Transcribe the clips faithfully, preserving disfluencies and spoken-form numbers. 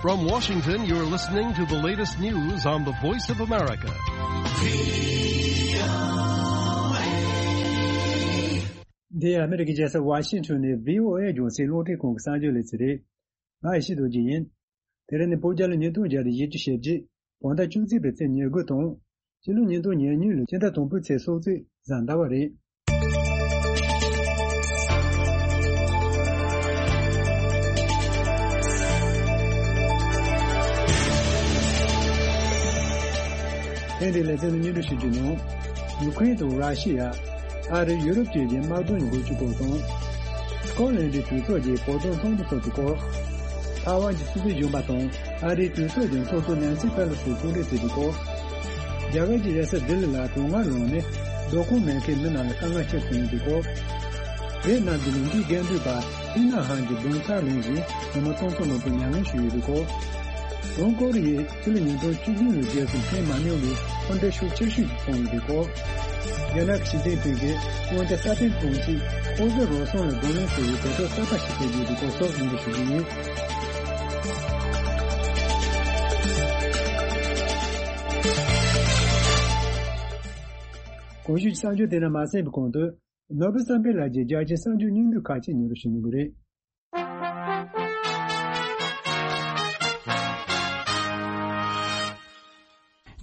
From Washington, you're listening to the latest news on the Voice of America. འདི་ཨ་མི་རི་ཀའི་རྒྱལ་ས་ཝ་ཤིང་ཊོན་ནས་ཝི་ཨོ་ཨེ་རྒྱང་སྲིང་རླུང་འཕྲིན་ཁང་གི་གསར་འགྱུར་ལས་ཚན་རེད། ང་ཡེ་ཤེས་རྡོ་རྗེ་ཡིན། དེ་རིང་ནི་བོད་རྒྱལ་ལོ་ཉིས་སྟོང་བརྒྱ་དང་བཞི་བཅུ་ཞེ་བརྒྱད། བོད་ཟླ་བཅུ་གཅིག་པའི་ཚེས་ཉེར་དགུ་དང་། ཕྱི་ལོ་ཉིས་སྟོང་ཉེར་གཉིས་ལོའི་ཕྱི་ཟླ་དང་པོའི་ཚེས་སོ་གཅིག་གཟའ་ཟླ་བ་རེད། ཐེངས་འདིའི་ལེ་ཚན་ནི་སྙན་སྒྲོན་ཞུ་རྒྱུ་ནང་། ཡུ་ཁུ་རེན་དང་ར་ཤི་ཡ། ཨ་རི་ཡུ་རོབ་བཅས་ཀྱི་དམག་དོན་གྱི་འགོ་ཁྲིད་སྐོར་དང་། སྐོ་ལན་ཌའི་གྲོས་ཚོགས་ཀྱི་བོད་དོན་ཚོགས་འདུ་འཚོགས་པའི་སྐོར། ཐའེ་ཝན་གྱི་སྲིད་འཛིན་གཞོན་པ་དང་ཨ་རིའི་གྲོས་ཚོགས་ཀྱི་ཚོགས་གཙོ་ནན་སི་ཕེ་ལོ་སི་གསུང་གྲོས་བྱས་པའི་སྐོར། རྒྱ་གར་གྱི་རྒྱལ་ས་ལྡི་ལི་ལ་གྲང་ངར་ལངས་ནས་སྡོད་ཁང་མེད་མཁན་མི་རྣམས་ལ་དཀའ་ངལ་ཁྱབ་སོང་ཡོད་པའི་སྐོར། ཝེ་ཏི་ནམ་གྱི་ལུང་འདྲེན་འགན་འཛིན་པ་ཏི་ན་ཧན་གྱི་རྡུང་ཚར་ལེན་བཞིན་ཉིན་མོ་སྟོང་ཚོ་མང་པོ་མྱ་ངན་བྱུང་ཡོད་པའི་སྐོར། བྱང་ཀོ་རི་ཡས་ཕྱི་ལོ་ཉིས་སྟོང་བཅུ་བདུན་ལོའི་རྗེས་སུ་འཕེན་མ་མྱོང་བའི་འཕོ་འགྲོས་ཤུགས་ཆེ་ཤོས་ཤིག་བྱུང་ཡོད་པའི་སྐོར། རྒྱ་ནག་གི་ཞི་ཅིན་ཕིང་གིས་དབང་ཆ་སྲ་བརྟན་གཏོང་ཆེད་ཨོ་རྩལ་རོགས་ཟོན་ལ་བགྲོ་གླེང་བྱེད་པའི་གོ་སྐབས་གསར་པ་ཞིག་སྤྲད་ཀྱི་ཡོད་པའི་སྐོར་སོགས་སྙན་སྒྲོན་ཞུ་རྒྱུ་ཡིན། གོང་ཞུས་ཀྱི་གསར་འགྱུར་དེ་རྣམས་མ་གསན་པའི་གོང་དུ། ནོར་བུ་བསམ་འཕེལ་ལགས་ཀྱིས་རྒྱ་ཆེའི་གསར་འགྱུར་སྙིང་བསྡུས་ཁག་ཅིག་སྙན་སྒྲོན་ཞུ་མྱོང་གི་རེད།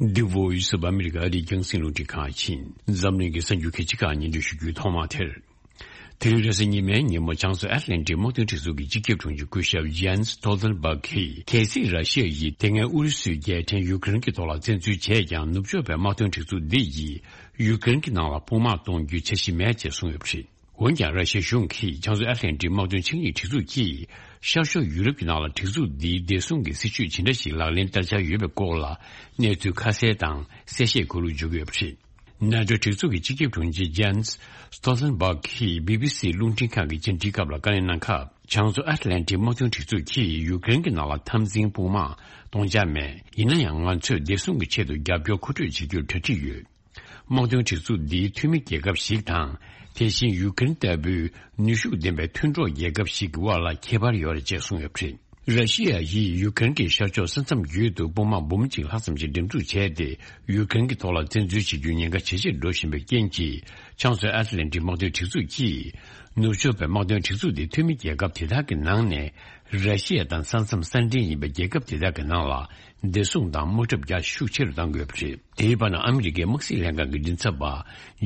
འདི་Voice of America ཨ་རིའི་རྒྱང་སྲིང་རླུང་འཕྲིན་ཁང་ཡིན། འཛམ་གླིང་གི་གསར་འགྱུར་གལ་ཆེ་ཁག་སྙན་སྒྲོན་ཞུ་རྒྱུའི་ཐོག་མ་དེར། དེ་རིང་རེས་གཟའ་ཉི་མའི་ཉིན་མོ་བྱང་མཚོ་ཨེཊ་ལན་ཊིག་དམག་དོན་སྒྲིག་འཛུགས་ཀྱི་སྤྱི་ཁྱབ་དྲུང་ཆེ་སྐུ་ཞབས་Jens Stoltenberg གིས། གལ་སྲིད་ར་ཤི་ཡ་ཡིས་དེ་སྔའི་ཨུ་རུ་སུའི་རྒྱལ་ཕྲན་ཡུ་ཀེ་རེན་གྱི་ཐོག་ལ་བཙན་འཛུལ་བྱས་ཀྱང་། ནུབ་ཕྱོགས་པའི་དམག་དོན་སྒྲིག་འཛུགས་འདི་ཡིས་ཡུ་ཀེ་རེན་གྱི་ནང་ལ་དཔུང་དམག་གཏོང་རྒྱུའི་འཆར་གཞི་མེད་ཅེས་གསུངས་ཡོད་པ་རེད། འོན་ཀྱང་། ར་ཤི་ཡའི་གཞུང་གིས་བྱང་མཚོ་ཨེཊ་ལན་ཊིག་དམག་དོན་ཆིངས་ཡིག་སྒྲིག་འཛུགས་ཀྱིས་ཤར་ཕྱོགས་ཡུ་རོབ་ཀྱི་ནང་ལ་སྒྲིག་འཛུགས་འདིའི་བདེ་སྲུང་གི་སྲིད་ཇུས་ཇི་འདྲ་ཞིག་ལག་ལེན་བསྟར་འཆར་ཡོད་པའི་སྐོར་ལ་གནས་ཚུལ་ཁ་གསལ་དང་གསལ་བཤད་དགོས་ལུགས་བརྗོད་ཀྱི་ཡོད་པ་རེད། ནེ་ཊོའི་སྒྲིག་འཛུགས་ཀྱི་སྤྱི་ཁྱབ་དྲུང་ཆེ་Jens Stoltenberg གིས་བྷི་བྷི་སི་རླུང་འཕྲིན་ཁང་གི་བཅར་འདྲིའི་སྐབས་ལ་བཀའ་ལན་གནང་སྐབས། བྱང་མཚོ་ཨེཊ་ལན་ཊིག་དམག་དོན་སྒྲིག་འཛུགས་ཀྱིས་ཡུ་ཀེ་རེན་གྱི་ནང་ལ་འཐབ་འཛིང་དཔུང་དམག་གཏོང་འཆར་མེད། ཡིན་ན་ཡང་། ང་ཚོས་བདེ་སྲུང་གི་ཆེད་དུ་རྒྱབ་སྐྱོར་མཁོ་སྤྲོད་བྱེད་རྒྱུར་གྲ་སྒྲིག་ཡོད། དམག་དོན་སྒྲིག་འཛུགས་འདིའི་འཐུས་མི་རྒྱལ་ཁབ་ཞིག་དང་། དེ་བཞིན་ཡུ་ཀེ་རེན་ལྟ་བུའི་ནུས་ཤུགས་ལྡན་པའི་མཐུན་གྲོགས་རྒྱལ་ཁབ་ཞིག་གི་དབར་ལ་ཁྱད་པར་ཡོད་རེད་ཅེས་གསུངས་ཡོད་པ་རེད། ར་ཤི་ཡ་ཡིས་ཡུ་ཀེ་རེན་གྱི་ཤར་ཕྱོགས་ས་མཚམས་བརྒྱུད་དུ་དཔུང་དམག་འབུམ་གཅིག་ལྷག་ཙམ་ཞིག་འགྲེམས་འཛུགས་བྱས་ཏེ། ཡུ་ཀེ་རེན་གྱི་ཐོག་ལ་བཙན་འཛུལ་བྱེད་རྒྱུའི་ཉེན་ཁ་ཇེ་ཆེར་འགྲོ་བཞིན་པའི་རྐྱེན་གྱིས། བྱང་མཚོའི་ཨེཊ་ལན་ཊིག་དམག་དོན་སྒྲིག་འཛུགས་ཀྱིས། ནུབ་ཕྱོགས་པའི་དམག་དོན་སྒྲིག་འཛུགས་དེ་འཐུས་མི་རྒྱལ་ཁབ་དེ་དག་གི་ནང་ནས། ར་ཤི་ཡ་དང་ས་མཚམས་གསར་འདྲེན་ཡིན་པའི་རྒྱལ་ཁབ་དེ་དག་གི་ནང་ལ། བདེ་སྲུང་དང་དམག་འཁྲབ་རྒྱ་ཤུགས་ཆེ་རུ་གཏང་དགོས་པ་རེད། དེའི་བར་ན། ཨ་མི་རི་ཀའི་དམག་སྲིད་ལྷན་ཁང་གི་མགྲིན་ཚབ་པ་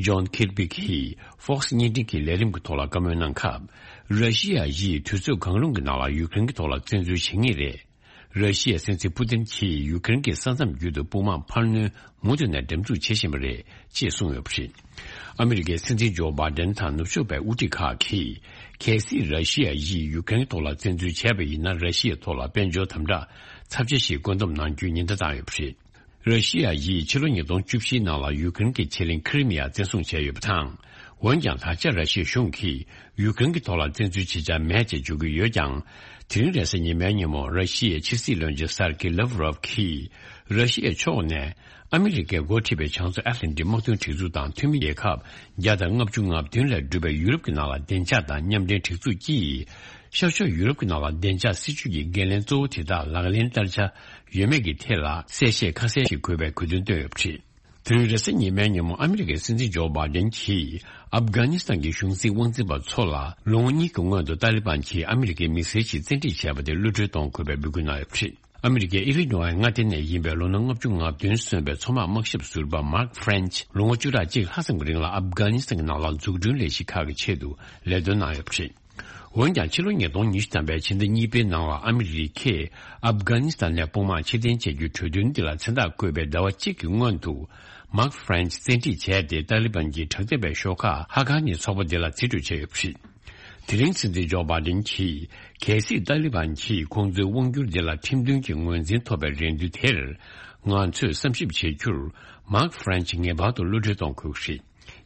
ཇོན་ཁིར་བི་གིས་ཧྥོག་སི་བརྙན་འཕྲིན་གྱི་ལས་རིམ་གྱི་ཐོག་ལ་བཀའ་མོལ་གནང་སྐབས། ར་ཤི་ཡ་ཡིས་དུས་ཚོད་གང་རུང་གི་ནང་ལ་ཡུ་ཀེ་རེན་གྱི་ཐོག་ལ་བཙན་འཛུལ་བྱེད་ངེས་རེད། ར་ཤི་ཡའི་སྲིད་འཛིན་པུ་ཏིན་གྱིས་ཡུ་ཀེ་རེན་གྱི་ས་མཚམས་བརྒྱུད་དུ་དཔུང་དམག་འཕར་སྣོན་མུ་མཐུད་ནས་འགྲེམས་འཛུགས་བྱེད་བཞིན་པ་རེད་ཅེས་གསུངས་ཡོད་པ་རེད། ཨ་མི་རི་ཀའི་སྲིད་འཛིན་ཇོ་བྷའི་ཌེན་དང་ནུབ་ཕྱོགས་པའི་དབུ་ཁྲིད་ཁག་གིས། གལ་སྲིད་ར་ཤི་ཡ་ཡིས་ཡུ་ཀེ་རེན་ཐོག་ལ་བཙན་འཛུལ་བྱས་པ་ཡིན་ན། ར་ཤི་ཡའི་ཐོག་ལ་དཔལ་འབྱོར་དམ་དྲག་ཚབས་ཆེ་ཞིག་བཀོད་འདོམས་གནང་རྒྱུའི་ཉེན་བརྡ་བཏང་ཡོད་པ་རེད། ར་ཤི་ཡ་ཡིས་ཕྱི་ལོ་ཉིས་སྟོང་བཅུ་བཞིའི་ནང་ལ་ཡུ་ཀེ་རེན་གྱི་ཆེད་གླིང་ཁི་རི་མི་ཡ་བཙན་བཟུང་བྱས་ཡོད་པ་དང་། འོན་ཀྱང་། ད་ཆ་ར་ཤི་ཡའི་གཞུང་གིས་ཡུ་ཀེ་རེན་གྱི་ཐོག་ལ་བཙན་འཛུལ་བྱེད་འཆར་མེད་ཅེས་བརྗོད་ཀྱི་ཡོད་ཀྱང་། དེ་རིང་རེས་གཟའ་ཉི་མའི་ཉིན་མོ། ར་ཤི་ཡའི་ཕྱི་སྲིད་བློན་ཆེན་སར་ཀི་ལབ་རོབ་ཀྱིས། ར་ཤི་ཡའི་ཕྱོགས་ནས། ཨ་མི་རི་ཀས་འགོ་ཁྲིད་པའི་བྱང་མཚོ་ཨེཊ་ལན་ཊིག་དམག་དོན་སྒྲིག་འཛུགས་དང་འཐུས་མི་རྒྱལ་ཁབ་བརྒྱ་དང་ལྔ་བཅུ་ང་བདུན་ལས་གྲུབ་པའི་ཡུ་རོབ་ཀྱི་ནང་ལ་བདེ་འཇགས་དང་མཉམ་འབྲེལ་སྒྲིག་འཛུགས་ཀྱིས། ཤར་ཕྱོགས་ཡུ་རོབ་ཀྱི་ནང་ལ་བདེ་འཇགས་སྲིད་ཇུས་ཀྱི་འགན་ལེན་གཙོ་བོ་དེ་དག་ལག་ལེན་བསྟར་འཆར་ཡོད་མེད་ཀྱི་ཐད་ལ། གསལ་བཤད་ཁ་གསལ་ཞིག་དགོས་པའི་དགོས་འདུན་བཏོན་ཡོད་པ་རེད། དེ་རིང་རེས་གཟའ་ཉི་མའི་ཉིན་མོ། ཨ་མི་རི་ཀའི་སྲིད་འཛིན་ཇོ་བྷའི་ཌེན་གྱིས། ཨབ་གྷ་ནི་སི་ཐན་གྱི་གཞུང་འཛིན་དབང་འཛིན་པ་ཚོ་ལ། ལོ་ངོ་གཉིས་ཀྱི་སྔོན་དུ་ཏཱ་ལི་བན་གྱིས་ཨ་མི་རི་ཀའི་མི་སེར་ཞིག་བཙན་ཁྲིད་བྱས་པ་དེ་གློད་གྲོལ་གཏོང་དགོས་པའི་འབོད་སྐུལ་གནང་ཡོད་པ་རེད། ཨ་མི་རི་ཀའི་ཨི་ལི་ནོའི་མངའ་སྡེ་ནས་ཡིན་པའི་ལོ་ན་ལྔ་བཅུ་ང་བདུན་སོན་པའི་མཚོ་དམག་དམག་ཞབས་ཟུར་པ་མཱག་ཧྥ་རན་ཆི། ལོ་ངོ་བཅུ་ཕྲག་གཅིག་ལྷག་ཙམ་གྱི་རིང་ལ་ཨབ་གྷ་ནི་སི་ཐན་གྱི་ནང་ལ་འཛུགས་སྐྲུན་ལས་གཞི་ཁག་གི་ཆེད་དུ་ལས་དོན་གནང་ཡོད་པ་རེད། འོན་ཀྱང་། ཕྱི་ལོ་ཉིས་སྟོང་ཉི་ཤུ་ཐམ་པའི་ཕྱི་ཟླ་གཉིས་པའི་ནང་ལ། ཨ་མི་རི་ཀས་ཨབ་གྷ་ནི་སི་ཐན་ནས་དཔུང་དམག་ཕྱིར་འཐེན་བྱ་རྒྱུའི་གྲོས་མཐུན་འདི་ལ་མཚན་རྟགས་བཀོད་པའི་ཟླ་བ་གཅིག་གི་སྔོན་དུ། མཱག་ཧྥ་རན་ཆི་བཙན་ཁྲིད་བྱས་ཏེ། ཏཱ་ལི་བན་གྱི་དྲག་འཐབ་པའི་ཤོག་ཁག་ཧ་ཀ་ནི་ཚོགས་པ་འདི་ལ་རྩིས་སྤྲོད་བྱས་ཡོད་པ་རེད། དེ་རིང་སྲིད་འཛིན་ཇོ་བྷའི་ཌེན་གྱིས། གལ་སྲིད་ཏཱ་ལི་བན་གྱིས་ཁོང་ཚོའི་དབང་སྒྱུར་འདི་ལ་ཁྲིམས་མཐུན་གྱི་ངོས་འཛིན་ཐོབ་པའི་རེ་འདུན་དེར། ང་ཚོས་བསམ་ཞིབ་བྱེད་རྒྱུར། མཱག་ཧྥ་རན་ཆི་ངེས་པར་དུ་གློད་གྲོལ་གཏོང་དགོས་ཀྱི་རེད།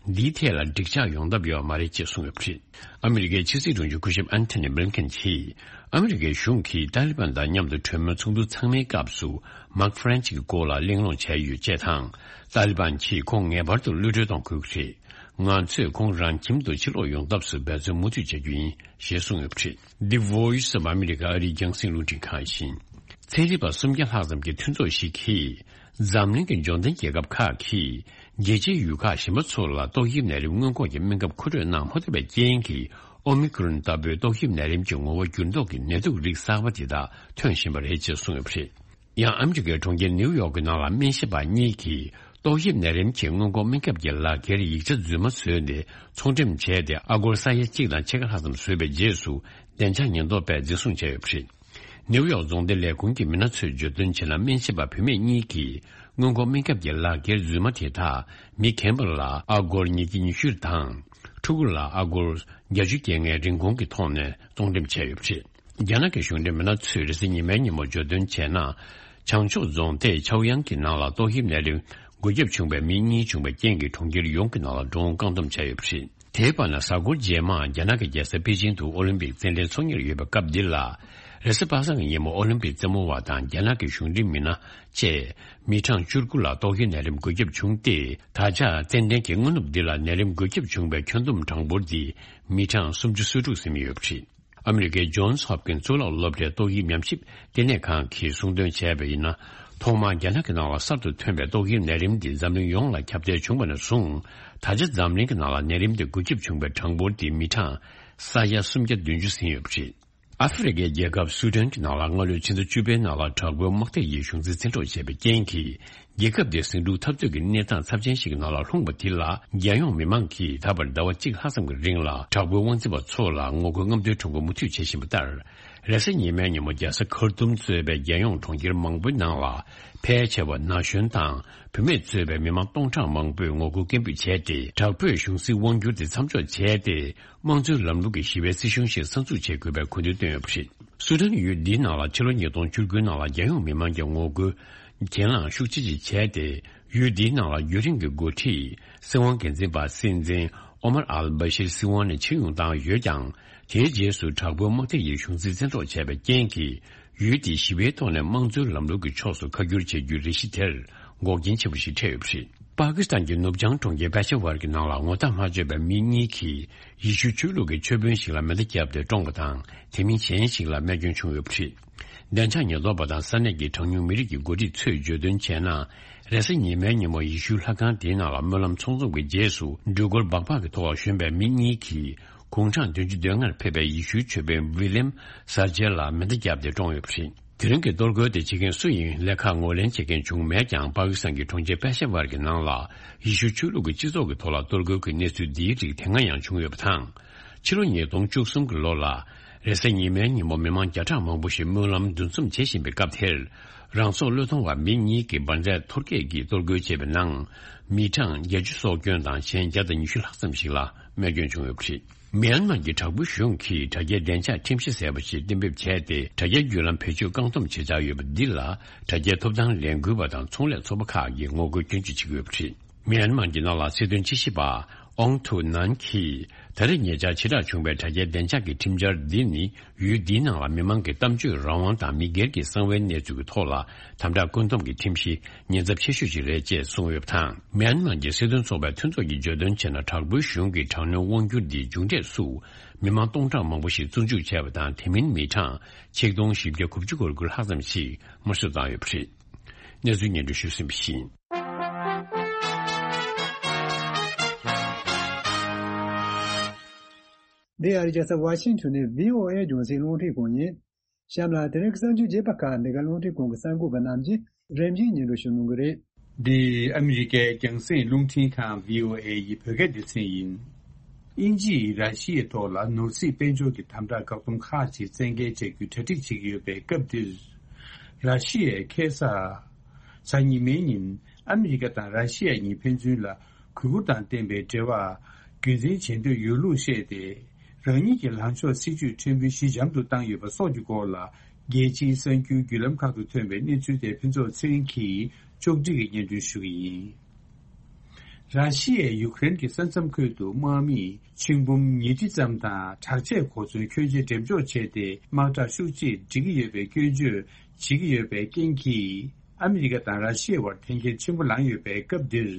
འདིའི་ཐད་ལ་འགྲིག་ཆགས་ཡོང་ཐབས་ཡོད་མ་རེད་ཅེས་གསུངས་ཡོད་པ་རེད། ཨ་མི་རི་ཀའི་ཕྱི་སྲིད་དྲུང་ཆེ་སྐུ་ཞབས་ཨན་ཐོ་ནི་བྷི་ལིན་ཀེན་གྱིས། ཨ་མི་རི་ཀའི་གཞུང་གིས་ཏཱ་ལི་བན་དང་མཉམ་དུ་གྲོས་མོལ་ཚོགས་འདུ་ཚང་མའི་སྐབས་སུ། མཱག་ཧྥ་རན་ཆི་གི་སྐོར་ལ་གླེང་སློང་བྱས་ཡོད་ཅེས་དང་། ཏཱ་ལི་བན་གྱིས་ཁོང་ངེས་པར་དུ་གློད་གྲོལ་གཏོང་དགོས་ཀྱི་རེད། ང་ཚོས་ཁོང་རང་ཁྱིམ་དུ་ཕྱིར་ལོག་ཡོང་ཐབས་སུ་འབད་བརྩོན་མུ་མཐུད་བྱ་རྒྱུ་ཡིན་ཞེས་གསུངས་ཡོད་པ་རེད། འདི་Voice of America ཨ་རིའི་རྒྱང་སྲིང་རླུང་འཕྲིན་ཁང་ཡིན། ཚན་རིག་པ་སུམ་བརྒྱ་ལྷག་ཙམ་གྱི་མཐུན་ཚོགས་ཤིག་གིས། འཛམ་གླིང་གི་འབྱོར་ལྡན་རྒྱལ་ཁབ་ཁག་གིས། རྒྱལ་སྤྱིའི་ཡུལ་ཁག་གཞན་པ་ཚོ་ལ་ཏོག་དབྱིབས་ནད་རིམས་སྔོན་འགོག་གི་སྨན་ཁབ་མཁོ་སྤྲོད་གནང་མ་ཐུབ་པའི་རྐྱེན་གྱིས། ཨོ་མི་ཀྲོན་ལྟ་བུའི་ཏོག་དབྱིབས་ནད་རིམས་ཀྱི་ངོ་བོ་འགྱུར་ལྡོག་གི་ནད་དུག་རིགས་གསར་པ་དེ་དག་ཐོན་བཞིན་པ་རེད་ཅེས་གསུངས་ཡོད་པ་རེད། ཡང་ཨ་མི་རི་ཀའི་གྲོང་ཁྱེར་ནེའུ་ཡོག་གི་ནང་ལ་སྨན་ཞིབ་པ་གཉིས་ཀྱིས། ཏོག་དབྱིབས་ནད་རིམས་ཀྱི་སྔོན་འགོག་སྨན་ཁབ་ཀྱི་ལག་འཁྱེར་ཡིག་ཆ་རྫུན་མ་བཟོས་ཏེ། ཚོང་འགྲེམས་བྱས་ཏེ། ཨ་སྒོར་ས་ཡ་གཅིག་དང་ཕྱེད་ཀ་ལྷག་ཙམ་བཟོས་པའི་རྗེས་སུ། བདེ་འཇགས་ཉེན་རྟོག་པས་འཛིན་བཟུང་བྱས་ཡོད་པ་རེད། ནེའུ་ཡོག་རྫོང་སྡེ་ལས་ཁུངས་ཀྱི་མི་སྣ་ཚོས་བརྗོད་དོན་བྱས་ན། སྨན་ཞིབ་པ་བུད་མེད་གཉིས་ཀྱིས། སྔོན་འགོག་སྨན་ཁབ་ཀྱི་ལག་འཁྱེར་རྫུན་མ་དེ་དག་མི་རྒན་པ་ལ་ཨ་སྒོར་ཉིས་བརྒྱ་ཉི་ཤུ་དང་། ཕྲུ་གུ་ལ་ཨ་སྒོར་བརྒྱད་ཅུ་གྱ་ལྔའི་རིན་གོང་གི་ཐོག་ནས་ཚོང་འགྲེམས་བྱས་ཡོད་པ་རེད། རྒྱ་ནག་གི་གཞུང་འབྲེལ་མི་སྣ་ཚོས་རེས་གཟའ་ཉི་མའི་ཉིན་མོ་བརྗོད་དོན་བྱས་ན། བྱང་ཕྱོགས་རྫོང་སྡེ་ཆའོ་དབྱང་གི་ནང་ལ་ཏོག་དབྱིབས་ནད་རིམས་འགོས་ཁྱབ་བྱུང་བའི་མི་གཉིས་བྱུང་བའི་རྐྱེན་གྱིས་གྲོང་ཁྱེར་ཡོངས་ཀྱི་ནང་ལ་འགྲོ་འོང་བཀག་སྡོམ་བྱས་ཡོད་པ་རེད། དེའི་བར་ན་གཟའ་འཁོར་རྗེས་མ་རྒྱ་ནག་གི་རྒྱལ་ས་པེ་ཅིང་དུ་ཨོ་ལིམ་པིག་རྩེད་འགྲན་ཚོགས་གཉེར་ཡོད་པའི་སྐབས་འདི་ལ། རེས་གཟའ་པ་སངས་ཀྱི་ཉིན་མོ་ཨོ་ལིམ་པིག་རྩེད་མོ་བ་དང་རྒྱ་ནག་གི་གཞུང་འབྲེལ་མི་སྣ་བཅས་མི་གྲངས་བཅུ་དགུ་ལ་ཏོག་དབྱིབས་ནད་རིམས་འགོས་ཁྱབ་བྱུང་སྟེ། ད་ཆ་རྩེད་འགྲན་གྱི་སྔ་ནུབ་འདི་ལ་ནད་རིམས་འགོས་ཁྱབ་བྱུང་བའི་ཁྱོན་བསྡོམས་གྲངས་འབོར་འདི་མི་གྲངས་སུམ་ཅུ་སོ་དྲུག་ཟིན་ཡོད་པ་རེད། ཨ་མི་རི་ཀའི་ཇོན་སི་ཧོབ་ཀིན་གཙུག་ལག་སློབ་གྲྭའི་ཏོག་དབྱིབས་ཉམས་ཞིབ་ལྟེ་གནས་ཁང་གིས་གསུངས་དོན་བྱས་པ་ཡིན་ན། ཐོག་མར་རྒྱ་ནག་གི་ནང་ལ་གསར་དུ་ཐོན་པའི་ཏོག་དབྱིབས་ནད་རིམས་འདི་འཛམ་གླིང་ཡོངས་ལ་ཁྱབ་གདལ་བྱུང་བ་ནས་བཟུང་། ད་ཆ་འཛམ་གླིང་གི་ནང་ལ་ནད་རིམས་འདི་འགོས་ཁྱབ་བྱུང་བའི་གྲངས་འབོར་འདི་མི་གྲངས་ས་ཡ་སུམ་བརྒྱ་བདུན་ཅུ་ཟིན་ཡོད་པ་རེད། ཨ་ཧྥེ་རི་ཁའི་རྒྱལ་ཁབ་སུ་ཌན་གྱི་ནང་ལ་སྔ་ལོའི་ཕྱི་ཟླ་བཅུ་པའི་ནང་ལ་དྲག་པོའི་དམག་སྡེ་ཡིས་གཞུང་འཛིན་བཙན་འཕྲོག་བྱས་པའི་རྐྱེན་གྱིས། རྒྱལ་ཁབ་དེ་ཟིང་འཁྲུག་འཐབ་རྩོད་ཀྱི་གནས་སྟངས་ཚབས་ཆེན་ཞིག་གི་ནང་ལ་ལྷུང་བ་དེ་ལ། རྒྱལ་ཡོངས་མི་མང་གིས་ད་བར་ཟླ་བ་གཅིག་ལྷག་ཙམ་གྱི་རིང་ལ་དྲག་པོའི་དབང་འཛིན་པ་ཚོ་ལ་ངོ་རྒོལ་རྔམ་སྟོན་ཁྲོམ་སྐོར་མུ་མཐུད་བྱེད་བཞིན་པ་ལྟར། རེས་གཟའ་ཉི་མའི་ཉིན་མོ་རྒྱལ་ས་ཁར་ཏུམ་གཙོས་པའི་རྒྱལ་ཡོངས་གྲོང་ཁྱེར་མང་པོའི་ནང་ལ། ཕལ་ཆེ་བ་ན་གཞོན་དང་བུད་མེད་གཙོས་པའི་མི་མང་སྟོང་ཕྲག་མང་པོས་ངོ་རྒོལ་སྐད་འབོད་བྱས་ཏེ། དྲག་པོས་གཞུང་སྲིད་དབང་བསྒྱུར་དེ་མཚམས་འཇོག་བྱས་ཏེ། དམངས་གཙོའི་ལམ་ལུགས་ཀྱི་ཞི་བའི་སྲིད་གཞུང་ཞིག་གསར་འཛུགས་བྱེད་དགོས་པའི་སྐུལ་འདེད་བཏོན་ཡོད་པ་རེད། སུ་ཌན་ཡུལ་འདིའི་ནང་ལ་ཕྱི་ལོ་ཉིས་སྟོང་བཅུ་དགུའི་ནང་ལ་རྒྱལ་ཡོངས་མི་མང་གི་ངོ་རྒོལ་གྱེན་ལངས་ཤུགས་ཆེ་ཅིག་བྱས་ཏེ། ཡུལ་འདིའི་ནང་ལ་རྒྱུན་རིང་གི་འགོ་ཁྲིད་སྲིད་དབང་སྒེར་འཛིན་པ་སྲིད་འཛིན་ཨོ་མར་ཨལ་བྷ་ཤིར་སྲིད་དབང་ནས་ཕྱིར་ཡོང་བཏང་ཡོད་ཀྱང་། དེའི་རྗེས་སུ་དྲག་པོའི་དམག་སྡེ་ཡིས་གཞུང་འཛིན་བཙན་འཕྲོག་བྱས་པའི་རྐྱེན་གྱིས། ཡུལ་དེའི་ཞི་བའི་ཐོག་ནས་དམངས་གཙོའི་ལམ་ལུགས་ཀྱི་ཕྱོགས་སུ་ཁ་བསྒྱུར་བྱེད་རྒྱུའི་རེ་ཞིག་དེར་འགོག་རྐྱེན་ཆེན་པོ་ཞིག་འཕྲད་ཡོད་པ་རེད། པ་ཀི་སི་ཐན་གྱི་ནུབ་བྱང་གྲོང་ཁྱེར་པེ་ཤ་ཝར་གྱི་ནང་ལ་ངོ་རྟགས་མ་བརྗོད་པའི་མི་གཉིས་ཀྱིས་ཡེ་ཤུ་ཆོས་ལུགས་ཀྱི་ཆོས་དཔོན་ཞིག་ལ་མེ་མདའ་བརྒྱབ་སྟེ་བཀྲོངས་པ་དང་། དེ་མིན་གཞན་ཞིག་ལ་རྨས་སྐྱོན་བྱུང་ཡོད་པ་རེད། བདེ་འཇགས་ཉེན་རྟོག་པ་དང་ས་གནས་ཀྱི་གྲངས་ཉུང་མི་རིགས་ཀྱི་འགོ་ཁྲིད་ཚོས་བརྗོད་དོན་བྱས་ན། རེས་གཟའ་ཉི་མའི་ཉིན་མོ་ཡེ་ཤུའི་ལྷ་ཁང་དེའི་ནང་ལ་སྨོན་ལམ་ཚོགས་འཛོམས་ཀྱི་རྗེས་སུ། འགྲུལ་འཁོར་སྦག་སྦག་གི་ཐོག་ཞོན་པའི་མི་གཉིས་ཀྱིས། དགུང་གྲངས་བདུན་ཅུ་དོན་ལྔར་ཕེབས་པའི་ཡེ་ཤུའི་ཆོས་དཔོན་ཝི་ལེམ་སར་ཇེ་ལ་མེ་མདའ་བརྒྱབ་སྟེ་བཀྲོངས་ཡོད་པ་རེད། དེ་རིང་གི་གཏོར་རྒོལ་དེ་བྱེད་མཁན་སུ་ཡིན་ལས་ཁག་ངོས་ལེན་བྱེད་མཁན་བྱུང་མེད་ཀྱང་། པ་ཀི་སི་ཐན་གྱི་གྲོང་ཁྱེར་པེ་ཤ་ཝར་གྱི་ནང་ལ་ཡེ་ཤུ་ཆོས་ལུགས་ཀྱི་སྤྱི་ཚོགས་ཀྱི་ཐོག་ལ་གཏོར་རྒོལ་གྱི་གནས་ཚུལ་འདིའི་རིགས་དེ་སྔ་ཡང་བྱུང་ཡོད་པ་དང་། ཕྱི་ལོ་ཉིས་སྟོང་བཅུ་གསུམ་གྱི་ལོ་ལ། རེས་གཟའ་ཉི་མའི་ཉིན་མོ་མི་མང་བརྒྱ་ཕྲག་མང་པོ་ཞིག་སྨོན་ལམ་འདུ་འཛོམས་བྱེད་བཞིན་པའི་སྐབས་དེར། རང་སྲོག་བློས་གཏོང་བ་མི་གཉིས་ཀྱིས་འབར་མདེལ་འཐོར་སྐད་ཀྱིས་གཏོར་རྒོལ་བྱས་པའི་ནང་། མི་གྲངས་བརྒྱད་ཅུ་སྲོག་སྐྱོན་དང་། གཞན་བརྒྱ་དང་ཉི་ཤུ་ལྷག་ཙམ་ཞིག་ལ་རྨས་སྐྱོན་བྱུང་ཡོད་པ་རེད། མི་ཡན་མར་གྱི་དྲག་པོའི་གཞུང་གིས་དྲ་རྒྱའི་བདེ་འཇགས་ཁྲིམས་གཞི་ཟེར་བ་ཞིག་གཏན་འབེབས་བྱས་ཏེ། དྲ་རྒྱའི་བརྒྱུད་ལམ་བེད་སྤྱོད་བཀག་སྡོམ་བྱེད་འཆར་ཡོད་པ་འདི་ལ། དྲ་རྒྱའི་ཐོབ་ཐང་ལས་འགུལ་བ་དང་ཚོང་ལས་ཚོགས་པ་ཁག་གིས་ངོ་རྒོལ་སྐྱོན་བརྗོད་བྱེད་ཀྱི་ཡོད་པ་རེད། མི་ཡན་མར་གྱི་ནང་ལ་སྲིད་དོན་དཔྱད་ཞིབ་པ་ཨོང་ཐུའུ་ནན་གྱིས། ད་རེས་ཉེ་ཆར་ཇེ་དྲག་བྱུང་བའི་དྲ་རྒྱའི་བདེ་འཇགས་ཀྱི་ཁྲིམས་འཆར་འདི་ནི། ཡུལ་འདིའི་ནང་ལ་མི་མང་གི་གཏམ་བརྗོད་རང་དབང་དང་མི་སྒེར་གྱི་གསང་བའི་གནས་ཚུལ་གྱི་ཐོག་ལ་དམ་དྲག་བཀོད་འདོམས་ཀྱི་ཁྲིམས་གཞི་ཉེན་ཚབས་ཆེ་ཤོས་ཤིག་རེད་ཅེས་གསུངས་ཡོད་པ་དང་། མི་ཡན་མར་གྱི་སྲིད་དོན་ཚོགས་པའི་མཐུན་ཚོགས་ཀྱིས་བརྗོད་དོན་བྱས་ན། དྲག་པོའི་གཞུང་གིས་དྲག་གནོན་དབང་སྒྱུར་འདིའི་མཇུག་འབྲས་སུ། མི་མང་སྟོང་ཕྲག་མང་པོ་ཞིག་བཙོན་འཇུག་བྱས་པ་དང་། དེ་མིན་མི་གྲངས་ཆིག་སྟོང་བཞི་བརྒྱ་དགུ་བཅུ་གོ་དགུ་ལྷག་ཙམ་ཞིག་དམར་གསོད་བཏང་ཡོད་པ་རེད། གནས་ཚུལ་སྙན་སྒྲོན་ཞུས་ཟིན་པ་ཡིན། འདི་ཨ་རི་རྒྱལ་ས་ཝ་ཤིང་ཊོན་ནས་བྷི་ཨོ་ཨེ་རྒྱང་སྲིང་རླུང་འཕྲིན་ཁང་ཡིན། གཤམ་ལ་དེ་རིང་གི་གསར་འགྱུར་རྒྱས་པ་ཁག་འདི་ག་རླུང་འཕྲིན་ཁང་གི་གསར་འགོད་པ་རྣམས་ཀྱིས་རིམ་བཞིན་སྙན་སྒྲོན་ཞུ་གནང་གི་རེད། འདི་ཨ་མི་རི་ཀའི་རྒྱང་སྲིང་རླུང་འཕྲིན་ཁང་བྷི་ཨོ་ཨེ་ཡི་བོད་སྐད་སྡེ་ཚན་ཡིན། དབྱིན་ཇི་ཡིས་ར་ཤི་ཡའི་ཐོག་ལ་ནོར་སྲིད་དཔལ་འབྱོར་གྱི་དམ་དྲག་བཀག་སྡོམ་ཁག་ཅིག་བཙན་འགེལ་བྱ་རྒྱུའི་གྲ་སྒྲིག་བྱེད་ཀྱི་ཡོད་པའི་སྐབས་འདིར། ར་ཤི་ཡས་ཁ་སང་གཟའ་ཉི་མའི་ཉིན་ཨ་མི་རི་ཀ་དང་ར་ཤི་ཡ་གཉིས་ཕན་ཚུན་ལ་གུས་བཀུར་དང་ལྡན་པའི་འབྲེལ་བ་རྒྱུན་འཛིན་བྱེད་འདོད་ཡོད་ལུགས་བཤད་དེ། རང་ཉིད་ཀྱི་ལངས་ཕྱོགས་སྲིད་ཇུས་ཕྲན་བུ་ཞི་འཇམ་དུ་བཏང་ཡོད་པ་སོགས་ཀྱི་སྐོར་ལ། རྒྱལ་སྤྱིའི་གསར་འགྱུར་བརྒྱུད་ལམ་ཁག་ཏུ་ཐོན་པའི་གནས་ཚུལ་དེ་ཕུན་ཚོགས་ཚེ་རིང་གིས་ཕྱོགས་སྒྲིག་གིས་སྙན་སྒྲོན་ཞུ་གི་ཡིན། ར་ཤི་ཡས་ཡུཀ་རེན་གྱི་ས་མཚམས་ཁུལ་དུ་དམག་མིས་ཆིག་འབུམ་ཉིས་ཁྲི་ཙམ་དང་དྲག་ཆས་གོ་མཚོན་ཁྱོན་ཆེ་འགྲེམས་འཇོག་བྱས་ཏེ། དམག་དྲག་ཤུགས་ཆེ་སྒྲིག་གི་ཡོད་པའི་སྐྱོན་བརྗོད་བྱེད་ཀྱི་ཡོད་པའི་རྐྱེན་གྱིས། ཨ་མི་རི་ཀ་དང་ར་ཤི་ཡའི་བར་འཐེན་འཁྱེར་ཆེན་པོ་ལངས་ཡོད་པའི་སྐབས་འདིར།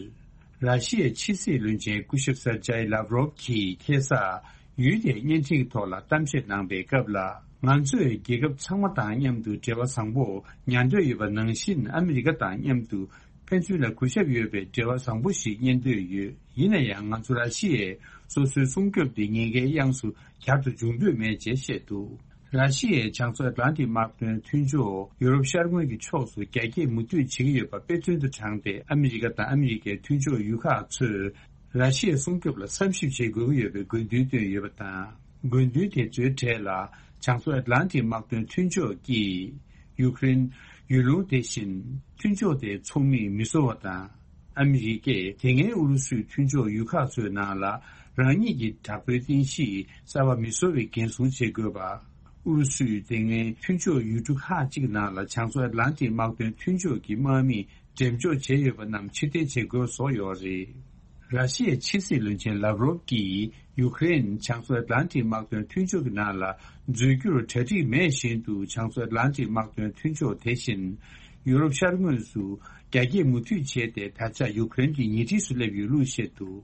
ར་ཤི་ཡའི་ཕྱི་སྲིད་བློན་ཆེན་སྐུ་ཞབས་སར་ཇའི་ལབ་རོབ་ཀྱིས་ཁ་སང་ ཡུལ་དེའི་བརྙན་འཕྲིན་གྱི་ཐོག་ལ་གཏམ་བཤད་གནང་པའི་སྐབས་ལ། ང་ཚོས་རྒྱལ་ཁབ་ཚང་མ་དང་མཉམ་དུ་འབྲེལ་བ་བཟང་པོ་ཉར་འདོད་ཡོད་པ་ནང་བཞིན། ཨ་མི་རི་ཀ་དང་མཉམ་དུ་ཕན་ཚུན་ལ་གུས་ཞབས་ཡོད་པའི་འབྲེལ་བ་བཟང་པོ་ཞིག་གཉེར་འདོད་ཡོད། ཡིན་ན་ཡང་། ང་ཚོ་ར་ཤི་ཡས་སོ་སོའི་སྲུང་སྐྱོབ་དེ་ཉེན་ཁའི་གཡང་སུ་གྱར་དུ་འཇུག་འདོད་མེད་ཅེས་བཤད་འདུག་ར་ཤི་ཡས་བྱང་མཚོ་ཨེཊ་ལན་ཊིག་དམག་དོན་མཐུན་ཕྱོགས་ཡུ་རོབ་ཤར་ངོས་ཀྱི་ཕྱོགས་སུ་རྒྱ་སྐྱེད་མུ་མཐུད་བྱེད་ཀྱི་ཡོད་པ་དཔེ་མཚོན་དུ་དྲངས་ཏེ། ཨ་མི་རི་ཀ་དང་ཨ་མི་རི་ཀའི་མཐུན་ཕྱོགས་ཡུལ་ཁག་ཚོས་ར་ཤི་ཡའི་སྲུང་སྐྱོབ་ལ་བསམ་ཞིབ་བྱེད་དགོས་ཀྱི་ཡོད་པའི་དགོས་འདུན་བཏོན་ཡོད་པ་དང་། དགོས་འདུན་དེ་ཚོའི་གྲས་ལ། བྱང་མཚོ་ཨེཊ་ལན་ཊིག་དམག་དོན་མཐུན་ཕྱོགས་ཀྱིས་ཡུཀ་རེན་ཡུལ་ལུང་དེ་བཞིན་མཐུན་ཕྱོགས་དེའི་ཚོགས་མིས་མི་བཟོ་བ་དང་། ཨ་མི་རི་ཀས་དེ་སྔའི་ཨུ་རུ་སུའི་མཐུན་ཕྱོགས་ཡུལ་ཁག་ཚོའི་ནང་ལ་རང་ཉིད་ཀྱི་དྲག་པོའི་རྟེན་གཞི་གསར་པ་མི་བཟོ་བའི་འགན་སྲུང་བྱེད་དགོས་པ། ཨུ་རུ་སུས་དེ་སྔའི་མཐུན་ཕྱོགས་ཡུལ་གྲུ་ཁག་ཅིག་ནང་ལ་བྱང་མཚོ་ཨེཊ་ལན་ཊིག་དམག་དོན་མཐུན་ཕྱོགས་ཀྱི་དམག་མིས་འགྲེམས་འཇོག་བྱས་ཡོད་པ་རྣམས་ཕྱིར་འཐེན་བྱེད་དགོས་སོགས་ཡོད་རེད། ར་ཤི་ཡའི་ཕྱི་སྲིད་བློན་ཆེན་ལབ་རོབ་ཀྱིས་ཡུཀ་རེན་བྱང་མཚོ་ཨེཊ་ལན་ཊིག་དམག་དོན་མཐུན་ཕྱོགས་ཀྱི་ནང་ལ་འཛུལ་རྒྱུར་གྲ་སྒྲིག་མེད་བཞིན་དུ། བྱང་མཚོ་ཨེཊ་ལན་ཊིག་དམག་དོན་མཐུན་ཕྱོགས་དེ་བཞིན་ཡུ་རོབ་ཤར་ངོས་སུ་རྒྱ་སྐྱེད་མུ་མཐུད་བྱས་ཏེ། ད་ཆ་ཡུཀ་རེན་གྱི་ཉེ་འཁྲིས་སུ་སླེབས་ཡོད་ལུགས་བཤད་འདུག་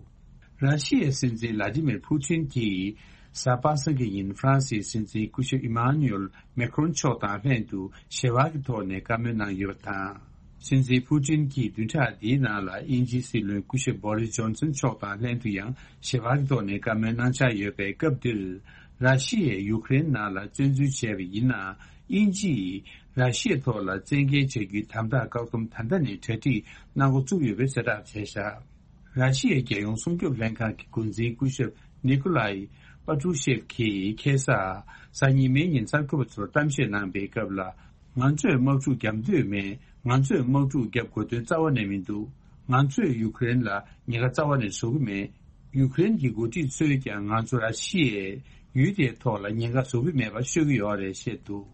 ར་ཤི་ཡའི་སྲིད་འཛིན་ལ་ཏི་མིར་ཕུ་ཏིན་གྱིས་གཟའ་པ་སངས་ཀྱི་ཉིན་ཧྥ་རན་སིའི་སྲིད་འཛིན་སྐུ་ཞབས་ཨི་མཱ་ནུ་ཨེལ་མེ་ཁྲོན་མཆོག་དང་ལྷན་དུ་ཞི་བ་གི་ཐོག་ནས་བཀའ་མོལ་གནང་ཡོད་པ་དང་། སྲིད་འཛིན་ཕུ་ཏིན་གྱིས་བདུན་ཕྲག་འདིའི་ནང་ལ་དབྱིན་ཇིའི་སྲིད་བློན་སྐུ་ཞབས་བྷོ་རིས་ཇོན་སན་མཆོག་དང་ལྷན་དུ་ཡང་ཞི་བ་གི་ཐོག་ནས་བཀའ་མོལ་གནང་འཆར་ཡོད་པའི་སྐབས་འདིར། ར་ཤི་ཡས་ཡུཀ་རེན་ནང་ལ་བཙན་འཛུལ་བྱས་པ་ཡིན་ན། དབྱིན་ཇིས་ར་ཤི་ཡའི་ཐོག་ལ་བཙན་འགེལ་བྱ་རྒྱུའི་དམ་དྲག་བཀག་སྡོམ་ད་ལྟ་ནས་གྲ་སྒྲིག་གནང་འགོ་བཙུགས་ཡོད་པའི་གསལ་བསྒྲགས་བྱས་བཞག་ར་ཤི་ཡའི་རྒྱལ་ཡོངས་སྲུང་སྐྱོབ་ལྷན་ཁང་གི་འགོ་འཛིན་སྐུ་ཞབས་ནི་ཀོ་ལའི་པ་ཏྲུ་ཤེབ་ཀྱིས་ཁ་སང་གཟའ་ཉི་མའི་ཉིན་གསར་འགོད་པ་ཚོར་གཏམ་བཤད་གནང་པའི་སྐབས་ལ། ང་ཚོས་དམག་འཁྲུག་བརྒྱབ་འདོད་མེད། ང་ཚོས་དམག་འཁྲུག་བརྒྱབ་དགོས་དོན་རྩ་བ་ནས་མི་འདུག་ང་ཚོས་ཡུཀ་རེན་ལ་ཉེན་ཁ་རྩ་བ་ནས་བཟོ་གི་མེད། ཡུཀ་རེན་གྱི་འགོ་ཁྲིད་ཚོས་ཀྱང་ང་ཚོ་ར་ཤི་ཡའི་ཡུལ་དེའི་ཐོག་ལ་ཉེན་ཁ་བཟོ་གི་མེད་པ་ཤོད་ཀྱི་ཡོད་རེད་བཤད་འདུག་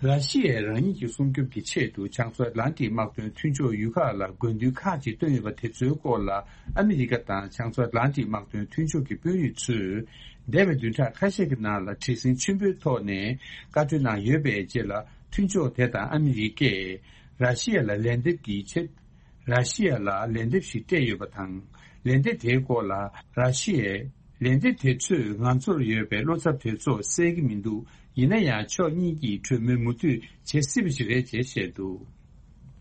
ར་ཤི་ཡས་རང་ཉིད་ཀྱི་སྲུང་སྐྱོབ་ཀྱི་ཆེད་དུ་བྱང་མཚོ་ཨེཊ་ལན་ཊིག་དམག་དོན་མཐུན་ཕྱོགས་ཡུལ་ཁག་ལ་དགོས་འདུན་ཁག་ཅིག་བཏོན་ཡོད་པ་དེ་ཚོའི་སྐོར་ལ། ཨ་མི་རི་ཀ་དང་བྱང་མཚོ་ཨེཊ་ལན་ཊིག་དམག་དོན་མཐུན་ཕྱོགས་ཀྱི་དཔོན་རིགས་ཚོས་འདས་པའི་བདུན་ཕྲག་ཁ་ཤས་ཀྱི་ནང་ལ་བྲེལ་ཟིང་ཆེན་པོའི་ཐོག་ནས་བཀའ་གྲོས་གནང་ཡོད་པའི་རྗེས་ལ། མཐུན་ཕྱོགས་དེ་དང་ཨ་མི་རི་ཀས་ར་ཤི་ཡ་ལ་ལན་འདེབས་ཀྱི་ཆེད། ར་ཤི་ཡ་ལ་ལན་འདེབས་ཤིག་སྤྲད་ཡོད་པ་དང་། ལན་འདེབས་དེའི་སྐོར་ལ་ར་ཤི་ཡས། ལན་འདེབས་དེ་ཚོས་ང་ཚོར་ཡོད་པའི་བློ་འཚབ་དེ་ཚོ་སེལ་གྱི་མི་འདུག་ཡིན་ན་ཡང་། ཕྱོགས་གཉིས་ཀྱིས་གྲོས་མོལ་མུ་མཐུད་བྱེད་སྲིད་པ་ཞིག་རེད་ཅེས་བཤད་འདུག་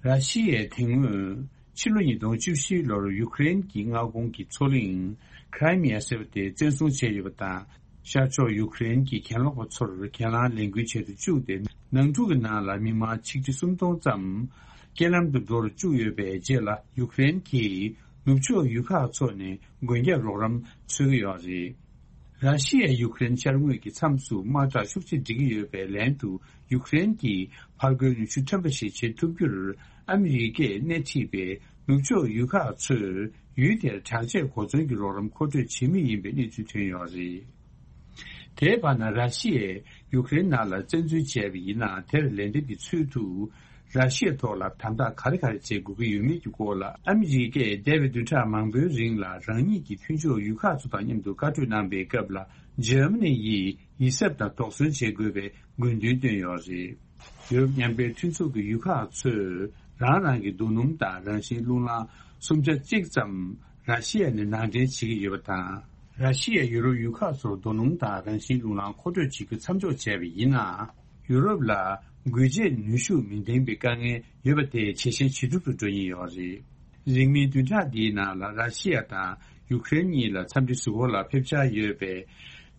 ར་ཤི་ཡས་དེ་སྔོན་ཕྱི་ལོ་ཉིས་སྟོང་བཅུ་བཞི་ལོར་ཡུཀ་རེན་གྱི་མངའ་ཁོངས་ཀྱི་མཚོ་གླིང་ཁི་རི་མི་ཡ་ཟེར་བ་དེ་བཙན་བཟུང་བྱས་ཡོད་པ་དང་། ཤར་ཕྱོགས་ཡུཀ་རེན་གྱི་གྱེན་ལོག་པ་ཚོར་གྱེན་ལངས་ལས་འགུལ་བྱེད་དུ་བཅུག་སྟེ། ནང་འཁྲུག་གི་ནང་ལ་མི་མང་ཆིག་ཁྲི་སུམ་སྟོང་ཙམ་རྐྱེན་ལམ་དུ་འགྲོ་རུ་བཅུག་ཡོད་པའི་རྗེས་ལ། ཡུཀ་རེན་གྱིས་ནུབ་ཕྱོགས་ཡུལ་ཁག་ཚོ་ནས་མགོན་སྐྱབས་རོགས་རམ་འཚོལ་གྱི་ཡོད་རེད། ར་ཤི་ཡས་ཡུཀ་རེན་ཤར་ངོས་ཀྱི་མཚམས་སུ་དམག་དྲག་ཤུགས་ཆེ་སྒྲིལ་གྱི་ཡོད་པའི་ལན་དུ། ཡུཀ་རེན་གྱིས་ཕར་རྒོལ་ནུས་ཤུགས་ཕྲན་བུ་ཞིག་བྱེད་ཐུབ་རྒྱུར། ཨ་མི་རི་ཀས་སྣེ་ཁྲིད་པའི་ནུབ་ཕྱོགས་ཡུལ་ཁག་ཚོས་ཡུལ་དེར་དྲག་ཆས་གོ་མཚོན་གྱི་རོགས་རམ་མཁོ་སྤྲོད་བྱེད་མུས་ཡིན་པའི་གནས་ཚུལ་ཐོན་ཡོད་རེད། དེའི་བར་ན། ར་ཤི་ཡས་ཡུཀ་རེན་ནང་ལ་བཙན་འཛུལ་བྱས་པ་ཡིན་ན། དེར་ལན་འདེབས་ཀྱི་ཚུལ་དུ། ར་ཤི་ཡའི་ཐོག་ལ་དམ་དྲག་ག་རེ་ག་རེ་བྱེད་དགོས་ཀྱི་ཡོད་མེད་ཀྱི་སྐོར་ལ། ཨ་མི་རི་ཀས་འདས་པའི་བདུན་ཕྲག་མང་པོའི་རིང་ལ་རང་ཉིད་ཀྱི་མཐུན་ཕྱོགས་ཡུལ་ཁག་ཚོ་དང་མཉམ་དུ་བཀའ་གྲོས་གནང་པའི་སྐབས་ལ། འཇར་མ་ནི་ཡིས་ཡིད་གཟབ་དང་དོགས་ཟོན་བྱེད་དགོས་པའི་དགོས་འདུན་བཏོན་ཡོད་རེད། ཡུ་རོབ་མཉམ་འབྲེལ་མཐུན་ཚོགས་ཀྱི་ཡུལ་ཁག་ཚོས་རང་རང་གི་རྡོ་སྣུམ་དང་རང་བཞིན་རླུང་རླངས་སུམ་ཆ་གཅིག་ཙམ་ར་ཤི་ཡ་ནས་ནང་འདྲེན་བྱེད་ཀྱི་ཡོད་པ་དང་། ར་ཤི་ཡས་ཡུ་རོབ་ཡུལ་ཁག་ཚོར་རྡོ་སྣུམ་དང་རང་བཞིན་རླུང་རླངས་མཁོ་སྤྲོད་བྱེད་རྒྱུ་མཚམས་འཇོག་བྱས་པ་ཡིན་ན། ཡུ་རོབ་ལ་འགུལ་སྐྱོད་ནུས་ཤུགས་མི་ལྡན་པའི་དཀའ་ངལ་ཡོད་པ་དེ་ཇེ་ཞན་ཇེ་སྡུག་ཏུ་འགྲོ་ཉེན་ཡོད་རེད། རིང་མིན་བདུན་ཕྲག་འདིའི་ནང་ལ་ར་ཤི་ཡ་དང་ཡུ་ཀེ་རེན་གཉིས་ལ་འཚམས་འདྲི་ཞུ་སྒོ་ལ་ཕེབས་འཆར་ཡོད་པའི་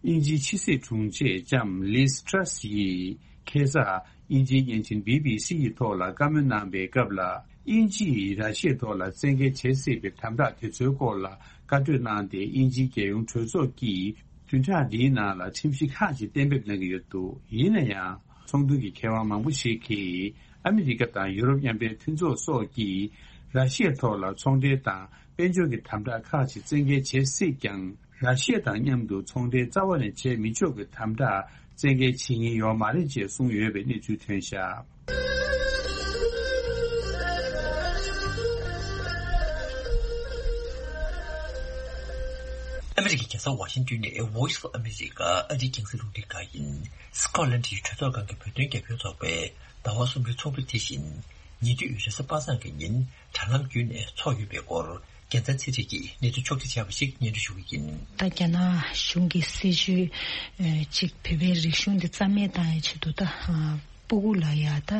དབྱིན་ཇིའི་ཕྱི་སྲིད་དྲུང་ཆེ་ལྕམ་ལིས་ཊྲ་སི་ཡིས་ཁ་སང་དབྱིན་ཇིའི་བརྙན་འཕྲིན་བྷི་བྷི་སི་ཡི་ཐོག་ལ་བཀའ་མོལ་གནང་པའི་སྐབས་ལ། དབྱིན་ཇི་ཡིས་ར་ཤི་ཡའི་ཐོག་ལ་བཙན་འགེལ་བྱེད་སྲིད་པའི་དམ་དྲག་དེ་ཚོའི་སྐོར་ལ་བཀའ་གྲོས་གནང་སྟེ། དབྱིན་ཇིའི་རྒྱལ་ཡོངས་གྲོས་ཚོགས་ཀྱིས་བདུན་ཕྲག་འདིའི་ནང་ལ་ཁྲིམས་གཞི་ཁག་ཅིག་གཏན་འབེབས་གནང་གི་ཡོད་འདུག་ཡིན་ན་ཡང་། ཚོགས་འདུ་གི་མཁས་དབང་མང་པོ་ཞིག་གིས། ཨ་མི་རི་ཀ་དང་ཡུ་རོབ་མཉམ་འབྲེལ་མཐུན་ཚོགས་སོགས་ཀྱིས་ར་ཤི་ཡའི་ཐོག་ལ་ཚོང་འབྲེལ་དང་དཔལ་འབྱོར་གྱི་དམ་དྲག་ཁག་ཅིག་བཙན་འགེལ་བྱེད་སྲིད་ཀྱང་། ར་ཤི་ཡ་དང་མཉམ་དུ་ཚོང་འབྲེལ་རྩ་བ་ནས་བྱེད་མི་ཆོག་གི་དམ་དྲག་བཙན་འགེལ་བྱེད་ཉེན་ཡོད་མ་རེད་ཅེས་གསུངས་ཡོད་པའི་གནས་ཚུལ་ཐོན་བཞག་ཨ་མི་རི་ཀའི་རྒྱལ་ས་ཝ་ཤིང་ཏོན་ནས་Voice of America ཨ་རིའི་རྒྱང་སྲིང་རླུང་འཕྲིན་ཁང་ཡིན། སི་ཀོ་ལན་ཌི་ཡི་གྲོས་ཚོགས་ཁང་གི་བོད་དོན་རྒྱབ་སྐྱོར་ཚོགས་པས་ཟླ་བ་གསུམ་པའི་ཚོགས་འདུ་དེ་བཞིན་ཉེ་དུས་རེས་གཟའ་པ་སངས་ཀྱི་ཉིན་དྲ་ལམ་བརྒྱུད་ནས་འཚོགས་ཡོད་པའི་སྐོར་ རྒྱལ་མཚན་ཚེ་རིང་གིས་གནས་ཚུལ་ཕྱོགས་བསྒྲིགས་བྱས་པ་ཞིག་སྙན་སྒྲོན་ཞུ་གི་ཡིན། ད་རྒྱ་ནག་གཞུང་གི་སྲིད་བྱུས་ཅིག་བོད་པའི་རིག་གཞུང་འདི་རྩ་མེད་བཏང་ཡའི་ཆེད་དུ་ད་སྤུ་གུ་ལ་ཡ་ད་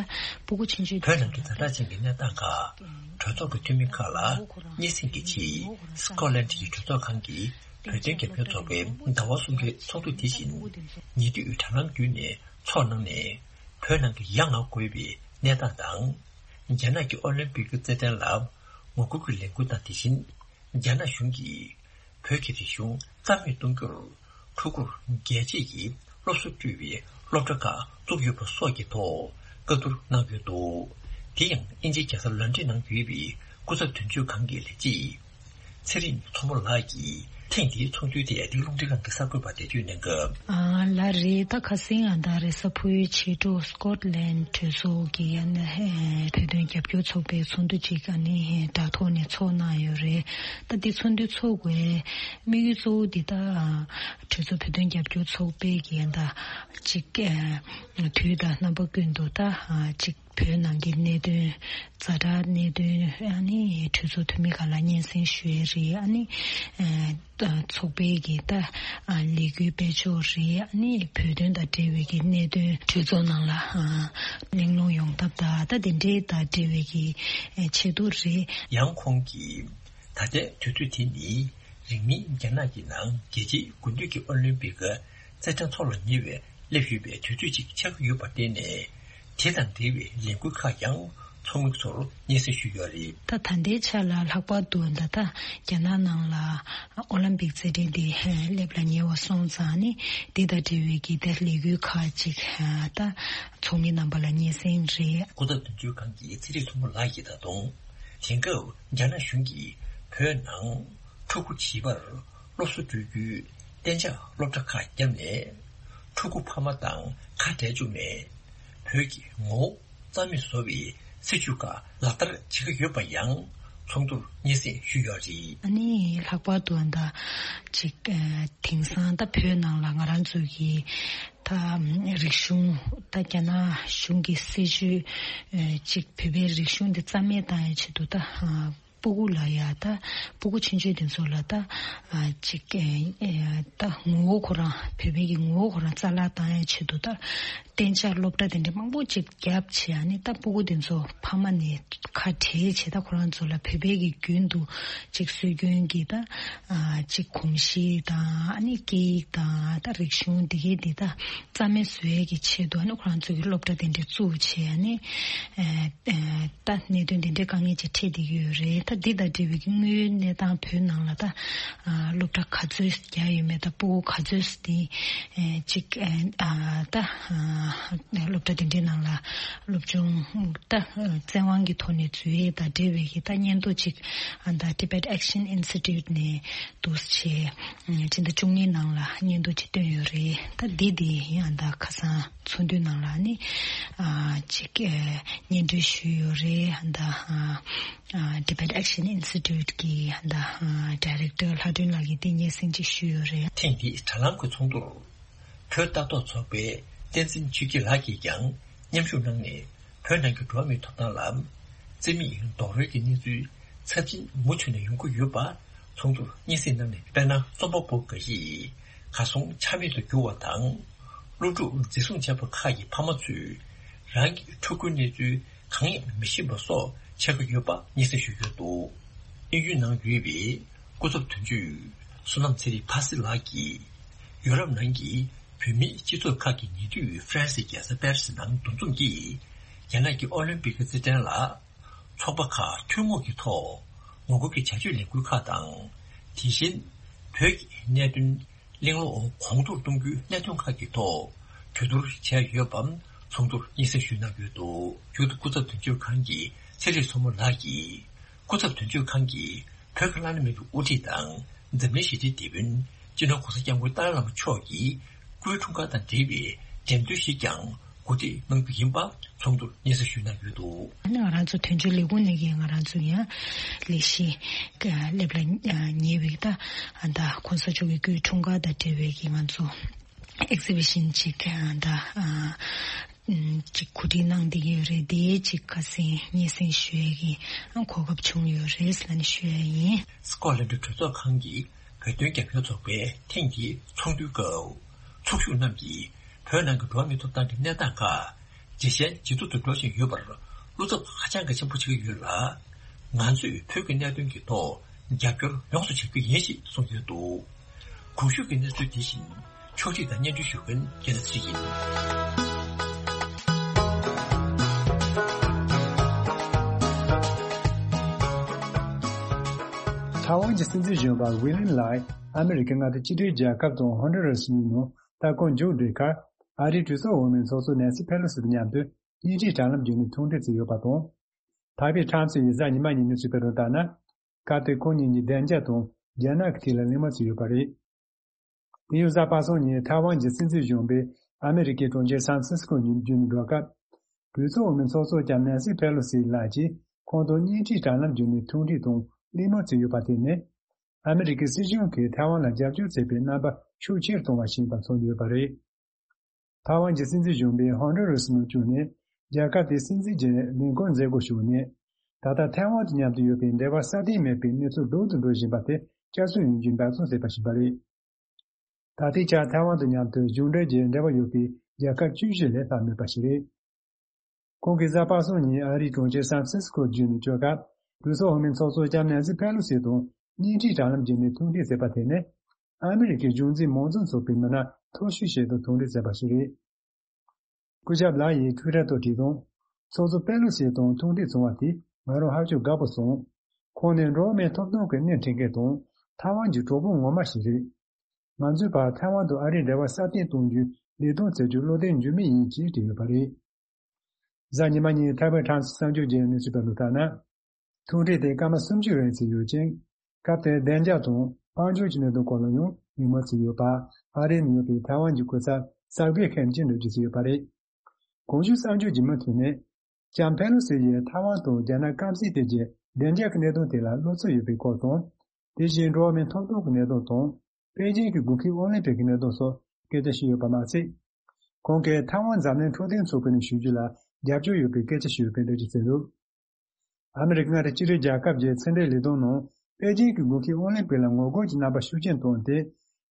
སྤུ་གུ་ཆུང་ཆུང་བོད་ནང་གི་ཛ་དྲག་ཅན་གྱི་གནས་སྟངས་ཁག་གྲོས་ཚོགས་ཀྱི་འཐུས་མི་ཁག་ལ་སྙན་སེང་གི་ཆེད་སི་ཀོ་ལན་གྱི་གྲོས་ཚོགས་ཁང་གི་བོད་དོན་རྒྱབ་སྐྱོར་ཚོགས་པའི་ཟླ་བ་གསུམ་པའི་ཚོགས་འདུ་དེ་བཞིན་ཉེ་དུས་དྲ་ལམ་བརྒྱུད་ནས་ཚོགས་གནང་ནས། བོད་ནང་གི་ཡ་ང་དགོས་པའི་གནས་སྟངས་དང་། རྒྱ་ནག་གི་ཨོ་ལིམ་པིག་རྩེད་འགྲན་ལ་ངོ་རྒོལ་གྱི་ལས་འགུལ་དང་། དེ་བཞིན་རྒྱ་ནག་གཞུང་གིས་བོད་ཀྱི་རིག་གཞུང་རྩ་མེད་གཏོང་རྒྱུར་ཕྲུ་གུར་རྒྱལ་གཅེས་ཀྱི་སློབ་གསོ་སྤྲོད་པའི་སློབ་གྲྭ་ཁག་བཙུགས་ཡོད་པ་སོགས་ཀྱི་ཐོག་བཀའ་བསྡུར་གནང་ཡོད་འདུག་དེ་ཡང་དབྱིན་ཇིའི་རྒྱལ་ས་ལོན་ཌོན་ནང་ཡོད་པའི་སྐུ་ཚབ་དོན་གཅོད་ཁང་གི་ལས་བྱེད། ཚེ་རིང་མཚོ་མོ་ལགས་ཀྱིས་ཐེངས་འདིའི་ཚོགས་འདུའི་ཐད་འདི་ག་རླུང་འཕྲིན་ཁང་གི་གསར་འགོད་པར་འགྲེལ་བརྗོད་གནང་སྐབས། ཨ་ལགས་རེད། ད་ཁ་སང་ཨ་ད་རེས་གཟའ་ཕུར་བུའི་ཕྱི་དྲོ་སི་ཀོཊ་ལན་གྲོས་ཚོགས་ཀྱི་ཨ་ནི་བོད་དོན་རྒྱབ་སྐྱོར་ཚོགས་པའི་ཚོགས་འདུ་ཅིག་ཨ་ནི་དྲ་ཐོག་ནས་ཚོགས་གནང་ཡོད་རེད། ད་འདི་ཚོགས་འདུ་ཚོགས་དགོས་དམིགས་ཡུལ་གཙོ་བོ་འདི་ད་གྲོས་ཚོགས་བོད་དོན་རྒྱབ་སྐྱོར་ཚོགས་པའི་གི་ཨ་ད་ཅིག་དུས་དང་རྣམ་པ་ཀུན་ཏུ་ད་ཅིག་བོད་ནང་གི་གནད་དོན། ཛ་དྲག་གནད་དོན། ཨ་ནི་གྲོས་ཚོགས་འཐུས་མི་ཁག་ལ་སྙན་སེང་ཞུ་ཡས་རེད། ཨ་ནི་ཨ་ཚོགས་པའི་གི་ད་ཨ་ལས་འགུལ་སྤེལ་ཕྱོགས་རེད། ཨ་ནི་བོད་དོན་དང་འབྲེལ་བའི་གི་གནད་དོན་གྲོས་ཚོགས་ནང་ལ་ཨ་གླེང་སློང་ཡོང་ཐབས་དང་ད་དེ་འདྲའི་དང་འབྲེལ་བའི་གི་ཨ་ཆེད་དུ་རེད། ཡང་ཁོང་གིས་ད་ལྟའི་དུས་ཚོད་དེ་ནི། རིང་མིན་རྒྱ་ནག་གི་ནང་རྒྱལ་སྤྱིའི་དགུན་དུས་ཀྱི་ཨོ་ལིམ་པིག་རྩེད་འགྲན་ཚོགས་ལ་ཉེ་བའི་སླེབས་ཡོད་པའི་དུས་ཚོད་ཅིག་ཆགས་ཀྱི་ཡོད་པར་བརྟེན་ནས། དེ་དང་འབྲེལ་བའི་ལས་འགུལ་ཁག་ཀྱང་ཚོགས་མི་ཚོར་སྙན་སེང་ཞུས་ཡོད་རེད། ད་ད་ལྟའི་ཆ་ལ་ལྷག་པར་དུ་ད་ལྟ་རྒྱ་ནག་ནང་ལ་ཨོ་ལིམ་པིག་རྩེད་འགྲན་དེ་སླེབས་ལ་ཉེ་བ་སོང་ཙང་ནི་དེ་དང་འབྲེལ་བའི་གི་ད་ལས་འགུལ་ཁག་ཅིག་ད་ཚོགས་མི་རྣམ་པ་ལ་སྙན་སེང་རེད། སྐུ་ཚབ་དོན་གཅོད་ཁང་གི་ཚེ་རིང་མཚོ་མོ་ལགས་ཀྱིས་ད་དུང་དེང་སྐབས་རྒྱ་ནག་གཞུང་གིས་བོད་ནང་ཕྲུ་གུ་བྱིས་པར་སློབ་གསོ་སྤྲོད་རྒྱུའི་གཏན་འཇགས་སློབ་གྲྭ་ཁག་བརྒྱབ་ནས། ཕྲུ་གུ་ཕ་མ་དང་ཁ་བྲལ་བཅུག་ནས། བོད་ཀྱི་ངོ་བོ་རྩ་མེད་བཟོ་བའི་སྲིད་བྱུས་ཁག་ལག་བསྟར་བྱེད་ཀྱི་ཡོད་པ་ཡང་ཚོགས་འདུར་སྙན་སེང་ཞུས་ཡོད་རེད། ཨ་ནི་ལྷག་པར་དུ་ཨ་ད་ཅིག་ཨ་དེང་སང་ད་བོད་ནང་ལ་ང་རང་ཚོ་གི་ད་རིག་གཞུང་ད་རྒྱ་ནག་གཞུང་གི་སྲིད་བྱུས་ཨ་ཅིག་བོད་པའི་རིག་གཞུང་འདི་རྩ་མེད་བཏང་ཡའི་ཆེད་དུ་ད་ཨ་སྤུ་གུ་ལ་ཡ་ད་སྤུ་གུ་ཆུང་ཆུང་དེ་ཚོ་ལ་ད་ཨ་ཅིག་ཨེ་ཨེ་ད་ངོ་བོ་ཁོ་རང་བོད་པའི་གི་ངོ་བོ་ཁོ་རང་རྩ་བརླག་བཏང་ཡའི་ཆེད་དུ་ད་གཏན་འཇགས་སློབ་གྲྭ་དེ་འདྲ་མང་པོ་ཅིག་བརྒྱབ་བྱས། ཨ་ནི་ད་སྤུ་གུ་དེ་ཚོ་ཕ་མ་ནས་ཁ་བྲལ་བྱས། ད་ཁོ་རང་ཚོ་ལ་བོད་པའི་གི་རྒྱུན་དུ་ཅིག་སྲོལ་རྒྱུན་གྱི་ད་ཨ་ཅིག་གོམས་གཤིས་དང་ཨ་ནི་སྐད་ཡིག་དང་ད་རིག་གཞུང་དེ་གའི་དེ་ད་རྩ་མེད་བཟོ་ཡས་ཀྱི་ཆེད་དུ་ཨ་ནི་ཁོ་རང་ཚོ་གི་སློབ་གྲྭ་དེ་འདྲ་བཙུགས་བྱས། ཨ་ནི་ཨ་ཨ་ད་གནད་དོན་དེ་འདྲའི་དཀའ་ངལ་ཅིག་འཕྲད་བསྡད་ཀྱི་ཡོད་རེད། ད་འདི་དང་འབྲེལ་བའི་གི་དངོས་ཡོད་གནས་སྟངས་བོད་ནང་ལ་ད་ཨ་སློབ་གྲྭ་ག་ཚོད་རྒྱག་ཡོད་མེད་དང་སྤུ་གུ་ག་ཚོད་དེ་ཨ་ཅིག་ཨ་ད་ཨ་སློབ་གྲྭ་དེ་འདྲའི་ནང་ལ་སློབ་སྦྱོང་ད་བཙན་དབང་གི་ཐོག་ནས་འཛུལ་ཡས་དང་འབྲེལ་བའི་གི་ད་སྙན་ཐོ་ཅིག་ཨ་ད་Tibet Action Institute ནས་འདུག་སེ་བྱས་ཕྱི་ཟླ་བཅུ་གཉིས་ནང་ལ་སྙན་ཐོ་ཅིག་བཏོན་ཡོད་རེད། ད་འདི་དེ་ཡང་ད་ཁ་སང་ཚོགས་འདུའི་ནང་ལ་ནི་ཨ་ཅིག་ཨ་སྙན་སྒྲོན་ཞུས་ཡོད་རེད། ད་ཨ་ཨ་Tibet Action Institute གི་ད་ཨ་Director ལྷ་སྒྲོན་ལགས་ཀྱིས་དེ་སྙན་སེང་ཅིག་ཞུས་ཡོད་རེད། ཐེངས་འདིའི་དྲ་ལམ་གྱི་ཚོགས་འདུར་བོད་ལྟ་རྟོག་ཚོགས་པའི་བསྟན་འཛིན་ཆོས་སྐྱིད་ལགས་ཀྱིས་ཀྱང་མཉམ་ཞུགས་གནང་ནས། བོད་ནང་གི་འགྲོ་བ་མིའི་ཐོབ་ཐང་ལ་བརྩི་མེད་རྡོག་རོལ་གྱི་གནས་ཚུལ་ཚབས་ཆེན་མུ་མཐུད་ནས་ཡོང་གི་ཡོད་པ་ཚོགས་འདུར་སྙན་སེང་གནང་ནས། དཔེར་ན། རྩོམ་པ་པོ་འགའ་ཞིག་གར་སོང་ཆ་མེད་དུ་གྱུར་བ་དང་། སློབ་ཕྲུག་འཛིན་བཟུང་བྱས་པ་ཁག་གི་ཕ་མ་ཚོས་རང་གི་ཕྲུ་གུའི་གནས་ཚུལ་གང་ཡང་མི་ཤེས་པ་སོགས་ཆགས་ཀྱི་ཡོད་པ་སྙན་སེང་ཞུས་ཡོད་འདུག་དབྱིན་ཡུལ་ནང་ཡོད་པའི་སྐུ་ཚབ་དོན་གཅོད་བསོད་ནམས་ཚེ་རིང་ཕ་སི་ལགས་ཀྱིས། ཡུ་རོབ་ནང་གི་བོད་མིའི་སྤྱི་ཚོགས་ཁག་གི་ཉེ་དུས་ཧྥ་རན་སིའི་རྒྱལ་ས་པེ་རི་སི་ནང་འདུ་འཛོམས་ཀྱིས། རྒྱ་ནག་གི་ཨོ་ལིམ་པིག་རྩེད་འགྲན་ལ་ཚོགས་པ་ཁག་ཐུན་མོང་གི་ཐོག་ངོ་རྒོལ་གྱི་བྱ་སྤྱོད་ལས་འགུལ་ཁག་དང་། དེ་བཞིན་བོད་ཀྱི་གནད་དོན་གླེང་སློང་གོང་མཐོར་གཏོང་རྒྱུའི་གནད་དོན་ཁག་གི་ཐོག་གྲོས་བསྡུར་བྱས་ཡོད་པའང་ཚོགས་འདུར་སྙན་སེང་ཞུས་གནང་ཡོད་འདུག་མཇུག་ཏུ་སྐུ་ཚབ་དོན་གཅོད་ཁང་གི་ཚེ་རིང་མཚོ་མོ་ལགས་ཀྱིས། སྐུ་ཚབ་དོན་གཅོད་ཁང་གིས་བོད་ཀྱི་བླ་ན་མེད་པའི་དབུ་ཁྲིད་དང་འཛམ་གླིང་ཞི་བདེའི་དེད་དཔོན་སྤྱི་ནོར་༧གོང་ས་༧སྐྱབས་མགོན་ཏཱ་ལའི་བླ་མ་མཆོག་གི་སྐུའི་འཁྲུངས་སྐར་དང་འབྲེལ་བའི་འགྲེམས་སྟོན་ཞིག་ཀྱང་གོ་སྒྲིག་གནང་རྒྱུ་ཡིན་པ་ཚོགས་འདུར་སྙན་སེང་ཞུས་གནང་ཡོད་འདུག་ཨ་ནི་ང་རང་ཚོ་དོན་གཅོད་ལས་ཁུངས་ནས་ཀྱི་ང་རང་ཚོ་ཡང་ལས་གཞི་སླེབས་ལ་ཉེ་བའི་ད་ད་༧གོང་ས་མཆོག་གི་སྐུའི་འཁྲུངས་སྐར་དང་འབྲེལ་བའི་གི་ང་ཚོ་ཨེག་ཛི་བི་ཤན་ཅིག་ད། ཅིག་གོ་སྒྲིག་གནང་བསྡད་ཡོད་རེད། དེ་ཅིག་ཁ་སང་སྙན་སེང་ཞུ་ཡས་ཀྱི་གོ་སྐབས་བྱུང་ཡོད་རེད་ལབ་ནས་ཞུ་ཡས་ཡིན། སི་ཀོ་ལན་ཌི་གྲོས་ཚོགས་ཁང་གི་བོད་དོན་རྒྱབ་སྐྱོར་ཚོགས་པའི་ཐེངས་འདིའི་ཚོགས་འདུའི་སྐབས། ཚོགས་ཞུགས་རྣམས་ཀྱིས་བོད་ནང་གི་འགྲོ་བ་མིའི་ཐོབ་ཐང་གི་གནས་སྟངས་ཁག་ཇེ་ཞན་ཇེ་སྡུག་ཏུ་འགྲོ་བཞིན་ཡོད་པར་བློ་འཚབ་ཧ་ཅང་གི་ཆེན་པོ་བྱེད་ཀྱི་ཡོད་ལ། ང་ཚོས་བོད་ཀྱི་གནད་དོན་གྱི་ཐོག་རྒྱབ་སྐྱོར་ཡོངས་སུ་བྱེད་རྒྱུ་ཡིན་ཞེས་གསུངས་ཡོད་འདུག། གོང་ཞུས་ཀྱི་གནས་ཚུལ་དེ་བཞིན་ཕྱོགས་སྒྲིག་དང་སྙན་སྒྲོན་ཞུ་མཁན་རྒྱལ་ལ་ཚེ་རིང་ཡིན། ཐའེ་ཝན་གྱི་སྲིད་འཛིན་གཞོན་པ་ཝི་ལིན་ལའེ་ཨ་མི་རི་ཀའི་མངའ་སྡེ་གཅིག་སྒྲིལ་རྒྱལ་ཁབ་དང་ཧོན་ཌུ་ར་སི་གཉིས་ནང་ལྟ་སྐོར་མཇུག་བསྒྲིལ་ཁར། ཨ་རིའི་གྲོས་ཚོགས་འོག་མའི་ཚོགས་གཙོ་ནན་སི་ཕེ་ལོ་སི་དང་མཉམ་དུ་བརྙན་འཕྲིན་དྲ་ལམ་བརྒྱུད་ནས་ཐུག་འཕྲད་བྱས་ཡོད་པ་དང་། ཐའེ་པེ་ཁྲམ་སི་ཡིས་གཟའ་ཉི་མ་ཉིན་གནས་ཚུལ་སྤེལ་དོན་ལྟར་ན། སྐབས་དེར་ཁོང་གཉིས་ཀྱིས་བདེ་འཇགས་དང་རྒྱ་ནག་གི་ཐད་ལ་གླེང་མོལ་བྱས་ཡོད་པ་རེད། དེ་ཡང་གཟའ་པ་སངས་ཉིན་ཐའེ་ཝན་གྱི་སྲིད་འཛིན་གཞོན་པས་ཨ་མི་རི་ཀའི་གྲོང་ཁྱེར་སན་ཧྥ་རན་སི་ཀོ་ཉིད་བརྒྱུད་ནས་འགྲོ་སྐབས། གྲོས་ཚོགས་འོག་མའི་ཚོགས་གཙོ་ལྕམ་ནན་སི་ཕེ་ལོ་སི་ལགས་ཀྱིས་ཁོང་དང་བརྙན་འཕྲིན་དྲ་ལམ་བརྒྱུད་ནས་ཐུག་འཕྲད་དང་གླེང་མོལ་བྱས་ཡོད་པ་དེ་ནི། ཨ་མི་རི་ཀའི་སྲིད་གཞུང་གིས་ཐའེ་ཝན་ལ་རྒྱབ་སྐྱོར་བྱེད་པའི་རྣམ་པ་ཤུགས་ཆེར་གཏོང་བ་ཞིག་ཡིན་པ་མཚོན་ཡོད་པ་རེད། ཐའེ་ཝན་གྱི་སྲིད་འཛིན་གཞོན་པས་ཧོན་ཌུ་རུ་སི་ནང་བསྐྱོད་ནས་རྒྱལ་ཁབ་དེའི་སྲིད་འཛིན་གྱི་ལས་འཁུར་མཛད་སྒོ་ཞུས་ནས། ད་ལྟ་ཐའེ་ཝན་དང་མཉམ་དུ་ཡོད་པའི་འབྲེལ་བ་སྲ་བརྟན་མེད་པའི་གནས་ཚུལ་སྡུག་ཏུ་འགྲོ་བཞིན་པ་དེ་བསྐྱར་གསོ་ཡོང་རྒྱུའི་འབད་བརྩོན་བྱས་པ་ཞིག་ཡིན་པ་རེད། ད་ལྟའི་ཆར་ཐའེ་ཝན་དང་མཉམ་དུ་གཞུང་འབྲེལ་གྱི་འབྲེལ་བ་ཡོད་པའི་རྒྱལ་ཁབ་བཅུ་བཞི་ལས་ལྷག་མེད་པ་ཞིག་རེད། ཁོང་གིས་གཟའ་པ་སངས་ཉིན་ཨ་རིའི་གྲོང་ཁྱེར་སན་ཧྥ་རན་སི་ཀོ་བརྒྱུད་ནས་བསྐྱོད་སྐབས། གྲོས་ཚོགས་འོག་མའི་ཚོགས་གཙོ་ལྕམ་ནན་སི་ཕེ་ལོ་སི་དང་བརྙན་འཕྲིན་དྲ་ལམ་བརྒྱུད་ནས་ཐུག་འཕྲད་བྱས་པ་དེ་ནི། ཨ་མི་རི་ཀའི་གཞུང་འཛིན་མང་གཙོ་ཚོགས་པའི་མི་སྣ་མཐོ་ཤོས་ཤིག་དང་ཐུག་འཕྲད་བྱས་པ་ཞིག་རེད། སྐུ་ཞབས་ལའེ་ཡིས་ཊུའི་ཊར་ཐོག་བྲིས་དོན། ཚོགས་གཙོ་པེ་ལོ་སི་དང་ཐུག་འཕྲད་བྱུང་བ་དེས་ང་རང་ཧ་ཅང་དགའ་པོ་སོང་། ཁོང་ནི་འགྲོ་བ་མིའི་ཐོབ་ཐང་གི་སྣེ་ཁྲིད་མཁན་དང་ཐའེ་ཝན་གྱི་གྲོགས་པོ་ངོ་མ་ཞིག་རེད། ང་ཚོའི་བར་ཐའེ་ཝན་དང་ཨ་རིའི་འབྲེལ་བ་སྲ་བརྟན་གཏོང་རྒྱུའི་ལས་དོན་བྱེད་རྒྱུར་བློ་གདེང་འཇུག་མུས་ཡིན་ཅེས་བྲིས་ཡོད་པ་རེད། གཟའ་ཉི་མ་ཉིན་ཐའེ་པེ་ཊའེམ་སི་གསར་འགྱུར་བརྒྱུད་ནས་གསུངས་པར་ལྟར་ན། ཐུག་འཕྲད་དེ་སྐར་མ་སུམ་ཅུ་རིང་ཚད་ཡོད་ཅིང་། སྐབས་དེར་བདེ་འཇགས་དང་དཔལ་འབྱོར་གྱི་གནད་དོན་སྐོར་ལ་ཡང་གླེང་མོལ་བྱས་ཡོད་པ། ཨ་རིར་ཡོད་པའི་ཐའེ་ཝན་གྱི་སྐུ་ཚབ་གསར་སྐུའི་ཁེམ་ཅིན་འགྲུལ་བཞུད་བྱས་ཡོད་པ་རེད། གོང་ཞུས་གསར་འགྱུར་གྱི་མུ་མཐུད་ནས། ལྕམ་ཕེ་ལོ་སི་ཡིས་ཐའེ་ཝན་དང་རྒྱ་ནག་སྐམ་སའི་ཐད་ཀྱི་བདེ་འཇགས་ཀྱི་གནད་དོན་དེ་ལ་བློ་འཚབ་ཡོད་པའི་སྐོར་དང་། དེ་བཞིན་འགྲོ་བ་མིའི་ཐོབ་ཐང་གི་གནད་དོན་དང་། པེ་ཅིང་གི་དགུན་ཁའི་ཨོ་ལིམ་པིག་གི་གནད་དོན་སོགས་སྐད་ཆ་བཤད་ཡོད་པ་མ་ཟད། ཁོང་གིས་ཐའེ་ཝན་འཛམ་གླིང་འཕྲོད་བསྟེན་ཚོགས་པའི་ནང་ཞུགས་རྒྱུ་ལ་རྒྱབ་སྐྱོར་ཡོད་པའི་སྐད་ཆ་ཞུས་ཡོད་པའི་འགྲེལ་བརྗོད་བྱས་འདུག། ཨ་མི་རི་ཀའི་མངའ་སྡེ་གཅིག་སྒྲིལ་རྒྱལ་ཁབ་ཀྱི་ཕྱི་འབྲེལ་ལས་དོན་ནང་པེ་ཅིང་གི་དགུན་ཁའི་ཨོ་ལིམ་པིག་ལ་ངོ་རྒོལ་གྱི་རྣམ་པ་ཤུགས་ཆེན་བཏོན་ཏེ།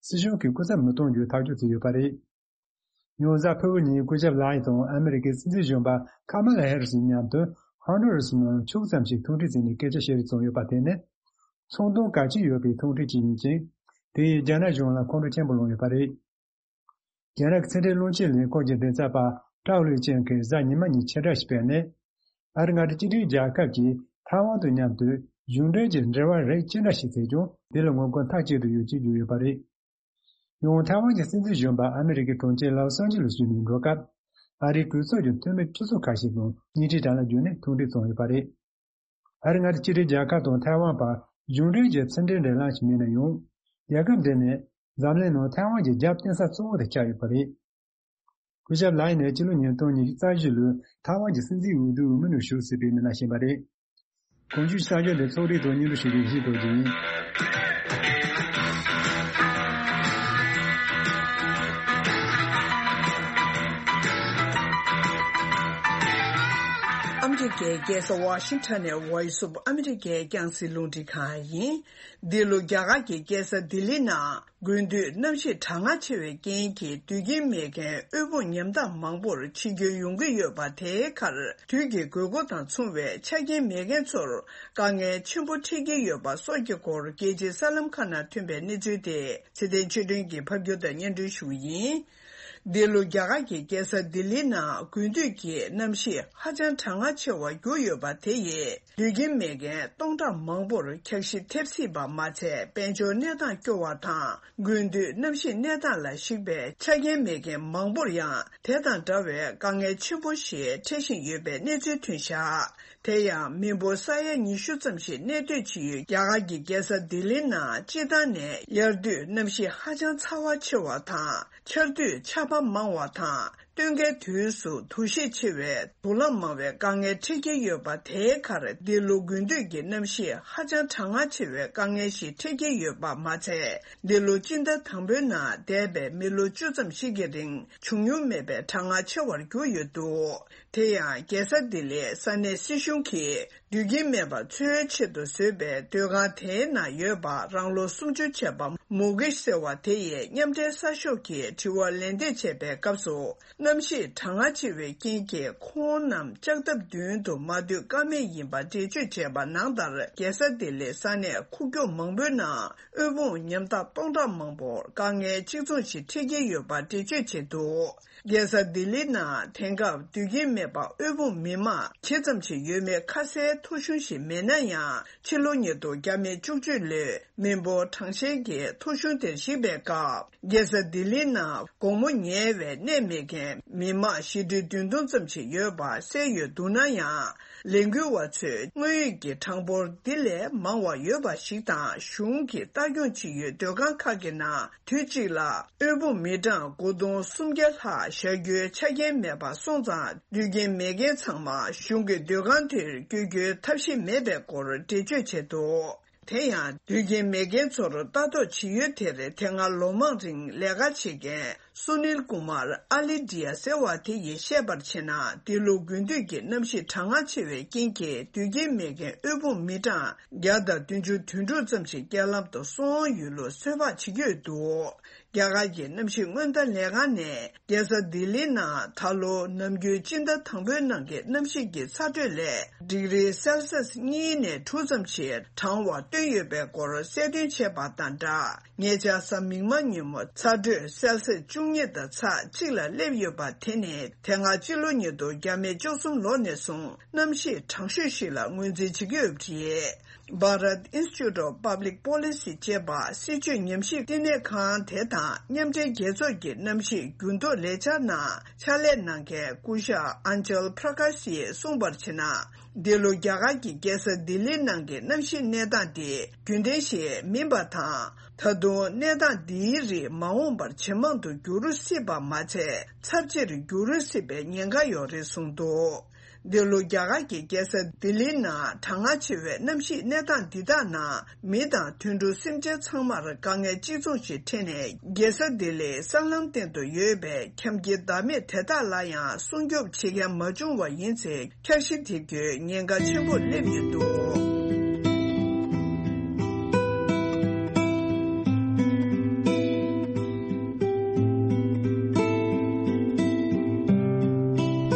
སྲིད་གཞུང་གིས་སྐུ་ཚབ་མི་གཏོང་རྒྱུའི་ཐག་གཅོད་བྱས་ཡོད་པ་རེད། ཡང་གཟའ་ཕུར་བུ་ཉིན་སྐུ་ཞབས་ལའེ་དང་ཨ་མི་རི་ཀའི་སྲིད་འཛིན་གཞོན་པ་ཁ་མ་ལ་ཧེ་རི་སི་མཉམ་དུ་ཧོན་ཌུ་རུ་སི་ནང་ཕྱོགས་ཙམ་ཞིག་ཐུག་འཕྲད་བྱས་ནས་སྐད་ཆ་བཤད་རེས་བྱུང་ཡོད་པ་དེ་ནི། ཚོང་དོན་གལ་ཆེ་ཡོད་པའི་ཐུག་འཕྲད་ཅིག་ཡིན་ཅིང་། དེ་ཡིས་རྒྱ་ནག་གཞུང་ལ་ཁོང་ཁྲོ་ཆེན་པོ་ལངས་ཡོད་པ་རེད། རྒྱ་ནག་གི་ཕྱི་འབྲེལ་བློན་ཆེན་ལས་ཁུངས་ཀྱི་མགྲིན་ཚབ་པ་ཀྲའོ་ལི་ཅན་གྱིས་གཟའ་ཉི་མ་ཉིན་ཕྱིར་བསྒྲགས་ཤིག་སྤེལ་ནས། ཨ་རི་མངའ་སྡེ་གཅིག་སྒྲིལ་རྒྱལ་ཁབ་ཀྱིས་ཐའེ་ཝན་དང་མཉམ་དུ་གཞུང་འབྲེལ་གྱི་འབྲེལ་བ་རིགས་ཅི་འདྲ་ཞིག་བྱས་ཀྱང་། དེ་ལ་ངོ་རྒོལ་མཐའ་གཅིག་ཏུ་ཡོད་ཅེས་བརྗོད་ཡོད་པ་རེད། ཡང་ཐའེ་ཝན་གྱི་སྲིད་འཛིན་གཞོན་པ་ཨ་མི་རི་ཀའི་གྲོང་ཁྱེར་ལོ་སི་ཨན་ཇི་ལིས་བརྒྱུད་ནས་འགྲོ་སྐབས། ཨ་རིའི་གྲོས་ཚོགས་ཀྱི་འཐུས་མི་ཁྱུ་ཚོགས་ཁ་ཤས་དང་བརྙན་འཕྲིན་དྲ་ལམ་བརྒྱུད་ནས་ཐུག་འཕྲད་བྱུང་ཡོད་པ་རེད། ཨ་རི་མངའ་སྡེ་གཅིག་སྒྲིལ་རྒྱལ་ཁབ་དང་ཐའེ་ཝན་བར་གཞུང་འབྲེལ་གྱི་ཕྱི་འབྲེལ་འབྲེལ་ལམ་ཞིག་མེད་ན་ཡང་། རྒྱལ་ཁབ་འདི་ནི་འཛམ་གླིང་ནང་ཐའེ་ཝན་གྱི་རྒྱབ་རྟེན་ས་གཙོ་བོ་དེ་ཆགས་ཡོད་པ་རེད། སྐུ་ཞབས་ལའེ་ནི་སྤྱི་ལོ་ཉིས་སྟོང་ཉི་ཤུ་རྩ་བཞི་ལོའི་ཐའེ་ཝན་གྱི་སྲིད་འཛིན་འོས་བསྡུའི་འོས་མི་ནང་ཞུགས་སྲིད་པའི་མི་སྣ་ཞིག་ཡིན་པ་རེད། གོང་ཞུས་གསར་འགྱུར་འདི་ཚོགས་སྒྲིག་དང་སྙན་སྒྲོན་ཞུ་རྒྱུ་ཡིན་ཞེས་འདོད་ཀྱི་ཡིན། ཨ་མི་རི་ཀའི་རྒྱལ་ས་ཝ་ཤིང་ཊོན་ནས་Voice of America་རྒྱང་སྲིང་རླུང་འཕྲིན་ཁང་ཡིན། འདི་ལོ་རྒྱ་གར་གྱི་རྒྱལ་ས་ལྡི་ལི་ནང་དགུན་དུས་གནམ་གཤིས་གྲང་ངར་ཆེ་བའི་རྐྱེན་གྱིས་དུས་རྒྱུན་མེད་མཁན་དབུལ་ཕོངས་ཉམ་ཐག་མང་པོར་འཆི་སྐྱོན་ཡོང་གི་ཡོད་པ། དེའི་ཁར་དུས་ཀྱི་དགོས་མཁོ་དང་མཚུངས་པའི་ཆ་རྐྱེན་མེད་མཁན་ཚོར་དཀའ་ངལ་ཆེན་པོ་འཕྲད་ཀྱི་ཡོད་པ་སོགས་ཀྱི་སྐོར་རྒྱལ་སྤྱིའི་གསར་ལམ་ཁག་ནང་ཐོན་པའི་གནས་ཚུལ་དེ་ཚེ་བརྟན་ཆོས་སྒྲོན་གྱིས་ཕབ་སྒྱུར་དང་སྙན་སྒྲོན་ཞུ་གི་ཡིན། འདི་ལོ་རྒྱ་གར་གྱི་རྒྱལ་ས་ལྡི་ལི་ནང་དགུན་དུས་ཀྱི་གནམ་གཤིས་ཧ་ཅང་གྲང་ངར་ཆེ་བར་གྱུར་ཡོད་པ་དེ་ཡིས་དུས་རྒྱུན་མེད་མཁན་སྟོང་ཕྲག་མང་པོར་འཁྱགས་ཤི་ཐེབས་སྲིད་པ་མ་ཚད། དཔལ་འབྱོར་གནས་སྟངས་སྐྱོ་བ་དང་། དགུན་དུས་གནམ་གཤིས་གནས་སྟངས་ལ་གཞིགས་པའི་ཆ་རྐྱེན་མེད་མཁན་མང་པོར་ཡང་དེ་དང་འདྲ་བའི་དཀའ་ངལ་ཆེན་པོ་ཞིག་འཕྲད་བཞིན་ཡོད་པའི་གནས་ཚུལ་ཐོན་བཞག། དེ་ཡང་མི་འབོར་ས་ཡ་ཉི་ཤུ་ཙམ་ཞིག་གནས་སྡོད་བྱེད་ཡུལ་རྒྱ་གར་གྱི་རྒྱལ་ས་ལྡི་ལི་ནང་སྤྱིར་བཏང་ནས་དབྱར་དུས་གནམ་གཤིས་ཧ་ཅང་ཚ་བ་ཆེ་བ་དང་། ཆར་དུས་ཆར་ པ་མང་བ་དང་། སྟོན་ཁའི་དུས་སུ་དུག་ཤེད་ཆེ་བའི་དུག་ལམ་མང་བའི་དཀའ་ངལ་འཕྲད་ཀྱི་ཡོད་པ། དེའི་ཁར་འདི་ལོ་དགུན་དུས་ཀྱི་གནམ་གཤིས་ཧ་ཅང་གྲང་ངར་ཆེ་བའི་དཀའ་ངལ་ཞིག་འཕྲད་ཀྱི་ཡོད་པ་མ་ཚད། འདི་ལོ་སྤྱི་ཟླ་དང་པོའི་ནང་འདས་པའི་མི་ལོ་བཅུ་ཙམ་ཞིག་གི་རིང་བྱུང་མྱོང་མེད་པའི་གྲང་ངར་ཆེ་བར་གྱུར་ཡོད་འདུག་དེ་ཡང་རྒྱལ་ས་ལྡི་ལིའི་ས་གནས་སྲིད་གཞུང་གིས་དུད་ཁྱིམ་མེད་པ་འཚོལ་ཆེད་དུ་བཟོས་པའི་སྡོད་ཁང་དེའི་ནང་ཡོད་པ། རང་ལོ་སུམ་ཅུ་བྱས་པ་མུ་གེ་ཟེར་བ་དེ་ཡིས་མཉམ་འབྲེལ་གསར་ཤོག་གི་དྲི་བར་ལན་འདེབས་བྱས་པའི་སྐབས་སུ། གནམ་གཤིས་གྲང་ངར་ཆེ་བའི་རྐྱེན་གྱིས་ཁོང་རྣམས་ལྕགས་ཐབ་མདུན་དུ་མ་སྡོད་ཀ་མེད་ཡིན་པ་འགྲེལ་བརྗོད་བྱས་པ་ནང་ལྟར། རྒྱལ་ས་ལྡི་ལིའི་ས་གནས་ཁུག་ཀྱོག་མང་པོའི་ནང་དབུལ་ཕོངས་ཉམ་ཐག་སྟོང་ཕྲག་མང་པོར་དཀའ་ངལ་གཅིག་མཚུངས་ཤིག་འཕྲད་ཀྱི་ཡོད་པ་འགྲེལ་བརྗོད་བྱས་འདུག་རྒྱལ་ས་ལྡི་ལི་ནང་དེང་སྐབས་སྡོད་ཁྱིམ་མེད་པ་དབུལ་ཕོངས་མི་མང་ཇི་ཙམ་ཞིག་ཡོད་མེད་ཁ་གསལ་ཐོ་གཞུང་ཞིག་མེད་ན་ཡང་། ཕྱི་ལོ་ཉིས་སྟོང་བརྒྱ་མེད་བཅུ་གཅིག་ལོའི་མི་འབོར་གྲངས་བཤེར་གྱི་ཐོ་གཞུང་དེར་གཞིགས་པའི་སྐབས། རྒྱལ་ས་ལྡི་ལི་ནང་དགོང་མོ་ཉལ་བའི་གནས་མེད་མཁན་མི་མང་བཞི་ཁྲི་བདུན་སྟོང་ཙམ་ཞིག་ཡོད་པ་གསལ་ཡོད་འདུག་ན་ཡང་། ལས་འགུལ་བ་ཚོས་དངོས་ཡོད་ཀྱི་གྲངས་འབོར་འདི་ལས་མང་བ་ཡོད་པ་ཞིག་དང་། གཞུང་གིས་ལྟ་སྐྱོང་བྱེད་ཡུལ་སྡོད་ཁང་ཁག་གི་ནང་དུས་གཅིག་ལ་དབུལ་ཕོངས་མི་གྲངས་དགུ་སྟོང་སུམ་བརྒྱ་ལྷག་བཞག་རྒྱུའི་ཆ་རྐྱེན་མེད་པ་སོང་ཙང་། སྡོད་མཁན་མེད་མཁན་ཚང་མ་གཞུང་གི་སྡོད་ཁང་དེར་བསྐྱོད་རྒྱུའི་ཐབས་ཤེས་མེད་པའི་སྐོར་འགྲེལ་བརྗོད་བྱས་འདུག་དེ་ཡང་སྡོད་མཁན་མེད་མཁན་ཚོར་ལྟ་རྟོག་བྱེད་ཡུལ་དེར་དེ་སྔ་ལོ་མང་རིང་ལས་ཀ་བྱེད་མཁན་སུ་ནིལ་ཀུ་མར་ཨ་ལི་ཏི་ཡ་ཟེར་བ་དེ་ཡིས་བཤད་པར་བྱས་ན། འདི་ལོ་དགུན་དུས་ཀྱི་གནམ་གཤིས་གྲང་ངར་ཆེ་བའི་རྐྱེན་གྱིས་སྡོད་ཁྱིམ་མེད་མཁན་དབུལ་ཕོངས་མི་གྲངས་བརྒྱ་དང་བདུན་ཅུ་དོན་དྲུག་ཙམ་ཞིག་རྐྱེན་ལམ་དུ་སོང་ཡོད་ལུགས་ཚོད་དཔག་བྱེད་ཀྱི་ཡོད་འདུག་རྒྱ་གར་གྱི་གནམ་གཤིས་སྔོན་བརྡ་ལས་ཁང་ནས། རྒྱལ་ས་ལྡི་ལི་ནང་ད་ལོ་ནམ་རྒྱུན་སྤྱི་ཟླ་དང་པོའི་ནང་གི་གནམ་གཤིས་ཀྱི་ཚ་དྲོད་ལས་ཌིག་རི་སེལ་སི་ཡས་གཉིས་ནས་དྲུག་ཙམ་ཞིག་གྲང་བ་བཏོན་ཡོད་པའི་སྐོར་གསལ་སྟོན་བྱས་པ་དང་སྦྲགས། ཉེ་ཆར་གཟའ་མིག་དམར་ཉིན་མོ་ཚ་དྲོད་སེལ་སི་ཡས་བཅུ་གཉིས་དང་ཚེག་གཅིག་ལ་སླེབས་ཡོད་པ་དེ་ནི་དེ་སྔ་སྤྱི་ལོ་ཉིས་སྟོང་བརྒྱ་མེད་བཅུ་གསུམ་ལོ་ནས་བཟུང་གནམ་གཤིས་གྲང་ཤོས་ཤིག་ལ་ངོས་འཛིན་བྱེད་ཀྱི་ཡོད་པ་རེད། Bharat Institute of Public Policy ཅེས་པ་སྲིད་བྱུས་ཉམས་ཞིབ་བསྟི་གནས་ཁང་དེ་དང་མཉམ་འབྲེལ་རྒྱལ་ཚོགས་ཀྱི་གནམ་གཤིས་འགྱུར་ལྡོག་ལས་འཆར་ནང་ཕྱག་ལས་གནང་མཁན་སྐུ་ཞབས་ཨན་ཅལ་པྲ་ཀཱཤ་ཡིས་གསུངས་པར་བྱས་ན། འདི་ལོ་རྒྱ་གར་གྱི་རྒྱལ་ས་ལྡི་ལི་ནང་གི་གནམ་གཤིས་གནས་སྟངས་དེ་རྒྱུན་ལྡན་ཞིག་མིན་པ་དང་། ད་དུང་གནས་སྟངས་འདིའི་རིགས་མ་འོངས་པར་ཇེ་མང་དུ་འགྱུར་སྲིད་པ་མ་ཚད། ཚབས་ཆེར་འགྱུར་སྲིད་པའི་ཉེན་ཁ་ཡང་རེད་གསུངས་འདུག་འདི་ལོ་རྒྱ་གར་གྱི་རྒྱལ་ས་ལྡི་ལིའི་ནང་གྲང་ངར་ཆེ་བའི་གནམ་གཤིས་གནས་སྟངས་འདི་དག་ནང་མི་དང་དུད་འགྲོ་སེམས་ཅན་ཚང་མར་དཀའ་ངལ་གཅིག་མཚུངས་ཤིག་འཕྲད་ནས། རྒྱལ་ས་ལྡི་ལིའི་གསར་ལམ་སྟེང་དུ་ཡོད་པའི་ཁྱིམ་དཀྱིལ་བདག་མེད་དེ་དག་ལ་ཡང་སྲུང་སྐྱོབ་བྱེད་མཁན་མ་བྱུང་བ་ཡིན་ཚེ། འཆར་གཞི་དེ་བརྒྱུད་ཉེན་ཁ་ཆེན་པོ་སླེབས་ཡོད་འདུག་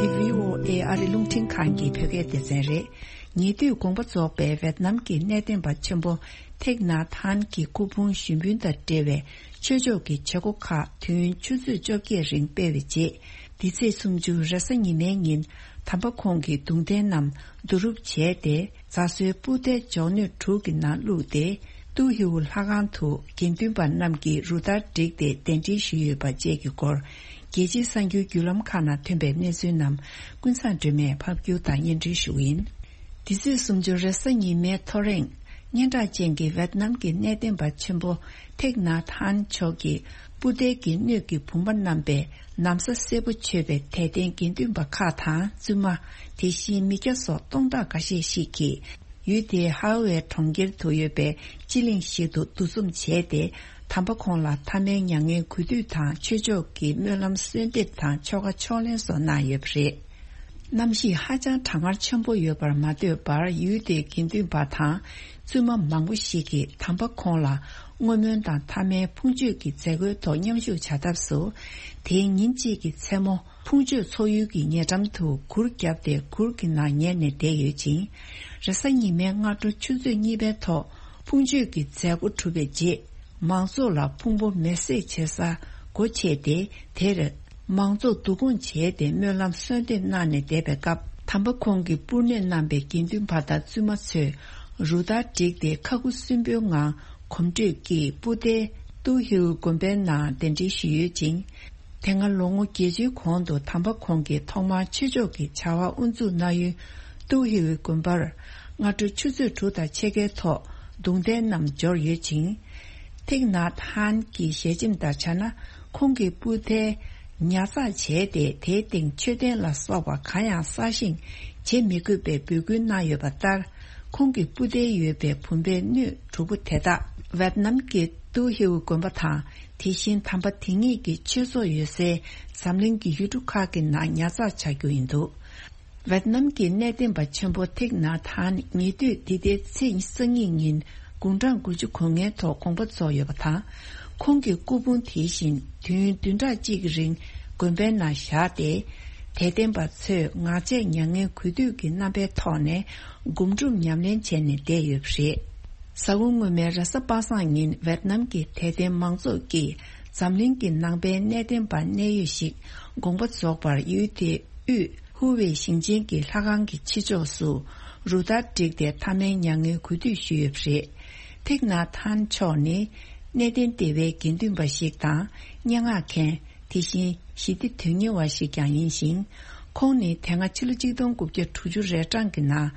འདི་བྷི་ཨོ་ཨེ་ཨ་རི་རླུང་འཕྲིན་ཁང་གི་བོད་སྐད་སྡེ་ཚན་རེད། ཉེ་དུས་དགོངས་པ་རྫོགས་པའི་ཝེད་ནམ་གྱི་གནས་བརྟན་པ་ཆེན་པོ་ཐེག་ནཱ་ཐཱན་གྱི་སྐུ་ཕུང་ཞུགས་འབུལ་དང་འབྲེལ་བའི་ཆོས་ཕྱོགས་ཀྱི་བྱེད་སྒོ་ཁག་དུས་ཡུན་ཆུ་ཚོད་བཅོ་བརྒྱད་རིང་སྤེལ་བའི་རྗེས། འདི་ཚེས་སུམ་ཅུ་རེས་གཟའ་ཉི་མའི་ཉིན། དམ་པ་ཁོང་གི་གདུང་རྟེན་རྣམས་བསྡུ་རུབ་བྱས་ཏེ། རྫ་བཟོའི་སྤུར་རྟའི་མགྱོགས་སྣོད་དྲུག་གི་ནང་བླུགས་ཏེ། ཏུའུ་ཧེའུ་ལྷ་ཁང་དུ་དགེ་འདུན་པ་རྣམས་ཀྱིས་རུ་སྟར་བསྒྲིགས་ཏེ་གདན་འདྲེན་ཞུས་ཡོད་པ་བཅས་ཀྱི་སྐོར། རྒྱལ་སྤྱིའི་གསར་འགྱུར་བརྒྱུད་ལམ་ཁག་ནང་ཐོན་པའི་གནས་ཚུལ་རྣམས་ཀུན་བཟང་སྒྲོལ་མས་ཕབ་སྒྱུར་དང་སྙན་སྒྲོན་ཞུ་གི་ཡིན། འདི་ཚེས་སུམ་ཅུ་རེས་གཟའ་ཉི་མའི་ཐོ་རེངས། སྙན་གྲགས་ཅན་གྱི་ཝེད་ནམ་གྱི་གནས་བརྟན་པ་ཆེན་པོ་ཐེག་ནཱ་ཐཱན་མཆོག་གི་སྤུར་རྟའི་དགེ་སྣོད་ཀྱི་བུམ་པ་བསྣམས་པའི་ན་བཟའ་སེར་པོ་མཆོད་པའི་དད་ལྡན་དགེ་འདུན་པ་ཁག་དང་བཙུན་མ། དེ་བཞིན་མི་སྐྱ་སོགས་སྟོང་ཕྲག་འགའ་ཤས་ཤིག་གིས། ཡུལ་དེའི་ཧའོ་ཝེ་གྲོང་ཁྱེར་དུ་ཡོད་པའི་སྤྱི་གླིང་ཞིག་ཏུ་འདུ་འཛོམས་བྱས་ཏེ། དམ་པ་ཁོང་ལ་ཐ་མའི་མྱ་ངན་གུས་འདུད་དང་ཆོས་ཕྱོགས་ཀྱི་སྨོན་ལམ་གསོལ་འདེབས་དང་ཆོ་ག་ཕྱག་ལེན་སོགས་གནང་ཡོད་པ་རེད། གནམ་གཤིས་ཧ་ཅང་གྲང་ངར་ཆེན་པོ་ཡོད་པར་མ་ལྟོས་པར། ཡུལ་དེའི་དགེ་འདུན་པ་དང་བཙུན་མ་མང་པོ་ཞིག་གིས་དམ་པ་ཁོང་ལ་བསྔོ་སྨོན་དང་ཐ་མའི་ཕུང་མཆོད་ཀྱི་མཛད་སྒོའི་ཐོག་མཉམ་ཞུགས་བྱ་ཐབས་སུ། དེའི་ཉིན་གཅིག་གི་མཚན་མོ། ཕུང་མཆོད་ཚོགས་ཡུལ་གྱི་ཉེ་འགྲམ་དུ་གུར་བརྒྱབ་སྟེ། གུར་གྱི་ནང་ཉལ་ནས་བསྡད་ཡོད་ཅིང་། རེས་གཟའ་ཉི་མའི་སྔ་དྲོ་ཆུ་ཚོད་གཉིས་པའི་ཐོག་ཕུང་མཆོད་ཀྱི་མཛད་སྒོ་གྲུབ་པའི་རྗེས། མང་ཚོགས་ལ་ཕུང་པོ་མེ་བསྲེགས་བྱེད་སར་སྒོ་ཕྱེ་སྟེ། དེར་མང་ཚོགས་བསྡུ་སྐོང་བྱས་ཏེ། སྨོན་ལམ་གསོལ་འདེབས་གནང་ནས་བསྡད་པའི་སྐབས། དམ་པ་ཁོང་གི་སྤུར་ནད་བསྣམས་པའི་དགེ་འདུན་པ་དང་བཙུན་མ་ཚོས་རུ་སྟར་བསྒྲིགས་ཏེ། ཁ་ཁུ་སིམ་པོའི་ངང་གོམ་བགྲོད་ཀྱིས་སྤུར་རྟའི་ཏུའུ་ཧེའུ་དགོན་པའི་ནང་གདན་འདྲེན་ཞུས་ཡོད་ཅིང་། དེ་སྔ་ལོ་ངོ་བརྒྱད་ཅུའི་གོང་དུ་དམ་པ་ཁོང་གིས་ཐོག་མར་ཆོས་ཕྱོགས་ཀྱི་བྱ་བ་དབུ་འཛུགས་གནང་ཡུལ་ཏུའུ་ཧེའུ་དགོན་པར་སྔ་དྲོ་ཆུ་ཚོད་དྲུག་དང་ཕྱེད་ཀའི་ཐོག་གདུང་རྟེན་རྣམས་འབྱོར་ཡོད་ཅིང་། ཐེག་ནཱ་ཐཱན་གྱི་ཞལ་ཆེམས་ལྟར་ཆ་ན། ཁོང་གི་སྤུར་རྟའི་ ཉར་ཚགས་བྱས་ཏེ། དེའི་སྟེང་མཆོད་རྟེན་ལ་སོགས་པ་གང་ཡང་གསར་བཞེངས་བྱེད་མི་དགོས་པའི་འབོད་སྐུལ་གནང་ཡོད་པ་ལྟར། ཁོང་གི་སྤུ་མདེལ་ཡོད་པའི་བུམ་པའི་སྣོད་དྲུག་པོ་དེ་དག་ཝེད་ནམ་གྱི་ཏུའུ་ཧེའུ་དགོན་པ་དང་། དེ་བཞིན་དམ་པ་དེ་ཉིད་ཀྱི་ཆོས་ཚོགས་ཡོད་སའི་འཛམ་གླིང་གི་ཡུལ་གྲུ་ཁག་གི་ནང་ཉར་ཚགས་བྱ་རྒྱུ་ཡིན་འདུག་ཝེད་ནམ་གྱི་གནས་བརྟན་པ་ཆེན་པོ་ཐིག་ནཱ་ཐཱན་ཉེ་དུས་འདི་ཟླའི་ཚེས་སང་ཉིན་དགུང་གྲངས་དགུ་བཅུ་གོ་ལྔའི་ཐོག་དགོངས་པ་རྫོགས་ཡོད་པ་དང་། ཁོང་གི་སྐུ་ཕུང་དེ་བཞིན་དུས་ཡུན་བདུན་ཕྲག་གཅིག་གི་རིང་དགོན་པའི་ནང་བཞག་སྟེ། དད་ལྡན་པ་ཚོས་ངག་བཅད་མྱ་ངན་གུས་འདུད་ཀྱི་རྣམ་པའི་ཐོག་ནས་སྒོམ་སྒྲུབ་ཉམས་ལེན་བྱས་ནས་བསྡད་ཡོད་པ་རེད། གཟའ་འཁོར་སྔོན་མའི་རེས་གཟའ་པ་སངས་ཉིན་ཝེད་ནམ་གྱི་དད་ལྡན་མང་ཚོགས་ཀྱིས་འཛམ་གླིང་གི་ནང་པའི་གནས་བརྟན་པ་གནད་ཡོད་ཞིག་དགོངས་པ་རྫོགས་པར། ཡུལ་དེའི་དབུས་ཧུ་ཝེ་ཞིང་ཆེན་གྱི་ལྷ་ཁང་གི་ཕྱི་ཕྱོགས་སུ་རུ་སྟར་བསྒྲིགས་ཏེ་མཐའ་མའི་མྱ་ངན་གུས་འདུད་ཞུས་ཡོད་པ་རེད། ཐིག་ནཱ་ཐཱན་མཆོག་ནི་གནས་བརྟན་སྡེ་བའི་དགེ་འདུན་པ་ཞིག་དང་། སྙན་ངག་མཁན། དེ་བཞིན་ཞི་བདེ་དོན་གཉེར་བ་ཞིག་ཀྱང་ཡིན་ཞིང་། ཁོང་ནི་དེ་སྔ་ཕྱི་ལོ་གཅིག་སྟོང་དགུ་བརྒྱ་དྲུག་ཅུ་རེ་གྲངས་ཀྱི་ནང་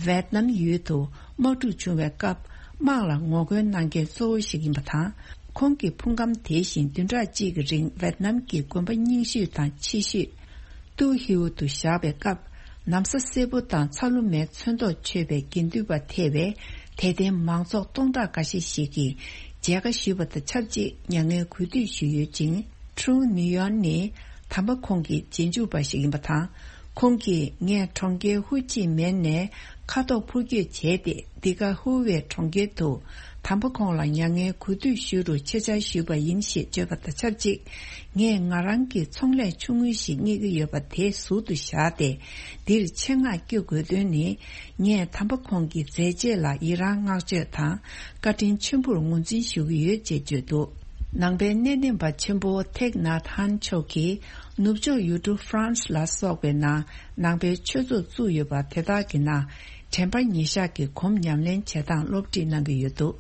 ཝེད་ནམ་ཡུལ་དུ་དམག་འཁྲུག་བྱུང་བའི་སྐབས་དམག་ལ་ངོ་རྒོལ་གནང་མཁན་གཙོ་བོ་ཞིག་ཡིན་པ་དང་། ཁོང་གི་ཕུང་ཁམས་དེ་བཞིན་བདུན་ཕྲག་གཅིག་གི་རིང་ཝེད་ནམ་གྱི་དགོན་པ་རྙིང་ཤོས་དང་ཆེ་ཤོས་ཏུའུ་ཧེའུ་དུ་བཞག་པའི་སྐབས། ན་བཟའ་སེར་པོ་དང་ཚ་ལུ་མའི་ཚོན་མདོག་མཆོད་པའི་དགེ་འདུན་པ་ཐེ་བའི་དད་ལྡན་མང་ཚོགས་སྟོང་ཕྲག་འགའ་ཤས་ཤིག་གིས་མཇལ་ཁ་ཞུས་པ་དང་ཆབས་ཅིག་མྱ་ངན་གུས་འདུད་ཞུས་ཡོད་ཅིང་། ཁྲུང་ནིའུ་ཡོན་ནི་དམ་པ་ཁོང་གི་རྗེས་འཇུག་པ་ཞིག་ཡིན་པ་དང་། ཁོང་གིས་ངས་གྲོང་ཁྱེར་ཧུ་ཅི་མིན་ནས་ཁ་ཐོག་འཕུར་སྐྱོད་བྱས་ཏེ། འདི་ག་ཧུ་ཝེ་གྲོང་ཁྱེར་དུ་དམ་པ་ཁོང་ལ་མྱ་ངན་གུས་འདུད་ཞུ་རུ་ཆེད་བཅར་ཞུས་པ་ཡིན་ཞེས་བརྗོད་པ་དང་ཆབས་ཅིག་ངས་ང་རང་གི་ཚོང་ལས་ཆུང་ངུ་ཞིག་གཉེར་གྱི་ཡོད་པ་དེ་ཟུར་དུ་བཞག་སྟེ། འདིར་ཆེད་མངགས་སྐྱོད་དགོས་དོན་ནི། ངས་དམ་པ་ཁོང་གི་མཛད་རྗེས་ལ་ཡི་རང་བསྔགས་བརྗོད་དང་བཀའ་དྲིན་ཆེན་པོར་ངོས་འཛིན་ཞུ་གི་ཡོད་ཅེས་བརྗོད་འདུག་ནང་པའི་གནས་བརྟན་པ་ཆེན་པོ་ཐེག་ནཱ་ཐཱན་མཆོག་གིས་ནུབ་ཕྱོགས་ཡུལ་གྲུ་ཧྥ་རན་སི་ལ་སོགས་པའི་ནང་ནང་པའི་ཆོས་ཚོགས་བཙུགས་ཡོད་པ་དེ་དག་གི་ནང་དྲན་པ་ཉེར་བཞག་གི་སྒོམ་ཉམས་ལེན་བྱེད་སྟངས་སློབ་ཁྲིད་གནང་གི་ཡོད་འདུག་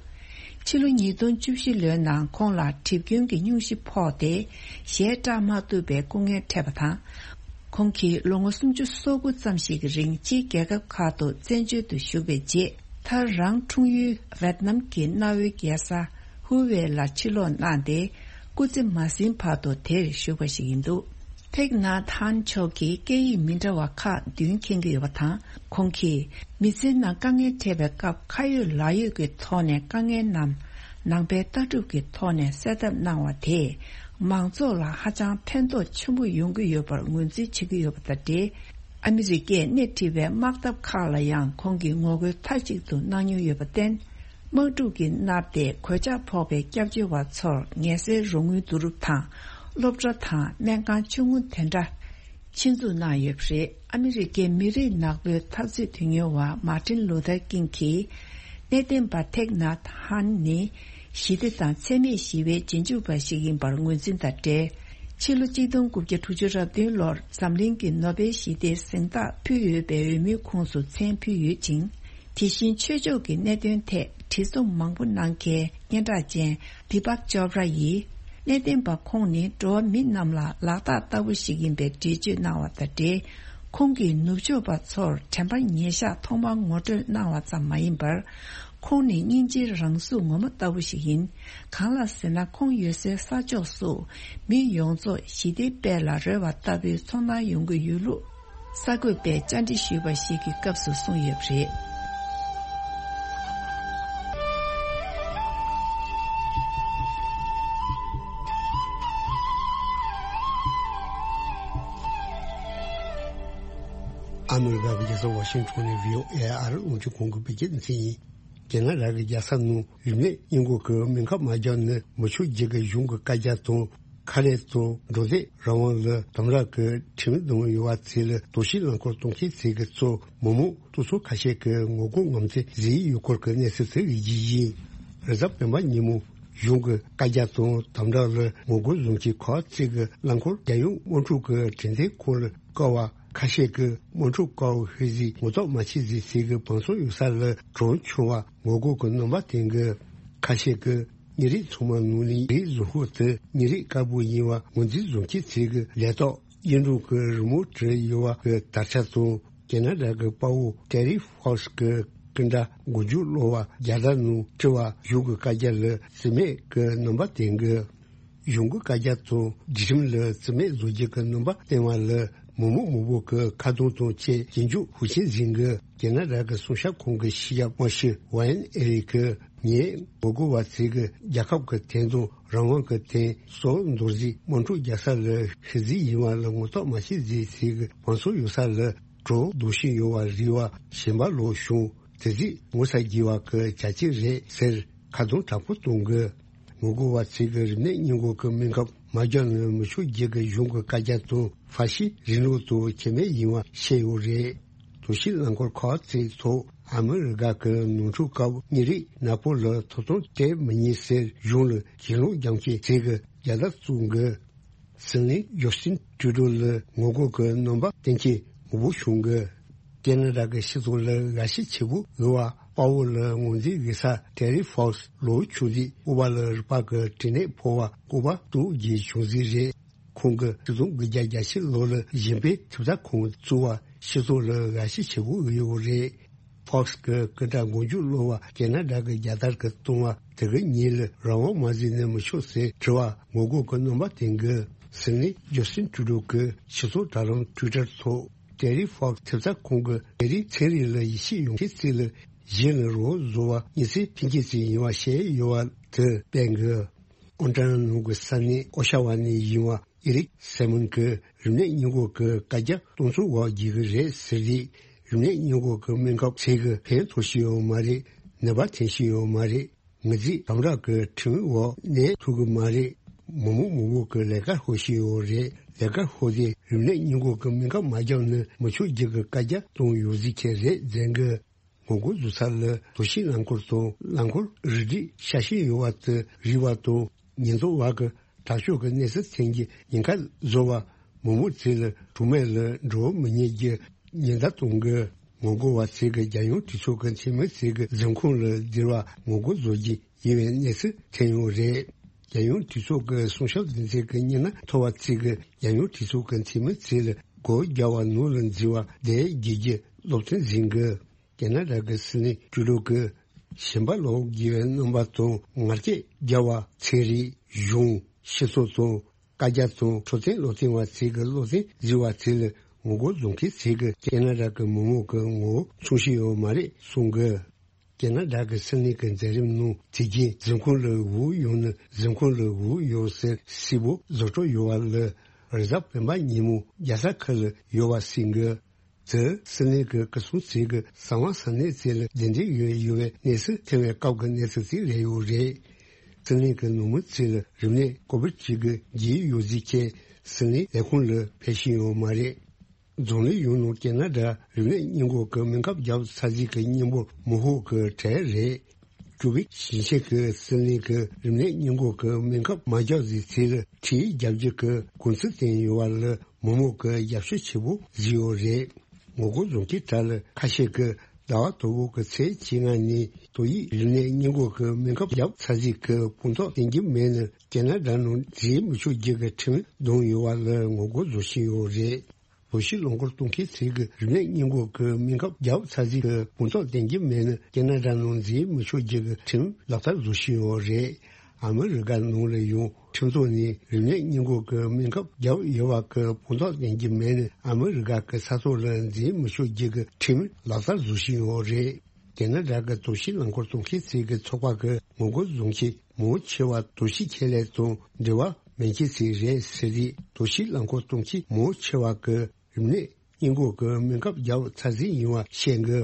ཕྱི་ལོ་ཉིས་སྟོང་བཅུ་བཞི་ལོའི་ནང་ཁོང་ལ་གྲིབ་སྐྱོན་གྱི་སྙུང་གཞི་ཕོག་སྟེ་ཞལ་བཀྲག་མ་ཐུབ་པའི་སྐུ་ངལ་འཕྲད་པ་དང་། ཁོང་གིས་ལོ་ངོ་སུམ་ཅུ་སོ་དགུ་ཙམ་ཞིག་གི་རིང་ཕྱིའི་རྒྱལ་ཁབ་ཁག་ཏུ་བཙན་བྱོལ་དུ་བཞུགས་པའི་རྗེས། མཐར་རང་འཁྲུངས་ཡུལ་ཝེད་ནམ་གྱི་གནའ་བོའི་རྒྱལ་ས་ཧུ་ཝེ་ལ་ཕྱིར་ལོག་གནང་སྟེ། སྐུ་ཚེ་མ་ཟིན་བར་དུ་དེར་བཞུགས་པ་ཞིག་ཡིན་འདུག་ཐེག་ནཱ་ཐཱན་མཆོག་གིས་སྐད་ཡིག་མི་འདྲ་བ་ཁག་བདུན་མཁྱེན་གྱི་ཡོད་པ་དང་། ཁོང་གིས་མི་ཚེའི་ནང་དཀའ་ངལ་འཕྲད་པའི་སྐབས་ཁ་ཡོད་ལག་ཡོད་ཀྱི་ཐོག་ནས་དཀའ་ངལ་རྣམས་ནང་པའི་ལྟ་གྲུབ་ཀྱི་ཐོག་ནས་སེལ་ཐབས་གནང་བ་དེས་མང་ཚོགས་ལ་ཧ་ཅང་ཕན་ཐོགས་ཆེན་པོ་ཡོང་གི་ཡོད་པར་ངོས་འཛིན་བྱེད་ཀྱི་ཡོད་པ་དང་འབྲེལ། ཨ་མི་རི་ཀས་སྣེ་ཁྲིད་པའི་དམག་འཐབ་ཁག་ལ་ཡང་ཁོང་གིས་ངོ་རྒོལ་མཐའ་གཅིག་ཏུ་གནང་མྱོང་ཡོད་པར་བརྟེན། དམག་འཁྲུག་གིས་མནར་ཏེ་གོད་ཆག་ཕོག་པའི་སྐྱབས་བཅོལ་བ་ཚོར་ངལ་སེལ་རོགས་དངུལ་བསྡུ་རུབ་དང་། སློབ་གྲྭ་དང་སྨན་ཁང་ཆུང་ངུ་དེ་འདྲ་ཆེད་འཛུགས་གནང་ཡོད་པ་རེད། ཨ་མི་རི་ཀའི་མི་རིགས་ནག་པོའི་འཐབ་རྩོད་དོན་གཉེར་བ་མཱ་ཏིན་ལུ་ཐར་ཀིང་གིས། གནས་བརྟན་པ་ཐེག་ནཱ་ཐཱན་ནི་ཞི་བདེ་དང་འཚེ་མེད་ཞི་བའི་རྗེས་འཇུག་པ་ཞིག་ཡིན་པར་ངོས་འཛིན་དང་འབྲེལ། ཕྱི་ལོ་གཅིག་སྟོང་དགུ་བརྒྱ་དྲུག་ཅུ་རེ་བདུན་ལོར་འཛམ་གླིང་གི་ནོ་བེལ་ཞི་བདེའི་གཟེངས་རྟགས་ཕུལ་ཡོད་པའི་འོས་མིའི་ཁོངས་སུ་མཚན་ཕུལ་ཡོད་ཅིང་། དེ་བཞིན་ཆོས་ཕྱོགས་ཀྱི་གནད་དོན་ཐད་བྲིས་རྩོམ་མང་པོ་གནང་མཁན་སྙན་གྲགས་ཅན་དི་པག་ཅོབ་ར་ཡིས། གནས་བརྟན་པ་ཁོང་ནི་འགྲོ་བ་མི་རྣམས་ལ་ལག་རྟགས་ལྟ་བུ་ཞིག་ཡིན་པའི་འགྲེལ་བརྗོད་གནང་བ་དང་འབྲེལ། ཁོང་གིས་ནུབ་ཕྱོགས་པ་ཚོར་དྲན་པ་ཉེར་བཞག་ཐོག་མར་ངོ་སྤྲོད་གནང་བ་ཙམ་མ་ཡིན་པར། ཁོང་ནི་སྙིང་རྗེའི་རང་གཟུགས་ངོ་མ་ལྟ་བུ་ཞིག་ཡིན། གང་ལགས་ཟེར་ན། ཁོང་ཡོད་སའི་ས་ཕྱོགས་སུ་མི་ཡོངས་རྫོགས་ཞི་བདེའི་དཔལ་ལ་རོལ་བ་ལྟ་བུའི་ཚོར་སྣང་ཡོང་གི་ཡོད་ལུགས། གསར་འགོད་པས་བཅར་འདྲི་ཞུས་པ་ཞིག་གི་སྐབས་སུ་གསུངས་ཡོད་པ་རེད། ཨ་མི་རི་ཀ་གི་རྒྱལ་ས་ཝ་ཤིང་ཊོན་ནས་བྷི་ཨོ་ཨེ་ཨ་རི་རླུང་འཕྲིན་ཁང་གི་བོད་སྐད་སྡེ་ཚན་ཡིན། རྒྱ་ནག་རང་གི་རྒྱལ་ས་ནང་རིམས་ནད་སྔོན་འགོག་གི་སྨན་ཁབ་མ་བརྒྱབ་ན་མི་ཆོག་རྒྱུ་གི་གཞུང་གི་བཀའ་རྒྱ་དང་། ཁ་ལས་དང་འགྲོ་སྡོད་རང་དབང་ལ་དམ་དྲག་གི་ཁྲིམས་འདོན་ཡོད་པ་ཚོ་ལ་དོགས་གཞིའི་རླངས་འཁོར་གཏོང་མཁན་ཚོ་གི་གཙོ་མི་མང་སོ་སོ་ཁ་ཤས་ཀྱིས་ངོ་རྒོལ་ངོམ་ཚོད་བཟོས་ཡོད་སྐོར་གྱི་གནས་ཚུལ་ཚོ་ཡི་རྒྱུ་ཡིན། རེས་གཟའ་སྤེན་པ་ཉིན་མོ་གཞུང་གི་བཀའ་རྒྱ་དང་དམ་དྲག་ལ་ངོ་རྒོལ་བཟོ་མཁན་ཁག་ཅིག་གིས་རླངས་འཁོར་རྒྱལ་ཡོངས་དམག་འཁྲུག་གི་གྲོས་མཐུན་ཁོངས་ལ་བཀལ་བ། ཁ་ཤས་ཀྱིས་དམག་འཁྲུག་བཀལ་བ་ཤོད་ཟིག་ངོ་ཐོག་མ་ཆེ་ཟིག་ཟེར་གི་བང་སོ་ཡོད་ས་ལ་གྲོན་ཆུང་བ་ངོ་རྒོལ་གྱི་རྣམ་པ་སྟོན་གི། ཁ་ཤས་ཀྱིས་ཉིན་རེའི་ཚང་མ་ནང་ལ་རིགས་བཟོ་ཤོག་དེ་ཉིན་རེའི་དཀར་པོ་ཡིན་པ་ངོས་འཛིན་བཟོ་མཁན་ཚོ་གི་ལས་ཐོག་གཡུ་འབྲུག་གི་རི་མོ་བྲིས་ཡོད་པ་གི་དར་ཆ་དང་། ཁེ་ན་ཌ་གི་དཔའ་བོ་ཏེ་རི་ཧྥོ་སི་གི་སྐུ་འདྲ་མགོ་མཇུག་སློག་པ་རྒྱལ་དར་ནང་བྲིས་པ་གཞུང་གི་བཀའ་རྒྱ་ལ་རྩིས་མེད་ཀྱི་རྣམ་པ་སྟོན་གི། གཞུང་གི་བཀའ་རྒྱ་དང་སྒྲིག་ཁྲིམས་ལ་བརྩི་མེད་བཟོ་རྒྱུ་གི་རྣམ་པ་བསྟན་པ་ལ་མི་མང་མང་པོ་གི་ཁ་རྡུང་དང་བཅས་སྐྱོན་བརྗོད་ཤུགས་ཆེན་ཟིན་གི། རྒྱ་ནག་རང་གི་སྲུང་སྐྱོབ་ཁང་གི་ཕྱི་རྒྱལ་དམག་སྤྱི་ཝེན་ཨེ་རི་གིས་ངས་ངོ་རྒོལ་བ་ཚོས་གི་རྒྱལ་ཁབ་ཀྱི་དོན་དང་རང་དབང་གི་དོན་སྲོག་འདོར་རྩིས་དམག་འཁྲུག་རྒྱག་ས་ལ་ཤི་རྩིས་ཡིན་པ་ལ་ངོ་ཐོག་མ་ཤེས་རྩིས་ཚོས་གི་བང་སོ་ཡོད་ས་ལ་གྲོ་རྡོ་ཤིང་ཡོད་པ་རིག་པ་གཞན་པ་ལོག་བྱུང་། དེ་རྩིས་ངོ་ཚ་རྒྱས་པ་གི་བྱ་སྤྱོད་རེད་ཟེར་ཁ་རྡུང་དྲག་པོ་གཏོང་གི། ངོ་རྒོལ་བ་ཚོས་གི་རིམས་ནད་སྔོན་འགོག་གི་སྨན་ཁབ་མ་རྒྱག་ན་མི་ཆོག་རྒྱུ་གི་གཞུང་གི་བཀའ་རྒྱ་དང་ཧྥ་ཤི་རིང་ལུགས་དང་ཁྱད་མེད་ཡིན་པ་བཤད་ཡོད་རེད། དོགས་གཞི་རླངས་འཁོར་ཁག་ཅིག་ཐོག་ཨ་མི་རི་ཀ་གི་ནོར་འཁྲུལ་སྐབས་ཉིན་རེ་ནག་པོ་ལ་ཐོབ་ཐང་སྤྲད་མི་ཉན་ཟེར་གཞུང་ལ་གྱེན་ལོག་རྒྱག་མཁན་ཚོས་གི་རྒྱལ་དར་བཙུགས་གི། སྲིད་བློན་ཇོ་སྟིན་ཀྲུ་ཌོ་ལ་ངོ་རྒོལ་གི་རྣམ་པ་བསྟན་མཁན་མང་པོ་བྱུང་གི། ཁེ་ན་ཌ་གི་སྤྱི་ཚོགས་ལ་དགའ་ཞེན་ཆེ་པོ་ཡོད་པ་དཔའ་བོ་ལ་ངོས་འཛིན་དགོས་ས་ཏེ་རི་ཧྥོག་སི་ལོ་ཆུང་དུས་ལྐུགས་པ་ལ་རུས་པ་གི་གྲི་ནད་ཕོག་པ་ལྐུགས་པ་དྲུག་རྗེས་བྱུང་རྩིས་རེད། ཁོང་གིས་ཆིག་སྟོང་དགུ་བརྒྱ་གྱ་བཞི་ལོ་ལ་གཞན་ཕན་ཐེབས་རྩ་ཁང་བཙུགས་པ་སྤྱི་ཚོགས་ལ་དགའ་ཞེན་ཆེ་པོ་ཡོད་རེད། ཧྥོག་སི་གི་སྐུ་དྲག་མགོ་མཇུག་སློག་པ་ཁེ་ན་ཌ་གི་རྒྱལ་དར་གི་བཏང་བ་དེ་གི་ཉིན་ལ་རང་དབང་མ་བཟུང་ན་མི་ཆོག་ཟེར་དྲི་བ་ངོ་རྒོལ་གི་རྣམ་པ་བསྟན་གི། སྲིད་བློན་ཇོ་སྟིན་ཀྲུ་ཌོ་གིས་སྤྱི་ཚོགས་དྲ་ལམ་ཊུའི་ཊར་ཐོག་ཏེ་རི་ཧྥོག་སི་ཐེབས་རྩ་ཁང་གི་ཏེ་རི་ཚན་རིག་ལ་ཡིད་ཆེས་ཡོད་མཁན་ཚོ་ལ་གཞན་ལ་རོགས་བཟོ་བ་ཉེན་ཚན་འཕེན་མཁན་ཚོ་ཡིན་པ་བཤད་ཡོད་པ་དེ་སྤེལ་གི། ཨོན་ཊ་རི་ནོ་གི་ས་གནས་ཨོ་ཤ་ཝ་ནས་ཡིན་པ་ཨེ་རིག་སེ་མོན་གྱིས་རིམས་ནད་སྔོན་འགོག་གི་བཀའ་རྒྱ་གཏོང་ཚུལ་འོག་བགྱིས་ཀྱི་རེད་ཟེར་དུས། རིམས་ནད་སྔོན་འགོག་གི་སྨན་ཁབ་ཚོས་གི་ཕན་ཐོགས་ཤིག་ཡོད་མ་རེད། ནད་པ་ཐོན་ཤིག་ཡོད་མ་རེད། ངོས་འཛིན་དམ་དྲག་གི་ཁྲིམས་འོག་གནས་ཐུབ་གི་མ་རེད། མི་མང་མང་པོ་གི་ལས་ཀ་ཤོར་ཤིག་ཡོད་རེད། ལས་ཀ་ཤོར་དུས་རིམས་ནད་སྔོན་འགོག་གི་སྨན་ཁབ་མ་རྒྱག་ན་མི་ཆོག་རྒྱུ་གི་བཀའ་རྒྱ་གཏོང་ཡོད་རྩིས་ཁྱེད་རེད་ཟེར་གི། ངོ་རྒོལ་བཟོ་ས་ལ་དོགས་གཞི་རླངས་འཁོར་དང་རླངས་འཁོར་རིགས་སྒྲེ་ཤ་ཞེན་ཡོད་པ་དེ་རིག་པ་དང་ཉེན་རྟོག་པ་གི་དྲག་སྤྱོད་ཀྱི་གནས་ཚུལ་ཐོན་གྱི་ཉེན་ཁ་བཟོ་བ་མི་མང་ཚོ་ལ་གྲོགས་མེད་ལ་འགྲོ་མི་ཉན་གྱི་ཉེན་བརྡ་གཏོང་གི། ངོ་རྒོལ་བ་ཚོས་གི་རྒྱལ་ཡོངས་གྲོས་ཚོགས་ཀྱི་འཐུས་མི་ཚོས་གི་འཛིན་ཁང་ལ་འཛུལ་བ་ངོ་རྒོལ་བཟོ་རྒྱུ་ཡིན་པའི་གནས་ཚུལ་ཐོན་ཡོད་རེད། རྒྱལ་ཡོངས་གྲོས་ཚོགས་ཀྱི་སྲུང་སྐྱོབ་འདུ་འཛི་གི་མི་སྣ་མཐོ་བ་ཚོས་གི་རྒྱལ་ཡོངས་གྲོས་ཚོགས་ཀྱི་འཐུས་མི་ཚོ་ལ་སྒོ་རྒྱག་པ་ནང་ལ་འཛུལ་བ་དེ་བརྒྱུད་རྒྱུ་སློབ་སྟོན་ཟིན་གི། ཁེ་ན་ཌ་གི་སྲིད་བློན་ཀྲུ་ཌོ་གིས་ཞེན་པ་ལོག་དགོས་པའི་རྣམ་པ་དང་ངར་སྐད་རྒྱག་པ་ཚན་རིག་གཞུང་སྤྱི་ཚོགས་དང་བཀའ་རྒྱ་དང་འཕྲོད་བསྟེན་བློ་མཐུན་པ་ཚོས་གི་བློ་སེང་བཟོས་པ་ཚོ་ལ་ངོ་རྒོལ་བཟོ་མཁན་ཚོས་གི་ཁེ་ན་ཌ་གི་མི་མང་གི་ངོ་བོ་མཚོན་ཤེས་ཡོད་མ་རེད་གསུང་གི། ཁེ་ན་ཌ་གི་སྲིད་བློན་གི་མཛད་རིམ་ནང་དུས་རྒྱུན་འཛིན་ཁང་ལ་འོས་ཡོང་ན་འཛིན་ཁང་ལ་འོས་ཡོང་ཟེར་སྲས་པོ་བཟོ་སྤྲོ་ཡོད་པ་ལ་རེས་གཟའ་སྤེན་པ་ཉིན་མོ་རྒྱལ་ས་ཁུལ་ལ་ཡོད་པ་གསུང་གི། དེ་སྲིད་བློན་གྱི་སྐུ་སྲུང་ཚོས་ཀྱི་གསང་བ་གསང་གནས་ཚོ་ལ་བདེན་དོན་ཡོད་ཡོད་པའི་གནས་ཚུལ་ཐོན་པའི་སྐབས་ཀྱི་གནས་ཚུལ་ཅིག་རེད་ཡོད་རེད། སྲིད་བློན་གྱི་ནང་མི་ཚོ་ལ་རིམས་ནད་ཀོ་བིད་བཅུ་དགུ་རྒྱས་ཡོད་རྩིས་ཁྱེད་སྲིད་བློན་ལས་ཁུངས་ལ་ཕེབས་ཤེས་ཡོད་མ་རེད། རྫོང་ལས་ཡོང་ནང་ཁེ་ན་ཌ་རིམས་ནད་སྔོན་འགོག་གི་སྨན་ཁབ་བརྒྱབ་ཚར་རྩིས་ཀྱི་སྙན་པོ་མི་ཧོ་གི་གྲས་རེད། ཀུ་བིག་ཞིང་ཆེན་གྱི་སྲིད་བློན་གྱི་རིམས་ནད་སྔོན་འགོག་གི་སྨན་ཁབ་མ་རྒྱག་རྩིས་ཚོ་ལ་ཁྲིད་རྒྱབ་རྒྱུ་གི་དགོངས་ཚུལ་བཏོན་ཡོད་པ་ལ་མི་མང་གི་རྒྱབ་སྐྱོར་ཆེ་པོ་བཟོས་ཡོད་རེད། ངོ་རྒོལ་བཟོ་མཁན་གྲས་ལ་ཁ་ཤས་ཀྱིས་ཟླ་བ་དང་པོ་གི་ཚེས་བཅོ་ལྔ་ཉིན་ཏོག་དབྱིབས་རིམས་ནད་སྔོན་འགོག་གི་སྨན་ཁབ་བརྒྱབ་ཚར་རྩིས་ཀྱི་དཔང་རྟགས་བསྟན་རྒྱུ་མེད་ན་ཁེ་ན་ཌ་ནང་འཛུལ་མི་ཆོག་རྒྱུ་གི་ཁྲིམས་བསྡམས་ཡོད་པ་ལ་ངོ་རྒོལ་བཟོ་བཞིན་ཡོད་རེད། ལོ་ཤས་རླངས་འཁོར་གཏོང་མཁན་ཚོས་ཀྱི་རིམས་ནད་སྔོན་འགོག་གི་སྨན་ཁབ་བརྒྱབ་ཚར་རྩིས་ཀྱི་དཔང་རྟགས་ལྡན་གྱི་མེད་ན་ཁེ་ན་ཌ་ནང་འཛུལ་མི་ཆོག་རྒྱུ་གི་ཁྲིམས་ལག་བསྟར་བཟོ་བཞིན་ཡོད་རེད། ཨ་མི་རི་ཀ་ནང་ལ་ཡང་ཁྲིམས་ཐོག་ནས་རིམས་ནད་སྔོན་འགོག་གི་སྨན་ཁབ་བརྒྱབ་ཡོད་པ་གི་དཔང་རྟགས་ལྡན་གྱི་མེད་ན་ཨ་མི་རི་ཀ་གི་ས་ཐོག་ལ་འཛུལ་མི་ཆོག་རྒྱུ་གི་ཁྲིམས་ལག་བསྟར་བཟོ་བཞིན་ཡོད་རེད། ཁེ་ན་ཌ་གི་ཏོག་ཤི་རླངས་འཁོར་གཏོང་མཁན་ཚོས་ཀྱི་ཚོགས་པ་གི་ངོ་རྒོལ་བཟོ་མཁན་མང་ཆེ་བ་ཏོག་ཤི་ཁེ་ལས་དང་འབྲེལ་བ་མེད་མཁན་ཚོ་རེད་ཟེར་ཏེ། ཏོག་ཤི་རླངས་འཁོར་གཏོང་མཁན་མང་ཆེ་བ་གི་རིམས་ནད་སྔོན་འགོག་གི་སྨན་ཁབ་བརྒྱབ་ཚར་རྩིས་ཡིན་པ་བཤད་གི།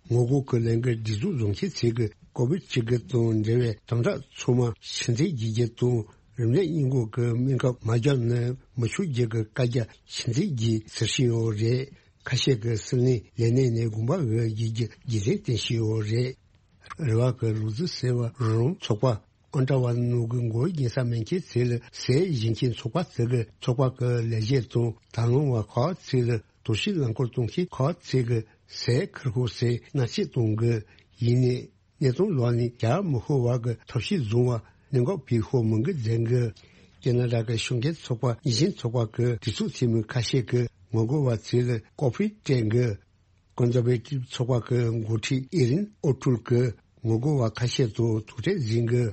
ངོ་རྒོལ་གི་ལས་འགུལ་སྒྲིག་འཛུགས་བཟོ་མཁན་ཚོས་ཀྱི་ཀོ་བིད་བཅུ་དགུ་དང་འབྲེལ་བའི་དམ་དྲག་ཚང་མ་ཕྱིར་འཐེན་བྱེད་རྒྱུ་དང་རིམས་ནད་སྔོན་འགོག་གི་སྨན་ཁབ་མ་བརྒྱབ་ན་མི་ཆོག་རྒྱུ་གི་བཀའ་རྒྱ་ཕྱིར་འཐེན་བྱེད་ཟེར་བཞིན་ཡོད་རེད། ཁ་ཤས་ཀྱིས་སྲིད་བློན་ལས་གནས་ནས་དགོངས་པ་འོས་བགྱིད་རྒྱུ་རྒྱུན་འཛིན་བསྟན་བཞིན་ཡོད་རེད། རེ་བ་གི་ལུག་རྫི་ཟེར་བ་རོང་ཚོགས་པ་ཨོན་ཏྲ་བ་ནུབ་གི་མགོ་རྒྱན་ས་མེད་མཁན་ཚོས་ལ་ཟས་བཞེས་མཁན་ཚོགས་པ་དེ་གི་ཚོགས་པ་གི་ལས་བྱེད་དང་དང་བླངས་པ་ཁག་ཚོས་ལ་ཏོག་ཤི་རླངས་འཁོར་གཏོང་མཁན་ཁག་ཚོས་གི་ཟས་ཁུར་ཤོག་ཟེར་མནར་གཅོད་གཏོང་གི། ཡིན་ནའི་གནས་སྟངས་ལོག་ནས་རྒྱག་མི་ཤོར་བ་གི་ཐབས་ཤེས་བཟུང་བ་གནད་འགག་འཕེལ་ཤོར་མི་འགི་འཛིན་གི། ཁེ་ན་ཌ་གི་ཤུགས་རྐྱེན་ཚོགས་པ་གཉིས་ཆེན་ཚོགས་པ་གི་གྲོས་ཚོགས་འཐུས་མི་ཁ་ཤས་ཀྱིས་ངོ་རྒོལ་བ་ཚོས་ལ་ཀོ་ཕི་སྤྲད་གི། ཀོན་ཛར་ཝེ་ཊིབ་ཚོགས་པ་གི་འགོ་ཁྲིད་ཨི་རིན་ཨོ་ཀྲུལ་གྱིས་ངོ་རྒོལ་བ་ཁ་ཤས་དང་ཐུག་འཕྲད་ཟིན་གི།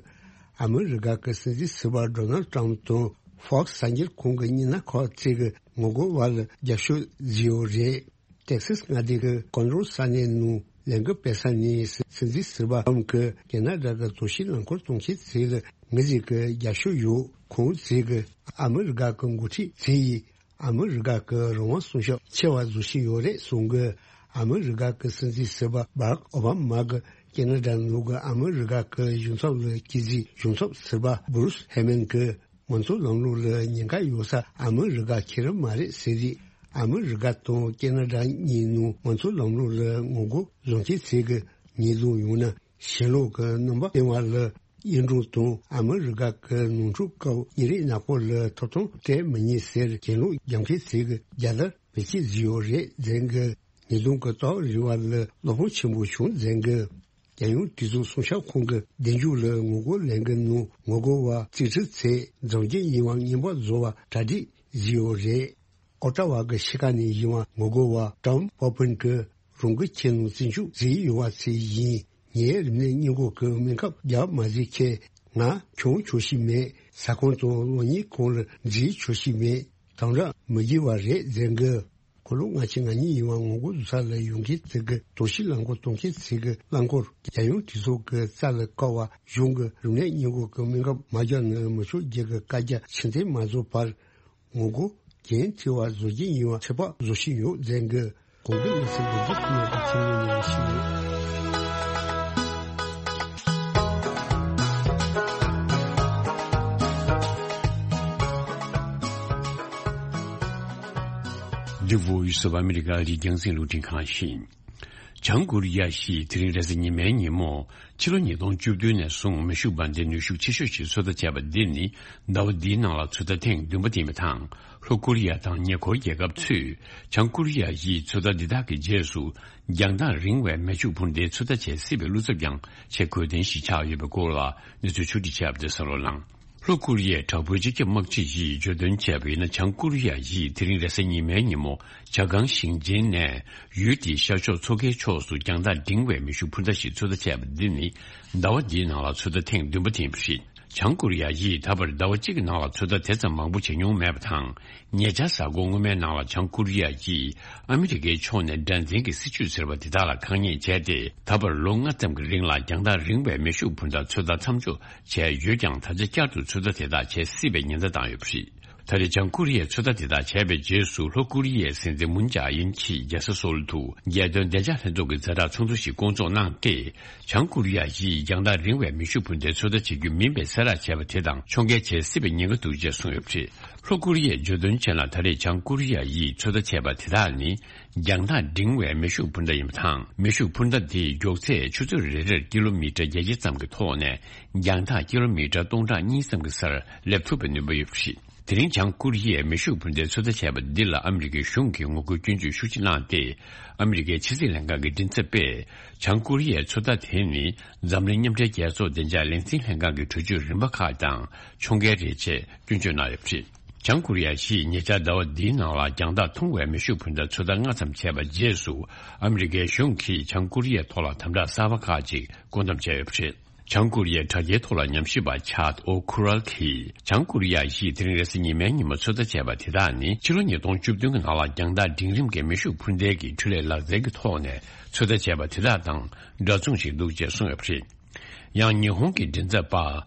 ཨ་མི་རི་ཀ་གི་སྲིད་འཛིན་ཟུར་པ་ཌོ་ནལ་ཊམ་དང་ཧྥོག་སི་གསར་འགྱུར་ཁང་གི་བརྙན་འཕྲིན་ཁག་ཅིག་གི་ངོ་རྒོལ་བ་ལ་རྒྱབ་སྐྱོར་བཟོས་ཡོད་རེད། ཏེག་སཱས་མངའ་སྡེ་གི་ཀོན་རོ་ས་གནས་ནང་ལས་འགུལ་སྤེལ་ས་ནས་སྲིད་འཛིན་ཟུར་པ་ཊམ་གྱིས་ཁེ་ན་ཌ་གི་དོགས་གཞིའི་རླངས་འཁོར་གཏོང་མཁན་ཚོ་ལ་ངེད་ཅག་གི་རྒྱབ་སྐྱོར་ཡོད། ཁོང་ཚོས་ཀྱི་ཨ་མི་རི་ཀ་གི་འགོ་ཁྲིད་ཚོ་ཡིས་ཨ་མི་རི་ཀ་གི་རང་དབང་སྲུང་སྐྱོབ་ཆེ་བ་བཟོ་བཞིན་ཡོད་རེད་གསུངས་ཀྱི། ཨ་མི་རི་ཀ་གི་སྲིད་འཛིན་ཟུར་པ་བྷ་རག་ཨོ་བྷ་མ་གིས་ཁེ་ན་ཌ་ནང་གི་ཨ་མི་རི་ཀ་གི་གཞུང་ཚབ་ལ་བཅར་རྗེས། གཞུང་ཚབ་ཟུར་པ་སྦུ་རུས་ཧེ་མན་གྱིས་མང་གཙོ་ལམ་ལུགས་ལ་ཉེན་ཁ་ཡོད་ས་ཨ་མི་རི་ཀ་ཁེར་མ་རེད་ཟེར་རེད། ཨ་མི་རི་ཀ་དང་ཁེ་ན་ཌ་གཉིས་ནང་མང་གཙོ་ལམ་ལུགས་ལ་ངོ་རྒོལ་བཟོ་མཁན་ཚོས་ཀྱི་ཉེས་རྡུང་ཡོང་ན། ཞེན་ལོག་གི་རྣམ་པ་སྟོན་པ་ལ་གཡུལ་འགྲོ་དང་། ཨ་མི་རི་ཀ་གི་ནོར་འཁྲུལ་སྐབས་ཉིན་རེའི་ནག་པོ་ལ་ཐོབ་ཐང་སྤྲད་མི་ཉན་ཟེར་གྱེན་ལོག་རྒྱག་མཁན་ཚོས་ཀྱི་རྒྱལ་དར་བེད་སྤྱོད་བཟོས་ཡོད་རེད་ཟེར་གི། ཉེས་རྡུང་གི་རྟགས་རིགས་པ་ལ་བློ་ཕམ་ཆེན་པོ་བྱུང་ཟེར་གི། རྒྱལ་ཡོངས་གྲོས་ཚོགས་སྲུང་སྐྱོབ་ཁང་གི་གདན་འཇོག་ལ་ངོ་རྒོལ་ལས་འགུལ་ནང་ངོ་རྒོལ་བ་རྩིས་ཁྲི་ཚོས་འཛམ་གླིང་ཡིན་པ་རྔན་པ་བཟོ་བ་གྲ་སྒྲིག་བཟོས་ཡོད་རེད། ཨོ་ཊ་ཝ་གི་ཤི་ཁ་ནས་ཡིན་པ་ངོ་རྒོལ་བ་ཀྲམ་པོ་པིན་གྱིས་རང་གི་ཁྱིམ་ནང་རྩིས་འཇོག་བཟོས་ཡོད་པ་ཚོ་ཡིན། ངའི་རིམས་ནད་སྔོན་འགོག་གི་སྨན་ཁབ་རྒྱག་མ་བཟོས་ཁེ་ང་གྱོང་ཆོག་ཤི་མེད། ཟ་ཁང་དང་གློག་བརྙན་ཁང་ལ་འཛུལ་ཆོག་ཤི་མེད། དམ་དྲག་མི་དགོས་པ་རེད་ཟེར་གི། འཁོར་ལོ་ལྔ་བཅུ་ང་གཉིས་ཡིན་པ་ངོ་རྒོལ་བཟོ་ས་ལ་ཡོང་མཁན་ཚོ་གི་དོགས་གཞིའི་རླངས་འཁོར་གཏོང་མཁན་ཚོ་གི་རླངས་འཁོར་རྒྱལ་ཡོངས་གྲོས་ཚོགས་ཀྱི་རྩ་ལ་བཀལ་བ་གཞུང་གི་རིམས་ནད་སྔོན་འགོག་གི་སྨན་ཁབ་མ་རྒྱག་ན་མི་ཆོག་རྒྱུ་གི་བཀའ་རྒྱ་ཕྱིར་འཐེན་མ་བཟོ་བར། ངོ་རྒོལ་འགན་འཁྱེར་བ་བཟོ་རྒྱུ་ཡིན་པ་ཚོད་དཔག་བཟོ་བཞིན་ཡོད་ཟེར་གི། གོང་གི་གནས་ཚུལ་འདི་རྒྱུ་ཐོག་ནས་ཀྱི་ཚིག་ངོས་ནས་ཞུས་ཡོད། འདི་Voice of America རི་རྒྱང་སྲིང་རླུང་འཕྲིན་ཁང་ཡིན། བྱང་ཀོ་རི་ཡ་ཞིག་དེ་རིང་རེས་གཟའ་ཉི་མའི་ཉིན་མོ། ཕྱི་ལོ་ཉིས་སྟོང་བཅུ་བདུན་ནས་བཟུང་མེ་ཤུགས་འབར་མདེལ་ནུས་ཤུགས་ཆེ་ཤོས་ཤིག་ཚོད་ལྟ་བྱས་པ་འདི་ནི་ཟླ་བ་འདིའི་ནང་ལ་ཚོད་ལྟ་ཐེངས་བདུན་པ་ཡིན་པ་དང་། ལྷོ་ཀོ་རི་ཡ་དང་ཉེ་འཁོར་རྒྱལ་ཁབ་ཚོས་བྱང་ཀོ་རི་ཡ་ཡིས་ཚོད་ལྟ་འདི་དག་གི་རྗེས་སུ་རྒྱང་ཐག་རིང་བའི་མེ་ཤུགས་འཕུར་མདེལ་ཚོད་ལྟ་བྱེད་སྲིད་པའི་བློ་འཚབ་ཀྱང་ཆེས་གོ་ལྡན་ཞིག་ཆགས་ཡོད་པའི་སྐོར་ལ་གནས་ཚུལ་ཕྱོགས་སྒྲིག་བྱས་པ་དེ་གསན་རོགས་གནང་། ལྷོ་ཀོ་རི་ཡའི་དྲག་པོའི་སྤྱི་ཁྱབ་དམག་སྤྱི་ཡིས་བརྗོད་དོན་བྱས་པ་ཡིན་ན། བྱང་ཀོ་རི་ཡ་ཡིས་དེ་རིང་རེས་གཟའ་ཉི་མའི་ཉིན་མོ་ཇ་གང་ཞིང་ཆེན་ནས་ཡུལ་དེའི་ཤར་ཕྱོགས་མཚོ་ཁའི་ཕྱོགས་སུ་རྒྱང་ཐག་འབྲིང་བའི་མེ་ཤུགས་འཕུར་མདའ་ཞིག་ཚོད་ལྟ་བྱས་པ་འདི་ནི་ཟླ་བ་འདིའི་ནང་ལ་ཚོད་ལྟ་ཐེངས་བདུན་པ་དེ་ཡིན་པ་རེད། བྱང་ཀོ་རི་ཡ་ཡིས་ད་བར་ཟླ་བ་གཅིག་གི་ནང་ལ་ཚོད་ལྟ་དེ་ཙམ་མང་པོ་བྱེད་མྱོང་མེད་པ་དང་། ཉེ་ཆར་གཟའ་འཁོར་སྔོན་མའི་ནང་ལ་བྱང་ཀོ་རི་ཡ་ཡིས་ཨ་མི་རི་ཀའི་ཕྱོགས་ནས་དགྲར་འཛིན་གྱི་སྲིད་ཇུས་ཟེར་བ་དེ་དག་ལ་ཁ་ཉན་བྱས་ཏེ། ད་བར་ལོ་ལྔ་ཙམ་གྱི་རིང་ལ་རྒྱང་ཐག་རིང་བའི་མེ་ཤུགས་འཕུར་མདའ་ཚོད་ལྟ་མཚམས་འཇོག་བྱས་ཡོད་ཀྱང་། ད་ཆ་བསྐྱར་དུ་ཚོད་ལྟ་དེ་དག་བྱེད་སྲིད་པའི་ཉེན་བརྡ་བཏང་ཡོད་པ་རེད། ད་རེས་བྱང་ཀོ་རི་ཡས་ཚོད་ལྟ་དེ་དག་བྱས་པའི་རྗེས་སུ། ལྷོ་ཀོ་རི་ཡའི་སྲིད་འཛིན་མུན་ཇེ་ཨིན་གྱིས་རྒྱལ་ས་སོལ་དུ་རྒྱལ་དོན་བདེ་འཇགས་ལྷན་ཚོགས་ཀྱི་ཛ་དྲག་ཚོགས་འདུ་ཞིག་བསྐོང་ཚོགས་གནང་སྟེ། བྱང་ཀོ་རི་ཡ་ཡིས་རྒྱང་ཐག་རིང་བའི་མེ་ཤུགས་འཕུར་མདའི་ཚོད་ལྟ་བྱེད་རྒྱུ་མིན་པའི་གསལ་བསྒྲགས་བྱས་པ་དེ་དང་མཆོང་བརྒལ་བྱེད་སྲིད་པའི་ཉེན་ཁ་འདུག་ཅེས་གསུངས་ཡོད་པ་རེད། ལྷོ་ཀོ་རི་ཡས་བརྗོད་དོན་བྱས་ན། ད་རེས་བྱང་ཀོ་རི་ཡ་ཡིས་ཚོད་ལྟ་བྱས་པ་དེ་དག་ནི། རྒྱང་ཐག་འབྲིང་བའི་མེ་ཤུགས་འཕུར་མདའ་ཡིན་པ་དང་། མེ་ཤུགས་འཕུར་མདའ་དེའི་མགྱོགས་ཚད་ཆུ་ཚོད་རེ་རེར་ཀི་ལོ་མི་ཊར་བརྒྱད་བརྒྱ་ཙམ་གྱི་ཐོག་ནས། རྒྱང་ཐག་ཀི་ལོ་མི་ཊར་སྟོང་ཕྲག་གཉིས་ཙམ་གྱི་སར་སླེབས་ཐུབ་པའི་ནུས་པ་ཡོད་པ་རེད། དེ་རིང་བྱང་ཀོ་རི་ཡས་མེ་ཤུགས་འཕུར་མདའི་ཚོད་ལྟ་བྱས་པ་འདི་ལ་ཨ་མི་རི་ཀའི་གཞུང་གིས་ངོ་རྒོལ་སྐྱོན་བརྗོད་ཤུགས་ཆེ་གནང་སྟེ། ཨ་མི་རི་ཀའི་ཕྱི་སྲིད་ལྷན་ཁང་གི་མགྲིན་ཚབ་པས། བྱང་ཀོ་རི་ཡའི་ཚོད་ལྟ་དེ་ནི་འཛམ་གླིང་མཉམ་འབྲེལ་རྒྱལ་ཚོགས་བདེ་འཇགས་ལས་འཛིན་ལྷན་ཁང་གི་གྲོས་ཆོད་རིམ་པ་ཁག་དང་མཆོང་བརྒལ་རེད་ཅེས་སྐྱོན་བརྗོད་གནང་ཡོད་པ་རེད། བྱང་ཀོ་རི་ཡ་ཞིག་ཉེ་ཆར་ཟླ་བ་འདིའི་ནང་ལ་རྒྱང་ཐག་ཐུང་བའི་མེ་ཤུགས་འཕུར་མདའ་ཚོད་ལྟ་སྔ་ཙམ་བྱས་པ་རྗེས་སུ། ཨ་མི་རི་ཀའི་གཞུང་གིས་བྱང་ཀོ་རི་ཡའི་ཐོག་ལ་དམ་དྲག་གསར་པ་ཁག་ཅིག་བཀོད་འདོམས་བྱས་ཡོད་པ་རེད། བྱང་ཀོ་རི་ཡའི་དྲ་རྒྱའི་ཐོག་ལ་ཉམས་ཞིབ་པ་ཆཱད་ཨོ་ཁུ་རལ་གྱིས། བྱང་ཀོ་རི་ཡ་ཡིས་དེ་རིང་རེས་གཟའ་ཉི་མའི་ཉིན་མོ་ཚོད་ལྟ་བྱས་པ་དེ་དག་ནི། ཕྱི་ལོ་ཉིས་སྟོང་བཅུ་བདུན་གྱི་ནང་ལ་རྒྱང་ཐག་འབྲིང་རིམ་གྱི་མེ་ཤུགས་འཕུར་མདེལ་གྱི་འཕྲུལ་ལས་ལག་རྩལ་གྱི་ཐོག་ནས་ཚོད་ལྟ་བྱས་པ་དེ་དག་དང་འདྲ་མཚུངས་ཤིག་འདུག་ཅེས་གསུངས་ཡོད་པ་རེད། ཡང་ཉི་ཧོང་གི་མགྲིན་ཚབ་པ་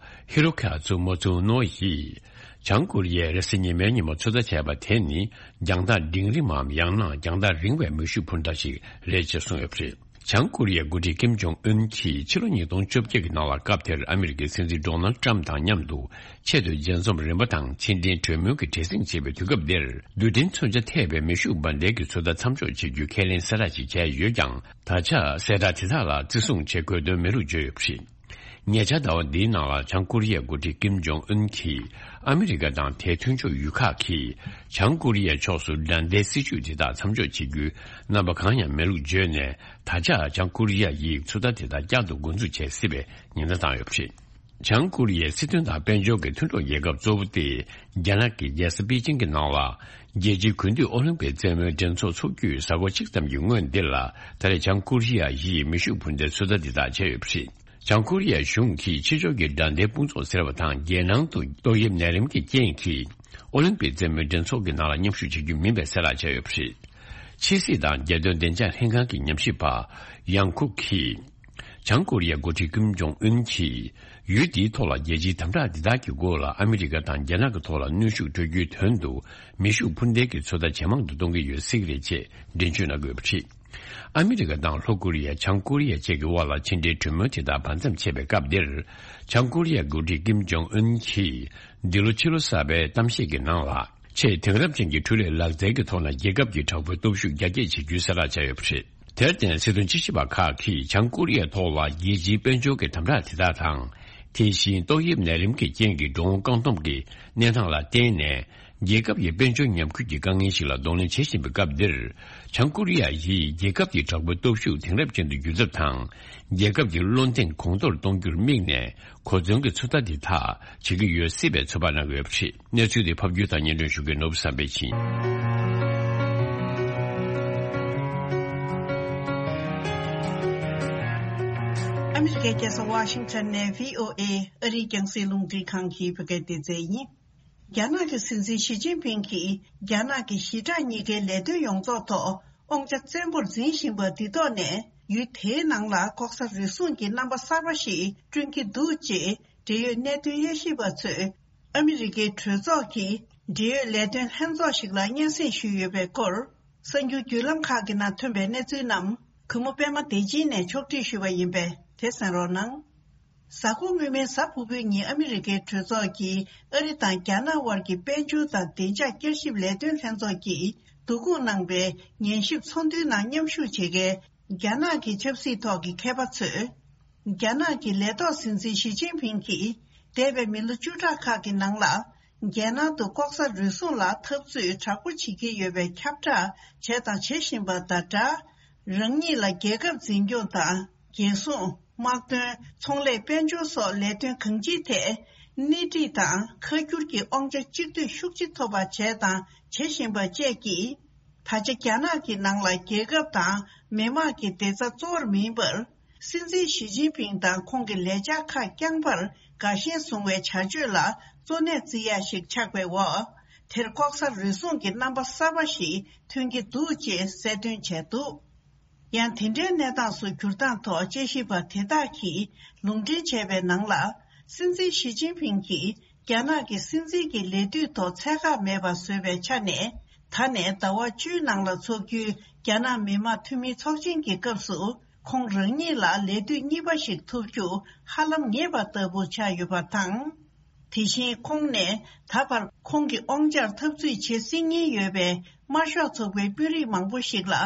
ཧི་རོ་ཁ་ཛུ་མོ་ཙུ་ནོ་ཡིས། བྱང་ཀོ་རི་ཡས་རེས་གཟའ་ཉི་མའི་ཉིན་མོ་ཚོད་ལྟ་བྱས་པ་དེ་ནི། རྒྱང་ཐག་འབྲིང་རིམ་མམ་ཡང་ན་རྒྱང་ཐག་རིང་བའི་མེ་ཤུགས་འཕུར་མདའ་ཞིག་རེད་ཅེས་གསུངས་ཡོད་པ་རེད། བྱང་ཀོ་རི་ཡའི་འགོ་ཁྲིད་ཀིམ་ཇོང་ཨུན་གྱིས་ཕྱི་ལོ་ཉིས་སྟོང་བཅོ་བརྒྱད་ཀྱི་ནང་ལ། སྐབས་དེར་ཨ་མི་རི་ཀའི་སྲིད་འཛིན་ཌོ་ནལ་ཊམ་དང་མཉམ་དུ་ཆེད་དུ་མཇལ་འཛོམས་རིམ་པ་དང་ཕྱི་འབྲེལ་གྲོས་མོལ་གྱི་བྲེལ་ཟིང་ཆེ་བའི་དུས་སྐབས་འདིར། རྡུལ་ཕྲན་མཚོན་ཆ་ཐེབས་པའི་མེ་ཤུགས་འབར་མདེལ་གྱི་ཚོད་ལྟ་མཚམས་འཇོག་བྱེད་རྒྱུའི་ཁས་ལེན་གསལ་བསྒྲགས་ཤིག་བྱས་ཡོད་ཀྱང་། ད་ཆ་གསལ་བསྒྲགས་དེ་དག་ལ་བརྩི་སྲུང་བྱེད་དགོས་དོན་མེད་ལུགས་བརྗོད་ཡོད་པ་རེད། ཉེ་ཆར་ཟླ་བ་འདིའི་ནང་ལ་བྱང་ཀོ་རི་ཡའི་འགོ་ཁྲིད་ཀིམ་ཇོང་ཨུན་གྱིས། ཨ་མི་རི་ཀ་དང་དེའི་མཐུན་ཕྱོགས་ཡུལ་ཁག་གིས། བྱང་ཀོ་རི་ཡའི་ཕྱོགས་སུ་དགྲ་ཟླའི་སྲིད་ཇུས་དེ་དག་མཚམས་འཇོག་བྱེད་རྒྱུའི་རྣམ་པ་གང་ཡང་མེད་ལུགས་བརྗོད་ནས། ད་ཆ་བྱང་ཀོ་རི་ཡ་ཡིས་ཚོད་ལྟ་དེ་དག་བསྐྱར་དུ་འགོ་འཛུགས་བྱེད་སྲིད་པའི་ཉེན་བརྡ་བཏང་ཡོད་པ་རེད། བྱང་ཀོ་རི་ཡའི་སྲིད་དོན་དང་དཔལ་འབྱོར་གྱི་མཐུན་གྲོགས་རྒྱལ་ཁབ་གཙོ་བོ་སྟེ། རྒྱ་ནག་གི་རྒྱལ་ས་པེ་ཅིང་གི་ནང་ལ། རྒྱལ་སྤྱིའི་དགུན་དུས་ཨོ་ལིམ་པིག་རྩེད་མོའི་འགྲན་ཚོགས་འཚོགས་རྒྱུའི་གཟའ་འཁོར་གཅིག་ཙམ་གྱི་སྔོན་འདིར་ལ། ད་རེས་བྱང་ཀོ་རི་ཡ་ཡིས་མེ་ཤུགས་འཕུར་མདའི་ཚོད་ལྟ་འདི་དག་བྱས་ཡོད་པ་རེད། བྱང་ཀོ་རི་ཡའི་གཞུང་གིས་ཕྱི་ཕྱོགས་ཀྱི་དགྲ་ལྡན་དཔུང་ཚོགས་ཟེར་བ་དང་རྒྱལ་ནང་དུ་ཏོག་དབྱིབས་ནད་རིམས་ཀྱི་རྐྱེན་གྱིས་ཨོ་ལིམ་པིག་རྩེད་མོའི་འགྲན་ཚོགས་ཀྱི་ནང་ལ་མཉམ་ཞུགས་བྱེད་རྒྱུ་མིན་པའི་གསལ་བསྒྲགས་བྱས་ཡོད་པ་རེད། ཕྱི་སྲིད་དང་རྒྱལ་དོན་བདེ་འཇགས་ལྷན་ཁང་གི་ཉམས་ཞིབ་པ་ཡང་ཁུག་གིས། བྱང་ཀོ་རི་ཡའི་འགོ་ཁྲིད་ཀིམ་ཇོང་ཨུན་གྱིས་ཡུལ་དེའི་ཐོག་ལ་རྒྱལ་སྤྱིའི་དམ་དྲག་འདི་དག་གི་སྒོ་ལ་ཨ་མི་རི་ཀ་དང་རྒྱ་ནག་གི་ཐོག་ལ་གནོན་ཤུགས་སྤྲོད་རྒྱུའི་དོན་དུ་མེ་ཤུགས་འཕུར་མདེལ་གྱི་ཚོད་ལྟ་ཇེ་མང་དུ་གཏོང་གི་ཡོད་སྲིད་རེད་ཅེས་འགྲེལ་བརྗོད་གནང་དགོས་པ་རེད། ཨ་མི་རི་ཀ་དང་ལྷོ་ཀོ་རི་ཡ། བྱང་ཀོ་རི་ཡ་བཅས་ཀྱི་དབར་ལ་ཕྱི་འབྲེལ་གྲོས་མོལ་དེ་དག་བར་མཚམས་ཆད་པའི་སྐབས་འདིར། བྱང་ཀོ་རི་ཡའི་འགོ་ཁྲིད་ཀིམ་ཇོང་ཨུན་གྱིས་འདི་ལོ་ཕྱི་ལོ་གསར་པའི་གཏམ་བཤད་ཀྱི་ནང་ལ། ཆེས་དེང་རབས་ཅན་གྱི་འཕྲུལ་ལས་ལག་རྩལ་གྱི་ཐོག་ནས་རྒྱལ་ཁབ་ཀྱི་དྲག་པོའི་སྟོབས་ཤུགས་རྒྱ་སྐྱེད་བྱེད་རྒྱུའི་གསལ་བསྒྲགས་བྱས་ཡོད་པ་རེད། དེར་བརྟེན་སྲིད་དོན་དཔྱད་ཞིབ་པ་ཁག་གིས་བྱང་ཀོ་རི་ཡའི་ཐོག་ལ་རྒྱལ་སྤྱིའི་དཔལ་འབྱོར་གྱི་དམ་དྲག་དེ་དག་དང་། དེ་བཞིན་ཏོག་དབྱིབས་ནད་རིམས་ཀྱི་རྐྱེན་གྱིས་འགྲོ་འོང་བཀག་སྡོམ་གྱི་གནས་སྟངས་ལ་བརྟེན་ནས། རྒྱལ་ཁབ་ཀྱི་དཔལ་འབྱོར་ཉམས་རྒུད་ཀྱི་དཀའ་ངལ་ཞིག་ལ་གདོང་ལེན་བྱེད་བཞིན་པའི་སྐབས་འདིར། བྱང་ཀོ་རི་ཡ་ཡིས་རྒྱལ་ཁབ་ཀྱི་དྲག་པོའི་སྟོབས་ཤུགས་དེང་རབས་ཅན་དུ་འགྱུར་ཐབས་དང་། རྒྱལ་ཁབ་ཀྱི་བློ་འདེངས་གོང་མཐོར་གཏོང་རྒྱུར་དམིགས་ནས་གོ་མཚོན་གྱི་ཚོད་ལྟ་འདི་དག་བྱེད་ཀྱི་ཡོད་སྲིད་པའི་ཚོད་དཔག་གནང་གི་ཡོད་པ་རེད། གནས་ཚུལ་དེ་ཕབ་སྒྱུར་དང་སྙན་སྒྲོན་ཞུ་མཁན་ནོར་བུ་བསམ་འཕེལ་ཡིན། ཨ་མི་རི་ཀའི་རྒྱལ་ས་ཝ་ཤིང་ཊོན་ནས་བྷི་ཨོ་ཨེ་ཨ་རིའི་རྒྱང་སྲིང་རླུང་འཕྲིན་ཁང་གི་བོད་སྐད་སྡེ་ཚན་ཡིན། རྒྱ་ནག་གི་སྲིད་འཛིན་ཞི་ཅིན་ཕིང་གིས་རྒྱ་ནག་གི་ཞི་དྲག་གཉིས་ཀའི་ལས་དོན་ཡོངས་རྫོགས་ཐོག་དབང་ཆ་བཙན་པོར་འཛིན་བཞིན་པ་འདི་ཐོག་ནས། ཡུལ་དེའི་ནང་ལ་ལྐོག་ཟ་རུལ་སུངས་ཀྱི་རྣམ་པ་གསར་པ་ཞིག་བསྐྲུན་གྱི་འདུག་ཅེས་འབྲེལ་ཡོད་གནད་དོན་དབྱེ་ཞིབ་པ་ཚོས་ཨ་མི་རི་ཀའི་གྲོས་ཚོགས་ཀྱི་འབྲེལ་ཡོད་ལས་དོན་ལྷན་ཚོགས་ཤིག་ལ་སྙན་སེང་ཞུས་ཡོད་པའི་སྐོར། གསར་འགྱུར་བརྒྱུད་ལམ་ཁག་གི་ནང་ཐོན་པའི་གནས་ཚུལ་རྣམས་གུས་མོ་པད་མ་བདེ་ཆེན་ནས་ཕྱོགས་སྒྲིག་ཞུས་པ་ཡིན་པས་དེ་གསན་རོགས་གནང་། གཟའ་འཁོར་སྔོན་མའི་གཟའ་ཕུར་བུའི་ཉིན་ཨ་མི་རི་ཀའི་གྲོས་ཚོགས་ཀྱིས་ཨ་རི་དང་རྒྱ་ནག་དབར་གྱི་དཔལ་འབྱོར་དང་བདེ་འཇགས་བསྐྱར་ཞིབ་ལས་དོན་ལྷན་ཚོགས་ཀྱིས་བསྡུ་སྐོང་གནང་པའི་ཉན་ཞིབ་ཚོགས་འདུའི་ནང་མཉམ་ཞུགས་བྱེད་མཁན་རྒྱ་ནག་གི་ཆབ་སྲིད་ཐོག་གི་མཁས་པ་ཚོས། རྒྱ་ནག་གི་ལས་ཐོག་སྲིད་འཛིན་ཞི་ཅིན་ཕིང་གིས་འདས་པའི་མི་ལོ་བཅུ་ཕྲག་ཁག་གི་ནང་ལ། རྒྱལ་ནང་དུ་ལྐོག་ཟ་རུལ་སུངས་ལ་འཐབ་རྩོད་དྲག་པོ་བྱེད་ཀྱི་ཡོད་པའི་ཁྱབ་བསྒྲགས་བྱས་དང་བྱེད་བཞིན་པ་དང་སྦྲགས། རང་ཉིད་ལ་རྒྱལ་ཁབ་འཛིན་སྐྱོང་དང་། རྒྱལ་སྲུང་། དམག་དོན། ཚོང་ལས། དཔལ་འབྱོར་སོགས་ལས་དོན་གང་ཅིའི་ཐད། སྣེ་ཁྲིད་དང་ཁ་སྒྱུར་གྱི་དབང་ཆ་གཅིག་སྡུད་ཤུགས་ཆེ་ཐོབ་པ་བྱས་དང་བྱེད་བཞིན་པ་བཅས་ཀྱིས། ད་ཆ་རྒྱ་ནག་གི་ནང་ལ་རྒྱལ་ཁབ་དང་མི་དམངས་ཀྱི་བདེ་རྩ་གཙོ་བོར་མིན་པར། སྲིད་འཛིན་ཞི་ཅིན་ཕིང་དང་ཁོང་གི་ལས་འཆར་ཁག་རྐྱང་པར་དགའ་ཞེན་བཟུང་བའི་བྱ་སྤྱོད་ལ་གཙོ་གནད་བརྩི་ཡ་ཞིག་ཆགས་པའི་འོག་དེར་ལྐོག་ཟ་རུལ་སུངས་ཀྱི་རྣམ་པ་གསར་པ་ཞིག་ཐོན་གྱི་འདུག་ཅེས་གསལ་སྟོན་བྱས་འདུག་ཡང་དེ་འདྲའི་གནས་སྟངས་སུ་གྱུར་སྟངས་ཐོག་དཔྱད་ཞིབ་པ་དེ་དག་གིས་ལུང་འདྲེན་བྱས་པའི་ནང་ལ། སྲིད་འཛིན་ཞི་ཅིན་ཕིང་གིས་རྒྱ་ནག་གི་སྲིད་འཛིན་གྱི་ལས་དུས་ཐོག་ཚད་བཀག་མེད་པ་བཟོས་པའི་ཆ་ནས། ད་ནས་ཟླ་བ་བཅུའི་ནང་ལ་འཚོགས་རྒྱུའི་རྒྱ་ནག་མི་དམངས་འཐུས་མིའི་ཚོགས་ཆེན་གྱི་སྐབས་སུ། ཁོང་རང་ཉིད་ལ་ལས་དུས་གཉིས་པ་ཞིག་ཐོབ་རྒྱུ་ཧ་ལམ་ངེས་པ་ལྟ་བུ་ཆགས་ཡོད་པ་དང་། དེ་བཞིན་ཁོང་ནས་ད་བར་ཁོང་གི་དབང་ཆར་འཐབ་རྩོད་བྱེད་སྲིད་ངེས་ཡོད་པའི་དམར་ཤོག་ཚོགས་པའི་དཔོན་རིགས་མང་པོ་ཞིག་ལ་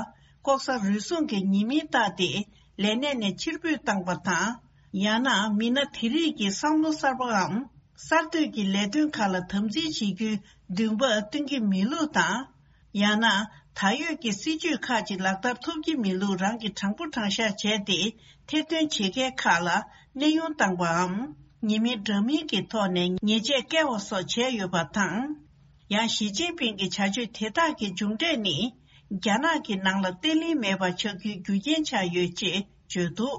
ལྐོག་ཟ་རུལ་སུངས་ཀྱི་ཉེས་མིང་བཏགས་ཏེ་ལས་གནས་ནས་ཕྱིར་འབུད་བཏང་པ་དང་། ཡང་ན་མི་སྣ་དེ་རིགས་ཀྱི་བསམ་བློ་གསར་པའམ་གསར་གཏོད་ཀྱི་ལས་དོན་ཁག་ལ་དམ་འཛིན་བྱེད་རྒྱུའི་འདུན་པ་སྟོན་གྱི་མེད་ལུགས་དང་། ཡང་ན་ད་ཡོད་ཀྱི་སྲིད་ཇུས་ཁག་ཅིག་ལག་བསྟར་ཐུབ་ཀྱི་མེད་ལུགས་རང་གིས་དྲང་པོ་དྲང་བཞག་བྱས་ཏེ་ཐེར་འདོན་བྱེད་མཁན་ཁག་ལ་གནས་དབྱུང་བཏང་པའམ་ཉེས་མིང་འདྲ་མིན་གྱི་ཐོག་ནས་ཉེས་ཆད་བཀལ་བ་སོགས་བྱས་ཡོད་པ་དང་། ཡང་ཞི་ཅིན་ཕིང་གི་བྱ་སྤྱོད་དེ་དག་གི་མཇུག་འབྲས་ནི་རྒྱ་ནག་གི་ནང་ལ་བརྟན་ལྷིང་མེད་པ་ཆགས་རྒྱུའི་རྒྱུ་རྐྱེན་ཆགས་ཡོད་ཅེས་བརྗོད་འདུག་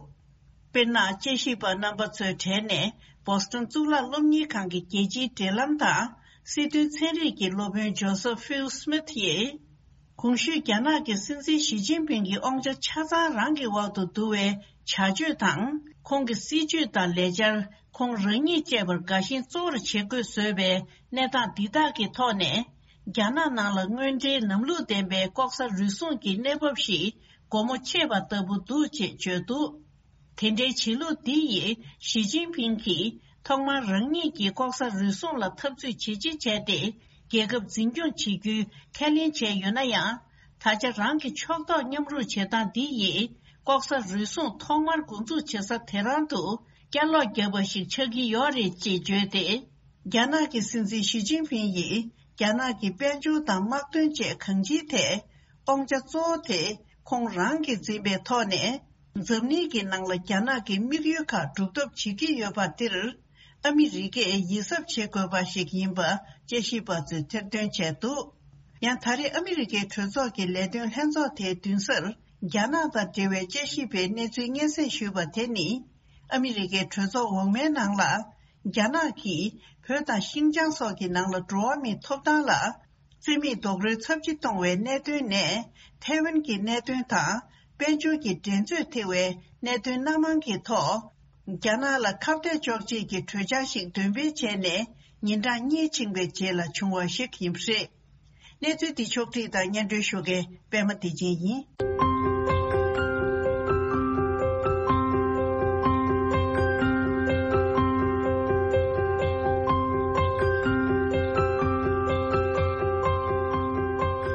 དཔེར་ན། དཔྱད་ཞིབ་པ་རྣམ་པ་ཚོའི་གྲས་ནས་བོ་སི་ཊོན་གཙུག་ལག་སློབ་གཉེར་ཁང་གི་རྒྱལ་སྤྱིའི་འབྲེལ་ལམ་དང་སྲིད་དོན་ཚན་རིག་གི་སློབ་དཔོན་ཇོ་སེབ་ཧྥིལ་སྨིཐ་ཡིས། གོང་ཞུས་རྒྱ་ནག་གི་སྲིད་འཛིན་ཞི་ཅིན་ཕིང་གི་དབང་ཆ་ཆ་ཚང་རང་གི་འོག་ཏུ་བསྡུ་བའི་བྱ་སྤྱོད་དང་། ཁོང་གི་སྲིད་ཇུས་དང་ལས་འཆར། ཁོང་རང་ཉིད་བཅས་པར་དགའ་ཞེན་གཙོ་བོར་བྱེད་དགོས་བཟོས་པའི་གནས་སྟངས་འདི་དག་གི་ཐོག་ནས། རྒྱ་ནག་ནང་ལ་དངོས་འབྲེལ་ལམ་ལུགས་ལྡན་པའི་ལྐོག་ཟ་རུལ་སུངས་ཀྱི་གནས་བབ་ཞིག་སྒོ་མོ་ཕྱེས་པ་ལྟ་བུ་འདུག་ཅེས་བརྗོད་འདུག་དེ་འདྲའི་བྱེད་ལུགས་འདི་ཡིས་ཞི་ཅིན་ཕིང་གིས་ཐོག་མར་རང་ཉིད་ཀྱིས་ལྐོག་ཟ་རུལ་སུངས་ལ་འཐབ་རྩོད་ཇི་ཆེ་བྱས་ཏེ་རྒྱལ་ཁབ་འཛིན་སྐྱོང་བྱེད་རྒྱུའི་ཁས་ལེན་བྱས་ཡོད་ན་ཡང་། ད་ཆ་རང་གི་ཕྱོགས་གཏོགས་མཉམ་རུབ་བྱེད་སྟངས་འདི་ཡིས་ལྐོག་ཟ་རུལ་སུངས་ཐོག་མར་འགོ་འཛུགས་བྱེད་ས་དེ་རང་དུ་བསྐྱར་ལོག་བརྒྱབ་པ་ཞིག་ཆགས་ཀྱི་ཡོད་རེད་ཅེས་བརྗོད་དེ། རྒྱ་ནག་གི་སྲིད་འཛིན་ཞི་ཅིན་ཕིང་ཡིས་རྒྱ་ནག་གི་དཔལ་འབྱོར་དང་དམག་དོན་བཅས་གང་ཅིའི་ཐད་དབང་ཆ་གཙོ་བོ་དེ་ཁོང་རང་གིས་འཛིན་པའི་ཐོག་ནས། འཛམ་གླིང་གི་ནང་ལ་རྒྱ་ནག་གི་དམིགས་ཡུལ་ཁག་སྒྲུབ་ཐབས་བྱེད་ཀྱི་ཡོད་པ་འདིར་ཨ་མི་རི་ཀས་ཡིད་གཟབ་བྱེད་དགོས་པ་ཞིག་ཡིན་པ་དཔྱད་ཞིབ་པ་ཚོས་ཐེར་འདོན་བྱས་འདུག་ཡང་ད་རེས་ཨ་མི་རི་ཀའི་གྲོས་ཚོགས་ཀྱི་ལས་དོན་ལྷན་ཚོགས་དེའི་མདུན་སར་རྒྱ་ནག་དང་འབྲེལ་བའི་དཔྱད་ཞིབ་པའི་གནས་ཚུལ་སྙན་སེང་ཞུས་པ་དེ་ནི། ཨ་མི་རི་ཀའི་གྲོས་ཚོགས་འོག་མའི་ནང་ལ། རྒྱ་ནག་གིས་བོད་དང་ཤིན་ཅང་སོགས་ཀྱི་ནང་ལ་འགྲོ་བ་མིའི་ཐོབ་ཐང་ལ་རྩིས་མེད་རྡོག་རོལ་ཚབས་ཆེ་གཏོང་བའི་གནད་དོན་ནས། ཐའེ་ཝན་གྱི་གནད་དོན་དང་། དཔལ་འབྱོར་གྱི་འགྲན་རྩོད་ཐེ་བའི་གནད་དོན་སྣ་མང་གི་ཐོག་རྒྱ་ནག་ལ་ཁ་གཏད་གཅོག་ཆེད་ཀྱི་གྲོས་འཆར་ཞིག་འདོན་སྤེལ་བྱས་ནས། ཉིན་གྲངས་གཉིས་ཕྱིན་པའི་རྗེས་ལ་བྱུང་བ་ཞིག་ཡིན་པ་རེད། གནས་ཚུལ་འདི་ཕྱོགས་བསྒྲིགས་དང་སྙན་སྒྲོན་ཞུ་མཁན་པད་མ་བདེ་ཆེན་ཡིན།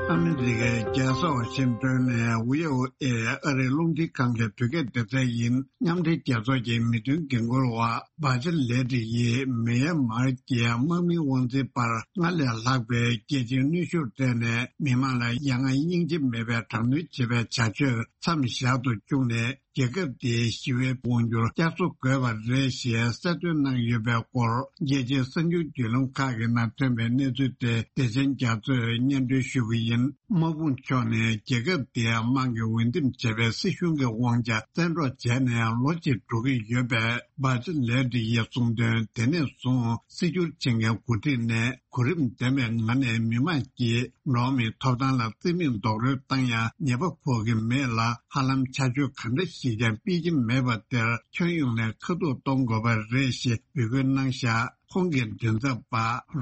ཨ་མི་རི་ཀའི་རྒྱལ་ས་ཝ་ཤིང་ཏོན་ནས་བྷི་ཨོ་ཨེ་ཨ་རིའི་རླུང་འཕྲིན་ཁང་གི་བོད་སྐད་སྡེ་ཚན་ཡིན། མཉམ་འབྲེལ་རྒྱལ་ཚོགས་ཀྱི་མི་དོན་འགན་འཁུར་བ་བྷ་ཅི་ལེ་ཏི་ཡིས་མེ་ཡན་མར་གྱི་དམག་མིའི་དབང་འཛིན་པར་སྔར་ལས་ལྷག་པའི་རྒྱལ་སྤྱིའི་གནོན་ཤུགས་སྤྲད་ནས། མི་མང་ལ་ཡ་ང་སྙིང་རྗེ་མེད་པའི་དྲག་གནོན་བྱེད་པའི་བྱ་སྤྱོད་མཚམས་བཞག་ཏུ་བཅུག་ནས། རྒྱལ་ཁབ་དེའི་ཞི་བའི་དབང་སྒྱུར་བསྐྱར་གསོ་དགོས་པ་རེད་ཞེས་གསལ་སྟོན་གནང་ཡོད་པའི་སྐོར། རྒྱལ་སྤྱིའི་གསར་འགྱུར་བརྒྱུད་ལམ་ཁག་གི་ནང་ཐོན་པའི་གནས་ཚུལ་དེ་བདེ་ཆེན་རྒྱ་མཚོས་སྙན་སྒྲོན་ཞུ་གི་ཡིན། དམག་དཔུང་ཕྱོགས་ནས་རྒྱལ་ཁབ་དེའི་དམག་གི་འོས་འདེམས་བྱས་པའི་སྲིད་གཞུང་གི་དབང་ཆ་བཙན་འཕྲོག་བྱས་ནས་ལོ་གཅིག་འགྲོ་གི་ཡོད་པས། བྷ་ཅི་ལེ་ཏི་ཡིས་གསུངས་དོན། དེ་ནས་བཟུང་སྲིད་སྐྱོང་བྱེད་མཁན་འགོ་ཁྲིད་ནས་གོ་རིམ་ལྡན་པའི་ངང་ནས་མི་མང་གིས་འགྲོ་བ་མིའི་ཐོབ་ཐང་ལ་རྩིས་མེད་རྡོག་རོལ་བཏང་ཡང་ཉེས་པ་ཕོག་གི་མེད་ལ། ཧ་ལམ་ཆ་འཇོག་ག་འདྲ་ཞིག་ཀྱང་སྤེལ་གྱི་མེད་པ་དེར་ཁྱོན་ཡོངས་ནས་ཁ་ཐུག་གཏོང་དགོས་པ་རེད་ཞེས་འབོད་སྐུལ་གནང་བཞག་ཁོང་གི་མགྲིན་ཚབ་པ་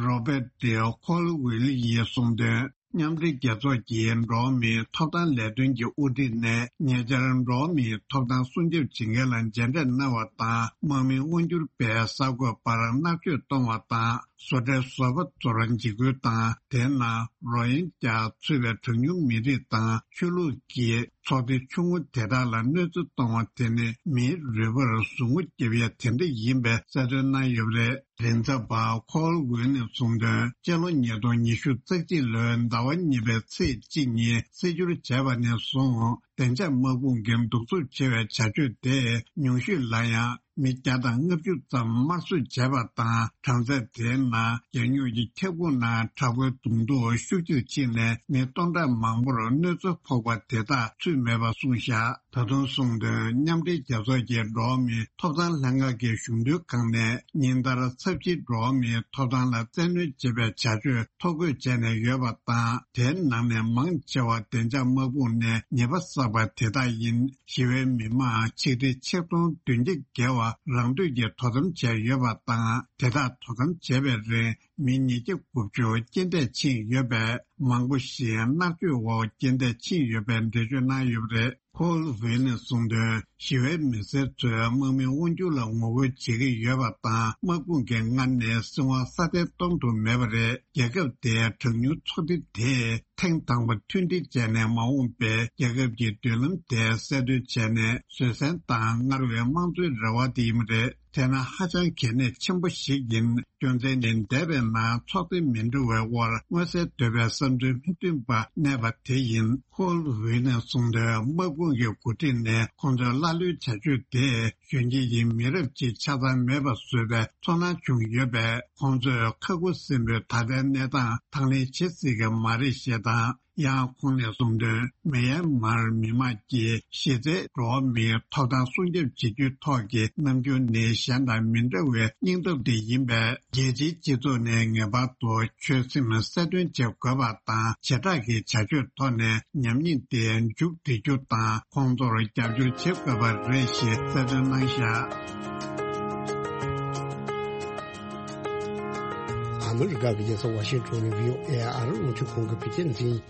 རོ་བེར་ཏི་ཁོལ་ཝིལ་ཡིས་གསུངས་དོན། མཉམ་འབྲེལ་རྒྱལ་ཚོགས་ཀྱི་འགྲོ་བ་མིའི་ཐོབ་ཐང་ལས་དོན་གྱི་དབུ་ཁྲིད་ནས་ཉེ་ཆར་འགྲོ་བ་མིའི་ཐོབ་ཐང་སྲུང་སྐྱོབ་བྱེད་མཁན་ལ་མཇལ་འཕྲད་གནང་བ་དང་། དམག་མི་དབང་སྒྱུར་པས་གསར་འགོད་པར་མནར་གཅོད་གཏོང་བ་དང་། བཟོ་གྲྭའི་བཟོ་པ་ཚོར་འཇིགས་སྐུལ་དང་། དེའི་ནང་རོ་ཧིན་ཇཱ་ཚུད་པའི་གྲངས་ཉུང་མི་རིགས་དང་ཆོས་ལུགས་ཀྱི་ཚོགས་སྡེ་ཆུང་ངུ་དེ་དག་ལ་གནོད་འཚེ་གཏོང་བ་དེ་ནི་མིའི་རུས་པར་ཟུག་རྔུ་བརྒྱབ་ཡ་དེ་འདྲ་ཡིན་པའི་གསལ་སྟོན་གནང་ཡོད་པ་རེད། མགྲིན་ཚབ་པ་ཁོལ་ཝིལ་ནས་གསུངས་དོན། སྤྱི་ལོ་ཉིས་སྟོང་ཉི་ཤུ་རྩ་གཅིག་ལོའི་ཟླ་བ་གཉིས་པའི་ཚེས་གཅིག་ཉིན་སྲིད་སྐྱོང་བྱས་པ་ནས་བཟུང་བདེ་འཇགས་དམག་དཔུང་གིས་གདུག་རྩུབ་ཆེ་བའི་བྱ་སྤྱོད་དེ་ཉུང་ཤོས་ལ་ཡང་མི་བརྒྱ་དང་ལྔ་བཅུ་ཙམ་དམར་གསོད་བྱས་པ་དང་། གྲངས་ཚད་དེའི་ནང་རྒྱལ་ཡོངས་ཀྱི་ཁྱབ་ཁོངས་ནང་དྲག་པོའི་གདོང་ཐུག་ཤུགས་ཆེར་ཕྱིན་ནས་མི་སྟོང་ཕྲག་མང་པོར་གནོད་འཚེ་ཕོག་པ་དེ་དག་ཚུད་མེད་པ་གསུངས་བཞག་ད་དུང་གསུངས་དོན། མཉམ་འབྲེལ་རྒྱལ་ཚོགས་ཀྱི་འགྲོ་བ་མིའི་ཐོབ་ཐང་ལྷན་ཁང་གི་གཞུང་དོན་ཁང་ནས་ཉིན་ལྟར་ཚབས་ཆེའི་འགྲོ་བ་མིའི་ཐོབ་ཐང་ལ་བཙན་གནོན་བྱེད་པའི་བྱ་སྤྱོད་ཐོ་འགོད་བྱས་ནས་ཡོད་པ་དང་། དེའི་ནང་ནས་མང་ཆེ་བ་བདེ་འཇགས་དམག་དཔུང་ནས་ཉེས་པ་བསགས་པ་དེ་དག་ཡིན། ཞི་བའི་མི་མང་ཆིག་ཁྲི་ཆིག་སྟོང་བདུན་བརྒྱ་བརྒལ་བ་རང་འདོད་ཀྱིས་དོ་དམ་བྱས་ཡོད་པ་དང་། དེ་དག་དོ་དམ་བྱེད་པའི་རིང་མི་ཉིས་བརྒྱ་དགུ་བཅུ་རྐྱེན་འདས་ཕྱིན་ཡོད་པས། མང་པོ་ཞིག་མནར་གཅོད་འོག་རྐྱེན་འདས་ཕྱིན་ཡོད་པའི་འགྲེལ་བརྗོད་གནང་ཡོད་པ་རེད། ཁོལ་ཝིལ་ནས་གསུངས་དོན། ཞི་བའི་མི་སེར་ཚོས་དམག་མིའི་དབང་སྒྱུར་ལ་ངོ་རྒོལ་བྱེད་ཀྱི་ཡོད་པ་དང་། དམག་དཔུང་གིས་སྔར་ནས་སྲིད་དབང་སྲ་བརྟན་གཏོང་ཐུབ་མེད་པ་རེད། རྒྱལ་ཁབ་དེའི་གྲངས་ཉུང་ཚོགས་སྡེ་དེས་ཐེངས་དང་པོ་མཐུན་སྒྲིལ་བྱས་ནས་མ་འོངས་པའི་རྒྱལ་ཁབ་ཀྱི་མདུན་ལམ་དེ་གསལ་སྟོན་བྱས་ནས། བཟོད་བསྲན་དང་སྔར་བས་དམངས་གཙོའི་རེ་བ་དེ་ཡིན་པ་རེད། དེ་ནི་ཧ་ཅང་གལ་གནད་ཆེན་པོ་ཞིག་ཡིན། རྒྱུ་མཚན་ནི་འདས་པའི་ནང་ཚོགས་སྡེ་མི་འདྲ་བའི་དབར་མངོན་གསལ་དོད་པའི་བསམ་ཚུལ་མི་མཐུན་པ་གནས་པ་དེ་ཡིན། ཁོལ་ཝིལ་ནས་གསུངས་དོན། དམག་དཔུང་གི་འགོ་ཁྲིད་ནས་ཁོང་ཚོའི་ཀླ་ཀློའི་བྱ་སྤྱོད་དེས་གཞོན་སྐྱེས་ཀྱི་མི་རབས་ཅིག་ཆ་ཚང་མེད་པ་བཟོས་པའི་ཚོར་སྣང་བྱུང་ཡོད་པས། ཁོང་ཚོས་ཁ་ཁུ་སིམ་པོས་ད་ལྟའི་གནས་སྟངས་དང་ལེན་བྱེད་སྲིད་ཀྱི་མ་རེད་ཞེས་དང་། ཡང་ཁོང་ནས་གསུངས་དོན། མེ་ཡན་མར་མི་དམངས་ཀྱི་གཞི་རྩའི་འགྲོ་བ་མིའི་ཐོབ་ཐང་སྲུང་སྐྱོབ་བྱེད་རྒྱུའི་ཐོག་གི་རྣམ་འགྱུར་ནི་གཞན་དང་མི་འདྲ་བའི་སྙིང་སྟོབས་དེ་ཡིན་པས། རྒྱལ་སྤྱིའི་སྤྱི་ཚོགས་ནས་ངེས་པར་དུ་ཆོད་སེམས་གསལ་སྟོན་བྱེད་དགོས་པ་དང་། བྱེ་བྲག་གི་བྱ་སྤྱོད་ཐོག་ནས་ཉམས་ཉེས་དེ་མཇུག་སྒྲིལ་རྒྱུ་དང་། ཁོང་ཚོར་རྒྱབ་སྐྱོར་བྱེད་དགོས་པ་རེད་ཞེས་གསལ་སྟོན་གནང་བཞག་ཨ་མི་རི་ཀ་གི་རྒྱལ་ས་ཝ་ཤིང་ཊོན་ནས་བྷི་ཨོ་ཨེ་ཨ་རི་རླུང་འཕྲིན་ཁང་གི་བོད་སྐད་འཛིན།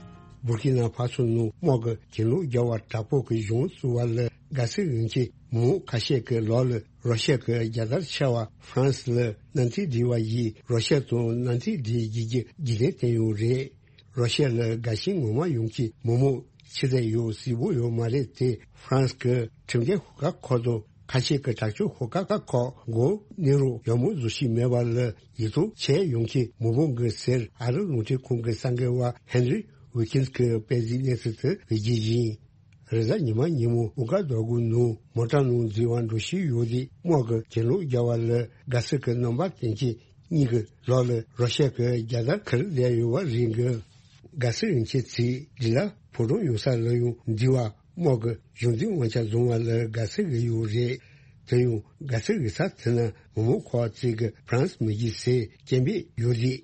བུར་ཀི་ན་ཕ་སོ་ནང་དམག་གི་གྱེན་ལོག་རྒྱག་པ་དྲག་པོ་གི་གཞུང་བཙུགས་པ་ལ་དགའ་བསུ་ཡོང་མཁན་མི་མང་ཁ་ཤས་ཀྱི་ལག་ལ་རོ་ཤ་གི་རྒྱལ་དར་འཕྱར་བ། ཧྥ་རན་སི་ལ་གནམ་ཐིག་སྒྲིལ་བ་ཡིས་རོ་ཤ་དང་གནམ་ཐིག་སྒྲིལ་རྒྱུ་གི་རྒྱུན་ལྡན་བསྟན་ཡོད་རེད། རོ་ཤ་ལ་དགའ་ཞེན་ངོ་མ་ཡོང་མཁན་མི་མང་ཕྱི་རྫས་ཡོད་གཟིགས་པོ་ཡོད་མ་རེད་དེ། ཧྥ་རན་སི་གི་ཁྲིམས་འགལ་ཤོག་ཁག་ཁག་དང་ཁ་ཤས་ཀྱི་དྲག་སྤྱོད་ཤོག་ཁག་ཁག་མགོ་གནོན་རོགས་ཡག་མོ་བཟོ་ཤེས་མེད་པ་ལ་ཡིད་གཏོང་བྱས་ཡོང་མཁན་མི་མང་གི་ཟེར། ཨ་རི་རླུང་འཕྲིན་ཁང་གི་གསར་འགོད་པ་ཧེན་རི་ཝི་ཀིན་སི་གིས་སྤེལ་གཟིགས་གནས་ཚུལ་དེ་བོད་སྐད་ཡིན། རེས་གཟའ་ཉི་མ་ཉིན་མོ་ཨུ་ཀ་དོ་གུ་ནང་མོ་ཊ་ནང་འཛུལ་བ་འགྲོ་བཞིན་ཡོད་དུས་དམག་གི་གྱེན་ལོག་རྒྱག་པ་ལ་དགའ་བསུ་གི་རྣམ་པ་བསྟན་མཁན་གཉིས་ཀྱི་ལག་ལ་རོ་ཤ་གི་རྒྱལ་དར་འཁྱེར་བསྡད་ཡོད་པ་རེད་འདུག་དགའ་བསུ་ཡོང་མཁན་ཚོའི་རྗེས་ལ་ཕོ་བྲང་ཡོད་ས་ལ་ཡང་འཛུལ་བ། དམག་གི་གཞུང་འཛིན་དབང་ཆ་བཟུང་བ་ལ་དགའ་བསུ་ཡོད་རེད། དེ་ཡང་དགའ་ཚོར་གྱི་ས་དེ་ན་མི་མང་ཁག་ཅིག་གིས་ཧྥ་རན་སི་མི་དགོས་ཟེར་སྐད་འབོད་ཡོད་རེད།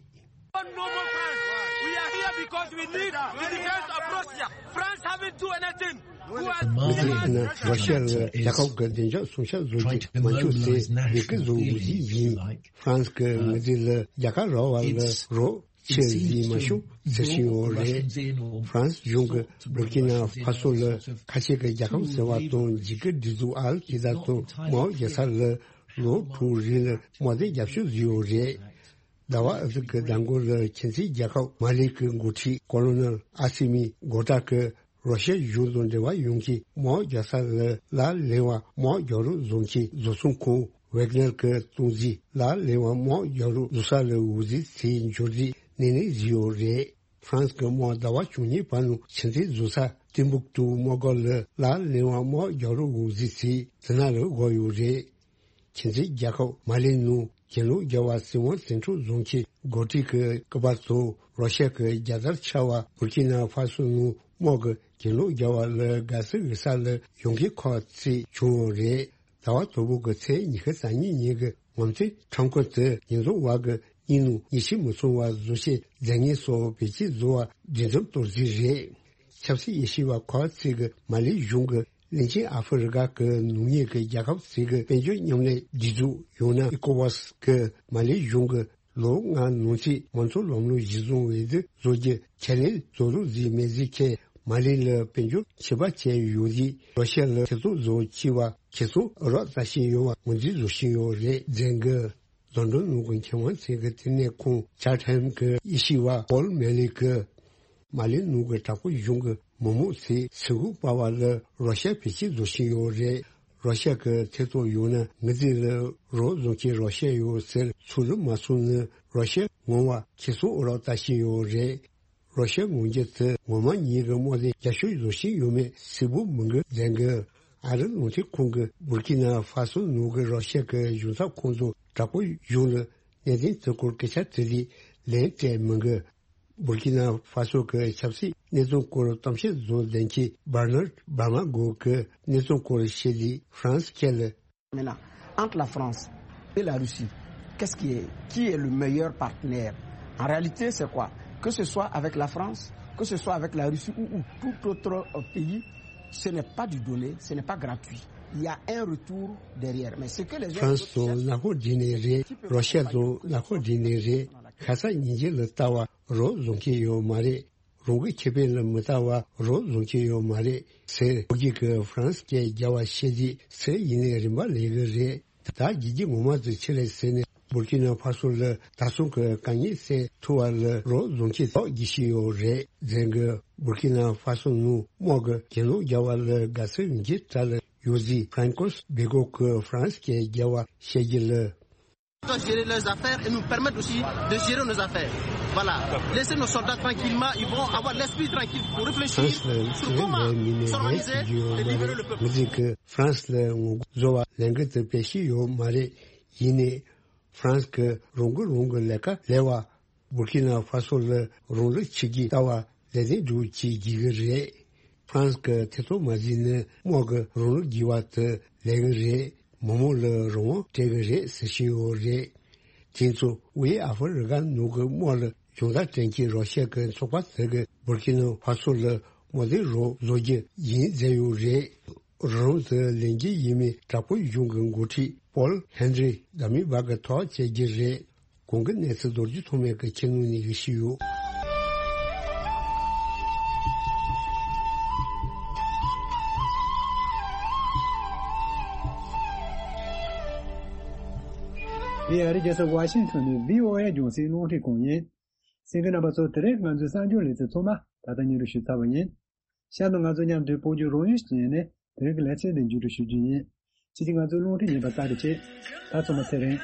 No more France. We are here because we need the defense of Russia. France haven't do anything. Who has མི་དེ་ཡིན་ན་རོ་ཤི་ཡ་ལ་རྒྱལ་ཁབ་ཀྱི་བདེ་འཇགས་སྲུང་སྐྱོབ་བཟོ་རྒྱུ་མ་འཇུག་ཟེར་འབོད་སྐུལ་བཟོ་དགོས་རྒྱུ་ཡིན། ཧྥ་རན་སི་གི་མི་དེ་ལ་རྒྱལ་ཁ་རག་པ་ལ་རོགས་ཆེ་ཟིག་མ་བྱུང་ཟེར་བཞིན་ཡོད་རེད། ཧྥ་རན་སི་གཞུང་གིས་བུར་ཀི་ན་ཧྥ་སོ་ལ་ཁ་ཆེ་གི་རྒྱལ་ཁབ་ཟེར་བ་དང་འཇིགས་སྐུལ་སྒྲིག་འཛུགས་ཨལ་ཀི་ད་དང་དམག་རྒྱག་ས་ལ་ལོ་དྲུག་རིང་ལ་དམག་དོན་རྒྱབ་སྐྱོར་བཟོས་ཡོད་རེད། ཟླ་བ་ཨ་ཟུར་གྱི་ཟླ་མགོ་ལ་ཁྱིམ་མཚེས་རྒྱལ་ཁབ་མ་ལི་གི་འགོ་ཁྲིད་ཀོ་ལོ་ནལ་ཨ་སི་མི་གོ་ཏྲ་གིས་རོ་ཤི་ཡ་གཞུང་དང་འབྲེལ་བ་ཡོང་མཁན་དམག་རྒྱག་ས་ལ་ལག་ལེན་པ་དམག་རྒྱག་རོགས་བཟོ་མཁན་བཟོ་ཚོང་ཁང་ཝེག་ནར་གྱི་སྟངས་འཛིན་ལག་ལེན་པ་དམག་རྒྱག་རོགས་བཟོ་ས་ལ་འོས་འཛིན་དེ་འབྱོར་རིགས་ནས་ནས་བཟོས་ཡོད་རེད། ཧྥ་རན་སི་གི་དམག་ཟླ་བ་བཅུ་གཉིས་བར་ནང་ཆེས་མཐོའི་བཟོ་ས་ཏིམ་བུག་ཏུ་དམག་སྒར་ལ་ལག་ལེན་པ་དམག་རྒྱག་རོགས་འོས་འཛིན་དེ་དེ་ན་ལ་དགོས་ཡོད་རེད། ཁྱིམ་མཚེས་རྒྱལ་ཁབ་མ་ལིའི་ནང་གྱེན་ལོག་རྒྱག་པ་སྲིད་དབང་འཛིན་གྲྭ་བཟོ་མཁན་འགོ་ཁྲིད་ཀྱི་སྐུ་པར་དང་རོ་ཤ་གི་རྒྱལ་དར་འཕྱར་བ་བུར་ཀི་ན་ཧྥ་སོ་ནང་དམག་གིས་གྱེན་ལོག་རྒྱག་པ་ལ་དགའ་བསུ་ཡོད་ས་ལ་ཡོང་མཁན་ཁག་ཅིག་བྱུང་ཡོད་རེད། ཟླ་བ་དང་པོ་གི་ཚེས་ཉི་ཤུ་རྩ་གཉིས་ཉིན་གྱི་ངོ་མཚར་ཁྲོམ་སྐོར་དེ་ཉིས་སྟོང་བར་གྱི་གཉིས་ནང་ཉི་ཤུ་མི་ཚང་བ་བཟོ་བྱེད་རྫས་ངན་སོགས་བེད་སྤྱོད་བཟོ་བ་འདྲི་འཛོམས་གཏོར་རྩིས་རེད། ཆབ་སྲིད་དབྱེ་ཞིབ་པ་ཁག་ཅིག་གིས་མ་ལིའི་གཞུང་གིས་གླིང་ཆེན་ཨ་ཧྥེ་རི་ཁ་གི་ནུབ་ཉེ་གི་རྒྱལ་ཁབ་ཅིག་གི་དཔལ་འབྱོར་མཉམ་ལས་སྒྲིག་འཛུགས་ཡང་ན་ཨི་ཀོ་ཝཱ་སི་གིས་མ་ལིའི་གཞུང་གིས་ལོ་ལྔ་ནང་ཚུད་མང་གཙོ་ལམ་ལུགས་གཞི་བཟུང་འོས་བསྡུ་བཟོ་རྒྱུ་ཁས་ལེན་བཟོ་རོགས་བཟོས་མེད་ཟེར་མཁན་མ་ལི་ལ་དཔལ་འབྱོར་ཆད་པ་བཅད་ཡོད་རྗེས་རོ་ཤ་ལ་ཐེ་གཏོགས་བཟོ་བྱས་པ་ཁེ་བཟང་ཨུ་རག་ལྟ་བཞིན་ཡོད་པ་ངོས་འཛིན་བཟོ་བཞིན་ཡོད་རེད། རྫོང་ནང་གི་མཁས་དབང་ཚོས་ཀྱི་ལྟེ་གནས་ཁང་ཅཱ་ཐེམ་གྱི་དབྱེ་ཞིབ་པ་པོལ་མེ་ལི་གིས། མ་ལི་ནང་གི་དྲག་པོའི་གཞུང་གི་མི་མང་ཚོས་ཚུར་འགུག་པ་བ་ལ་རོ་ཤ་བེད་སྤྱོད་བཟོ་བཞིན་ཡོད་རེད། རོ་ཤ་གི་ཐེ་གཏོགས་ཡོད་ན་ངེད་ཚོ་ལ་རོགས་བཟོ་མཁན་རོ་ཤ་ཡོད་ཟེར་ཚུར་ལ་མ་སོང་ན་རོ་ཤ་ངོ་བ་ཁེ་བཟང་ཨུ་རག་ལྟ་བཞིན་ཡོད་རེད། རོ་ཤ་ངོ་རྒོལ་དེ་ངོ་མ་ཉིད་ཀྱི་དམག་དོན་རྒྱབ་སྐྱོར་བཟོ་བཞིན་ཡོད་མེད་གསལ་པོ་མི་འདུག་རྫོང་གི་ཨ་རི་རླུང་འཕྲིན་ཁང་གིས་བུར་ཀི་ན་ཧྥ་སོ་ནང་གི་རོ་ཤ་གི་གཞུང་ཚབ་ཁང་དུ་དྲག་པོའི་གཞུང་ལ་གནད་དོན་དེ་སྐོར་སྐད་ཆ་དྲིས་ཏེ་ལན་སྤྲད་མི་འདུག་བུར་ཀི་ན་ཧྥ་སོ་གི་ཆབ་སྲིད་གནས་སྟངས་སྐོར་གཏམ་བཤད་བཟོ་མཁན་བར་ནར་བར་མ་གོ་གིས་གནས་སྟངས་སྐོར་བཤད་དུས་ཧྥ་རན་སི་ཁ་ལ། Maintenant, entre la France et la Russie, qu'est-ce qui est, qui est le meilleur partenaire ? En réalité, c'est quoi ? Que ce soit avec la France, que ce soit avec la Russie ou, ou tout autre euh, pays, ce n'est pas du donné, ce n'est pas gratuit. Il y a un retour derrière. Mais ce que les gens ཧྥ་རན་སི་དང་ནག་ཁོག་སྦྲེལ་ནས་རེད། རོ་ཤ་དང་ནག་ཁོག་སྦྲེལ་ནས་རེད། ཁ་སང་ཉིན་རྒྱུན་ལ་ལྟ་བ་རོགས་བཟོ་མཁན་ཡོད་མ་རེད། རང་གི་ཁེ་ཕན་ལ་མི་ལྟ་བ་རོགས་བཟོ་མཁན་ཡོད་མ་རེད་ཟེར། ཕོ་སྐྱེས་ཀྱིས་ཧྥ་རན་སི་སྐད་རྒྱབ་པ་བཤད་དུས་ཚེ་ཡིན་ནའི་རིན་པ་ལེན་གི་རེད། ད་བརྗེད་རྒྱུ་ངོ་མ་དེ་ཆི་རེད་ཟེར་ནས་བུར་ཀི་ན་ཧྥ་སོ་ལ་ད་སོང་གི་དཀའ་ངལ་སེལ་ཐུབ་པ་ལ་རོགས་བཟོ་མཁན་ཐོག་རྒྱུ་ཞིག་ཡོད་རེད། རྫོང་གིས་བུར་ཀི་ན་ཧྥ་སོ་ནང་དམག་གི་གྱེན་ལོག་རྒྱག་པ་ལ་དགའ་བསུ་ཡོང་རྒྱུའི་གྲས་ལ་ཡོད་ཟེར། ཧྥ་རན་ཀོས་བྷེ་གོ་གིས་ཧྥ་རན་སི་སྐད་རྒྱབ་པ་བཤད་རྒྱུ་ལ། Doivent gérer leurs affaires et nous permettre aussi de gérer nos affaires. Voilà. Laissez nos soldats tranquillement, ils vont avoir l'esprit tranquille pour réfléchir sur comment s'organiser et libérer le peuple. ཧྥ་རན་སི་ལ་ངོ་རྒོལ་བཟོ་བ་ལས་འགུལ་དེ་སྤེལ་བཞིན་ཡོད་མ་རེད། ཡིན་ནའི་ཧྥ་རན་སི་གིས་རང་འགུལ་རང་གི་ལས་ཀ་ལས་པ། བུར་ཀི་ན་ཧྥ་སོ་ལ་རང་ལུགས་ཆིག་སྒྲིལ་ལྟ་བ་ལས་དོན་སྒྲུབ་བྱེད་དགོས་ཀྱི་རེད། ཧྥ་རན་སི་གིས་ཐེ་གཏོགས་མ་བྱས་ན་དམག་གི་རང་ལུགས་འགྱུར་བ་དེ་ལས་ཀྱི་རེད། མི་མང་ལ་རང་དབང་སྤྲད་ཀྱི་རེད་ཟེར་བཞིན་ཡོད་རེད། དེ་ཚོ་དབུས་ཨ་ཧྥེ་རི་ཁ་ནང་གི་དམག་ལ་སྦྱོང་བརྡར་སྤྲད་མཁན་རོ་ཤ་གི་ཚོགས་པ་དེ་གིས་བུར་ཀི་ན་ཧྥ་སོ་ལ་དམག་དོན་རོགས་བཟོ་རྒྱུ་ཡིན་ཟེར་ཡོད་རེད། རང་དུ་ལེན་རྒྱུ་ཡིན་མིན་དྲག་པོའི་གཞུང་གི་འགོ་ཁྲིད་པོལ་ཧན་རི་ཟླ་མིག་བར་གྱི་ཐོག་བཅད་རྒྱུ་རེད། གོང་གི་གནས་ཚུལ་མདོར་བསྡུས་ཐོགས་མེད་ཀྱི་ཁྱད་ནོར་ནས་ཞུས་ཡོད། འདི་ཨ་རིའི་རྒྱལ་ས་ཝ་ཤིང་ཐོན་ནས་བྷི་ཨོ་ཨེ་རྒྱང་སྲིང་རླུང་འཕྲིན་ཁང་ཡིན། གསན་མཁན་རྣམ་པ་ཚོ་དེ་རིང་ང་ཚོའི་གསར་འགྱུར་ལེ་ཚན་ཚང་མ་ད་ལྟ་སྙན་སྒྲོན་ཞུས་ཚར་བ་ཡིན། གཤམ་དུ་ང་ཚོ་མཉམ་དུ་བོད་བརྒྱུད་རོགས་ཡུལ་སྤྱི་ཡིན་ནས་དེ་རིང་གི་ལེ་ཚན་འདི་མཇུག་སྒྲིལ་ཞུ་རྒྱུ་ཡིན། ཁྱེད་ཀྱིས་ང་ཚོའི་རླུང་འཕྲིན་ཉན་པར་བཀའ་དྲིན་ཆེ། ད་ཚང་མ་ཚེ་རིང་།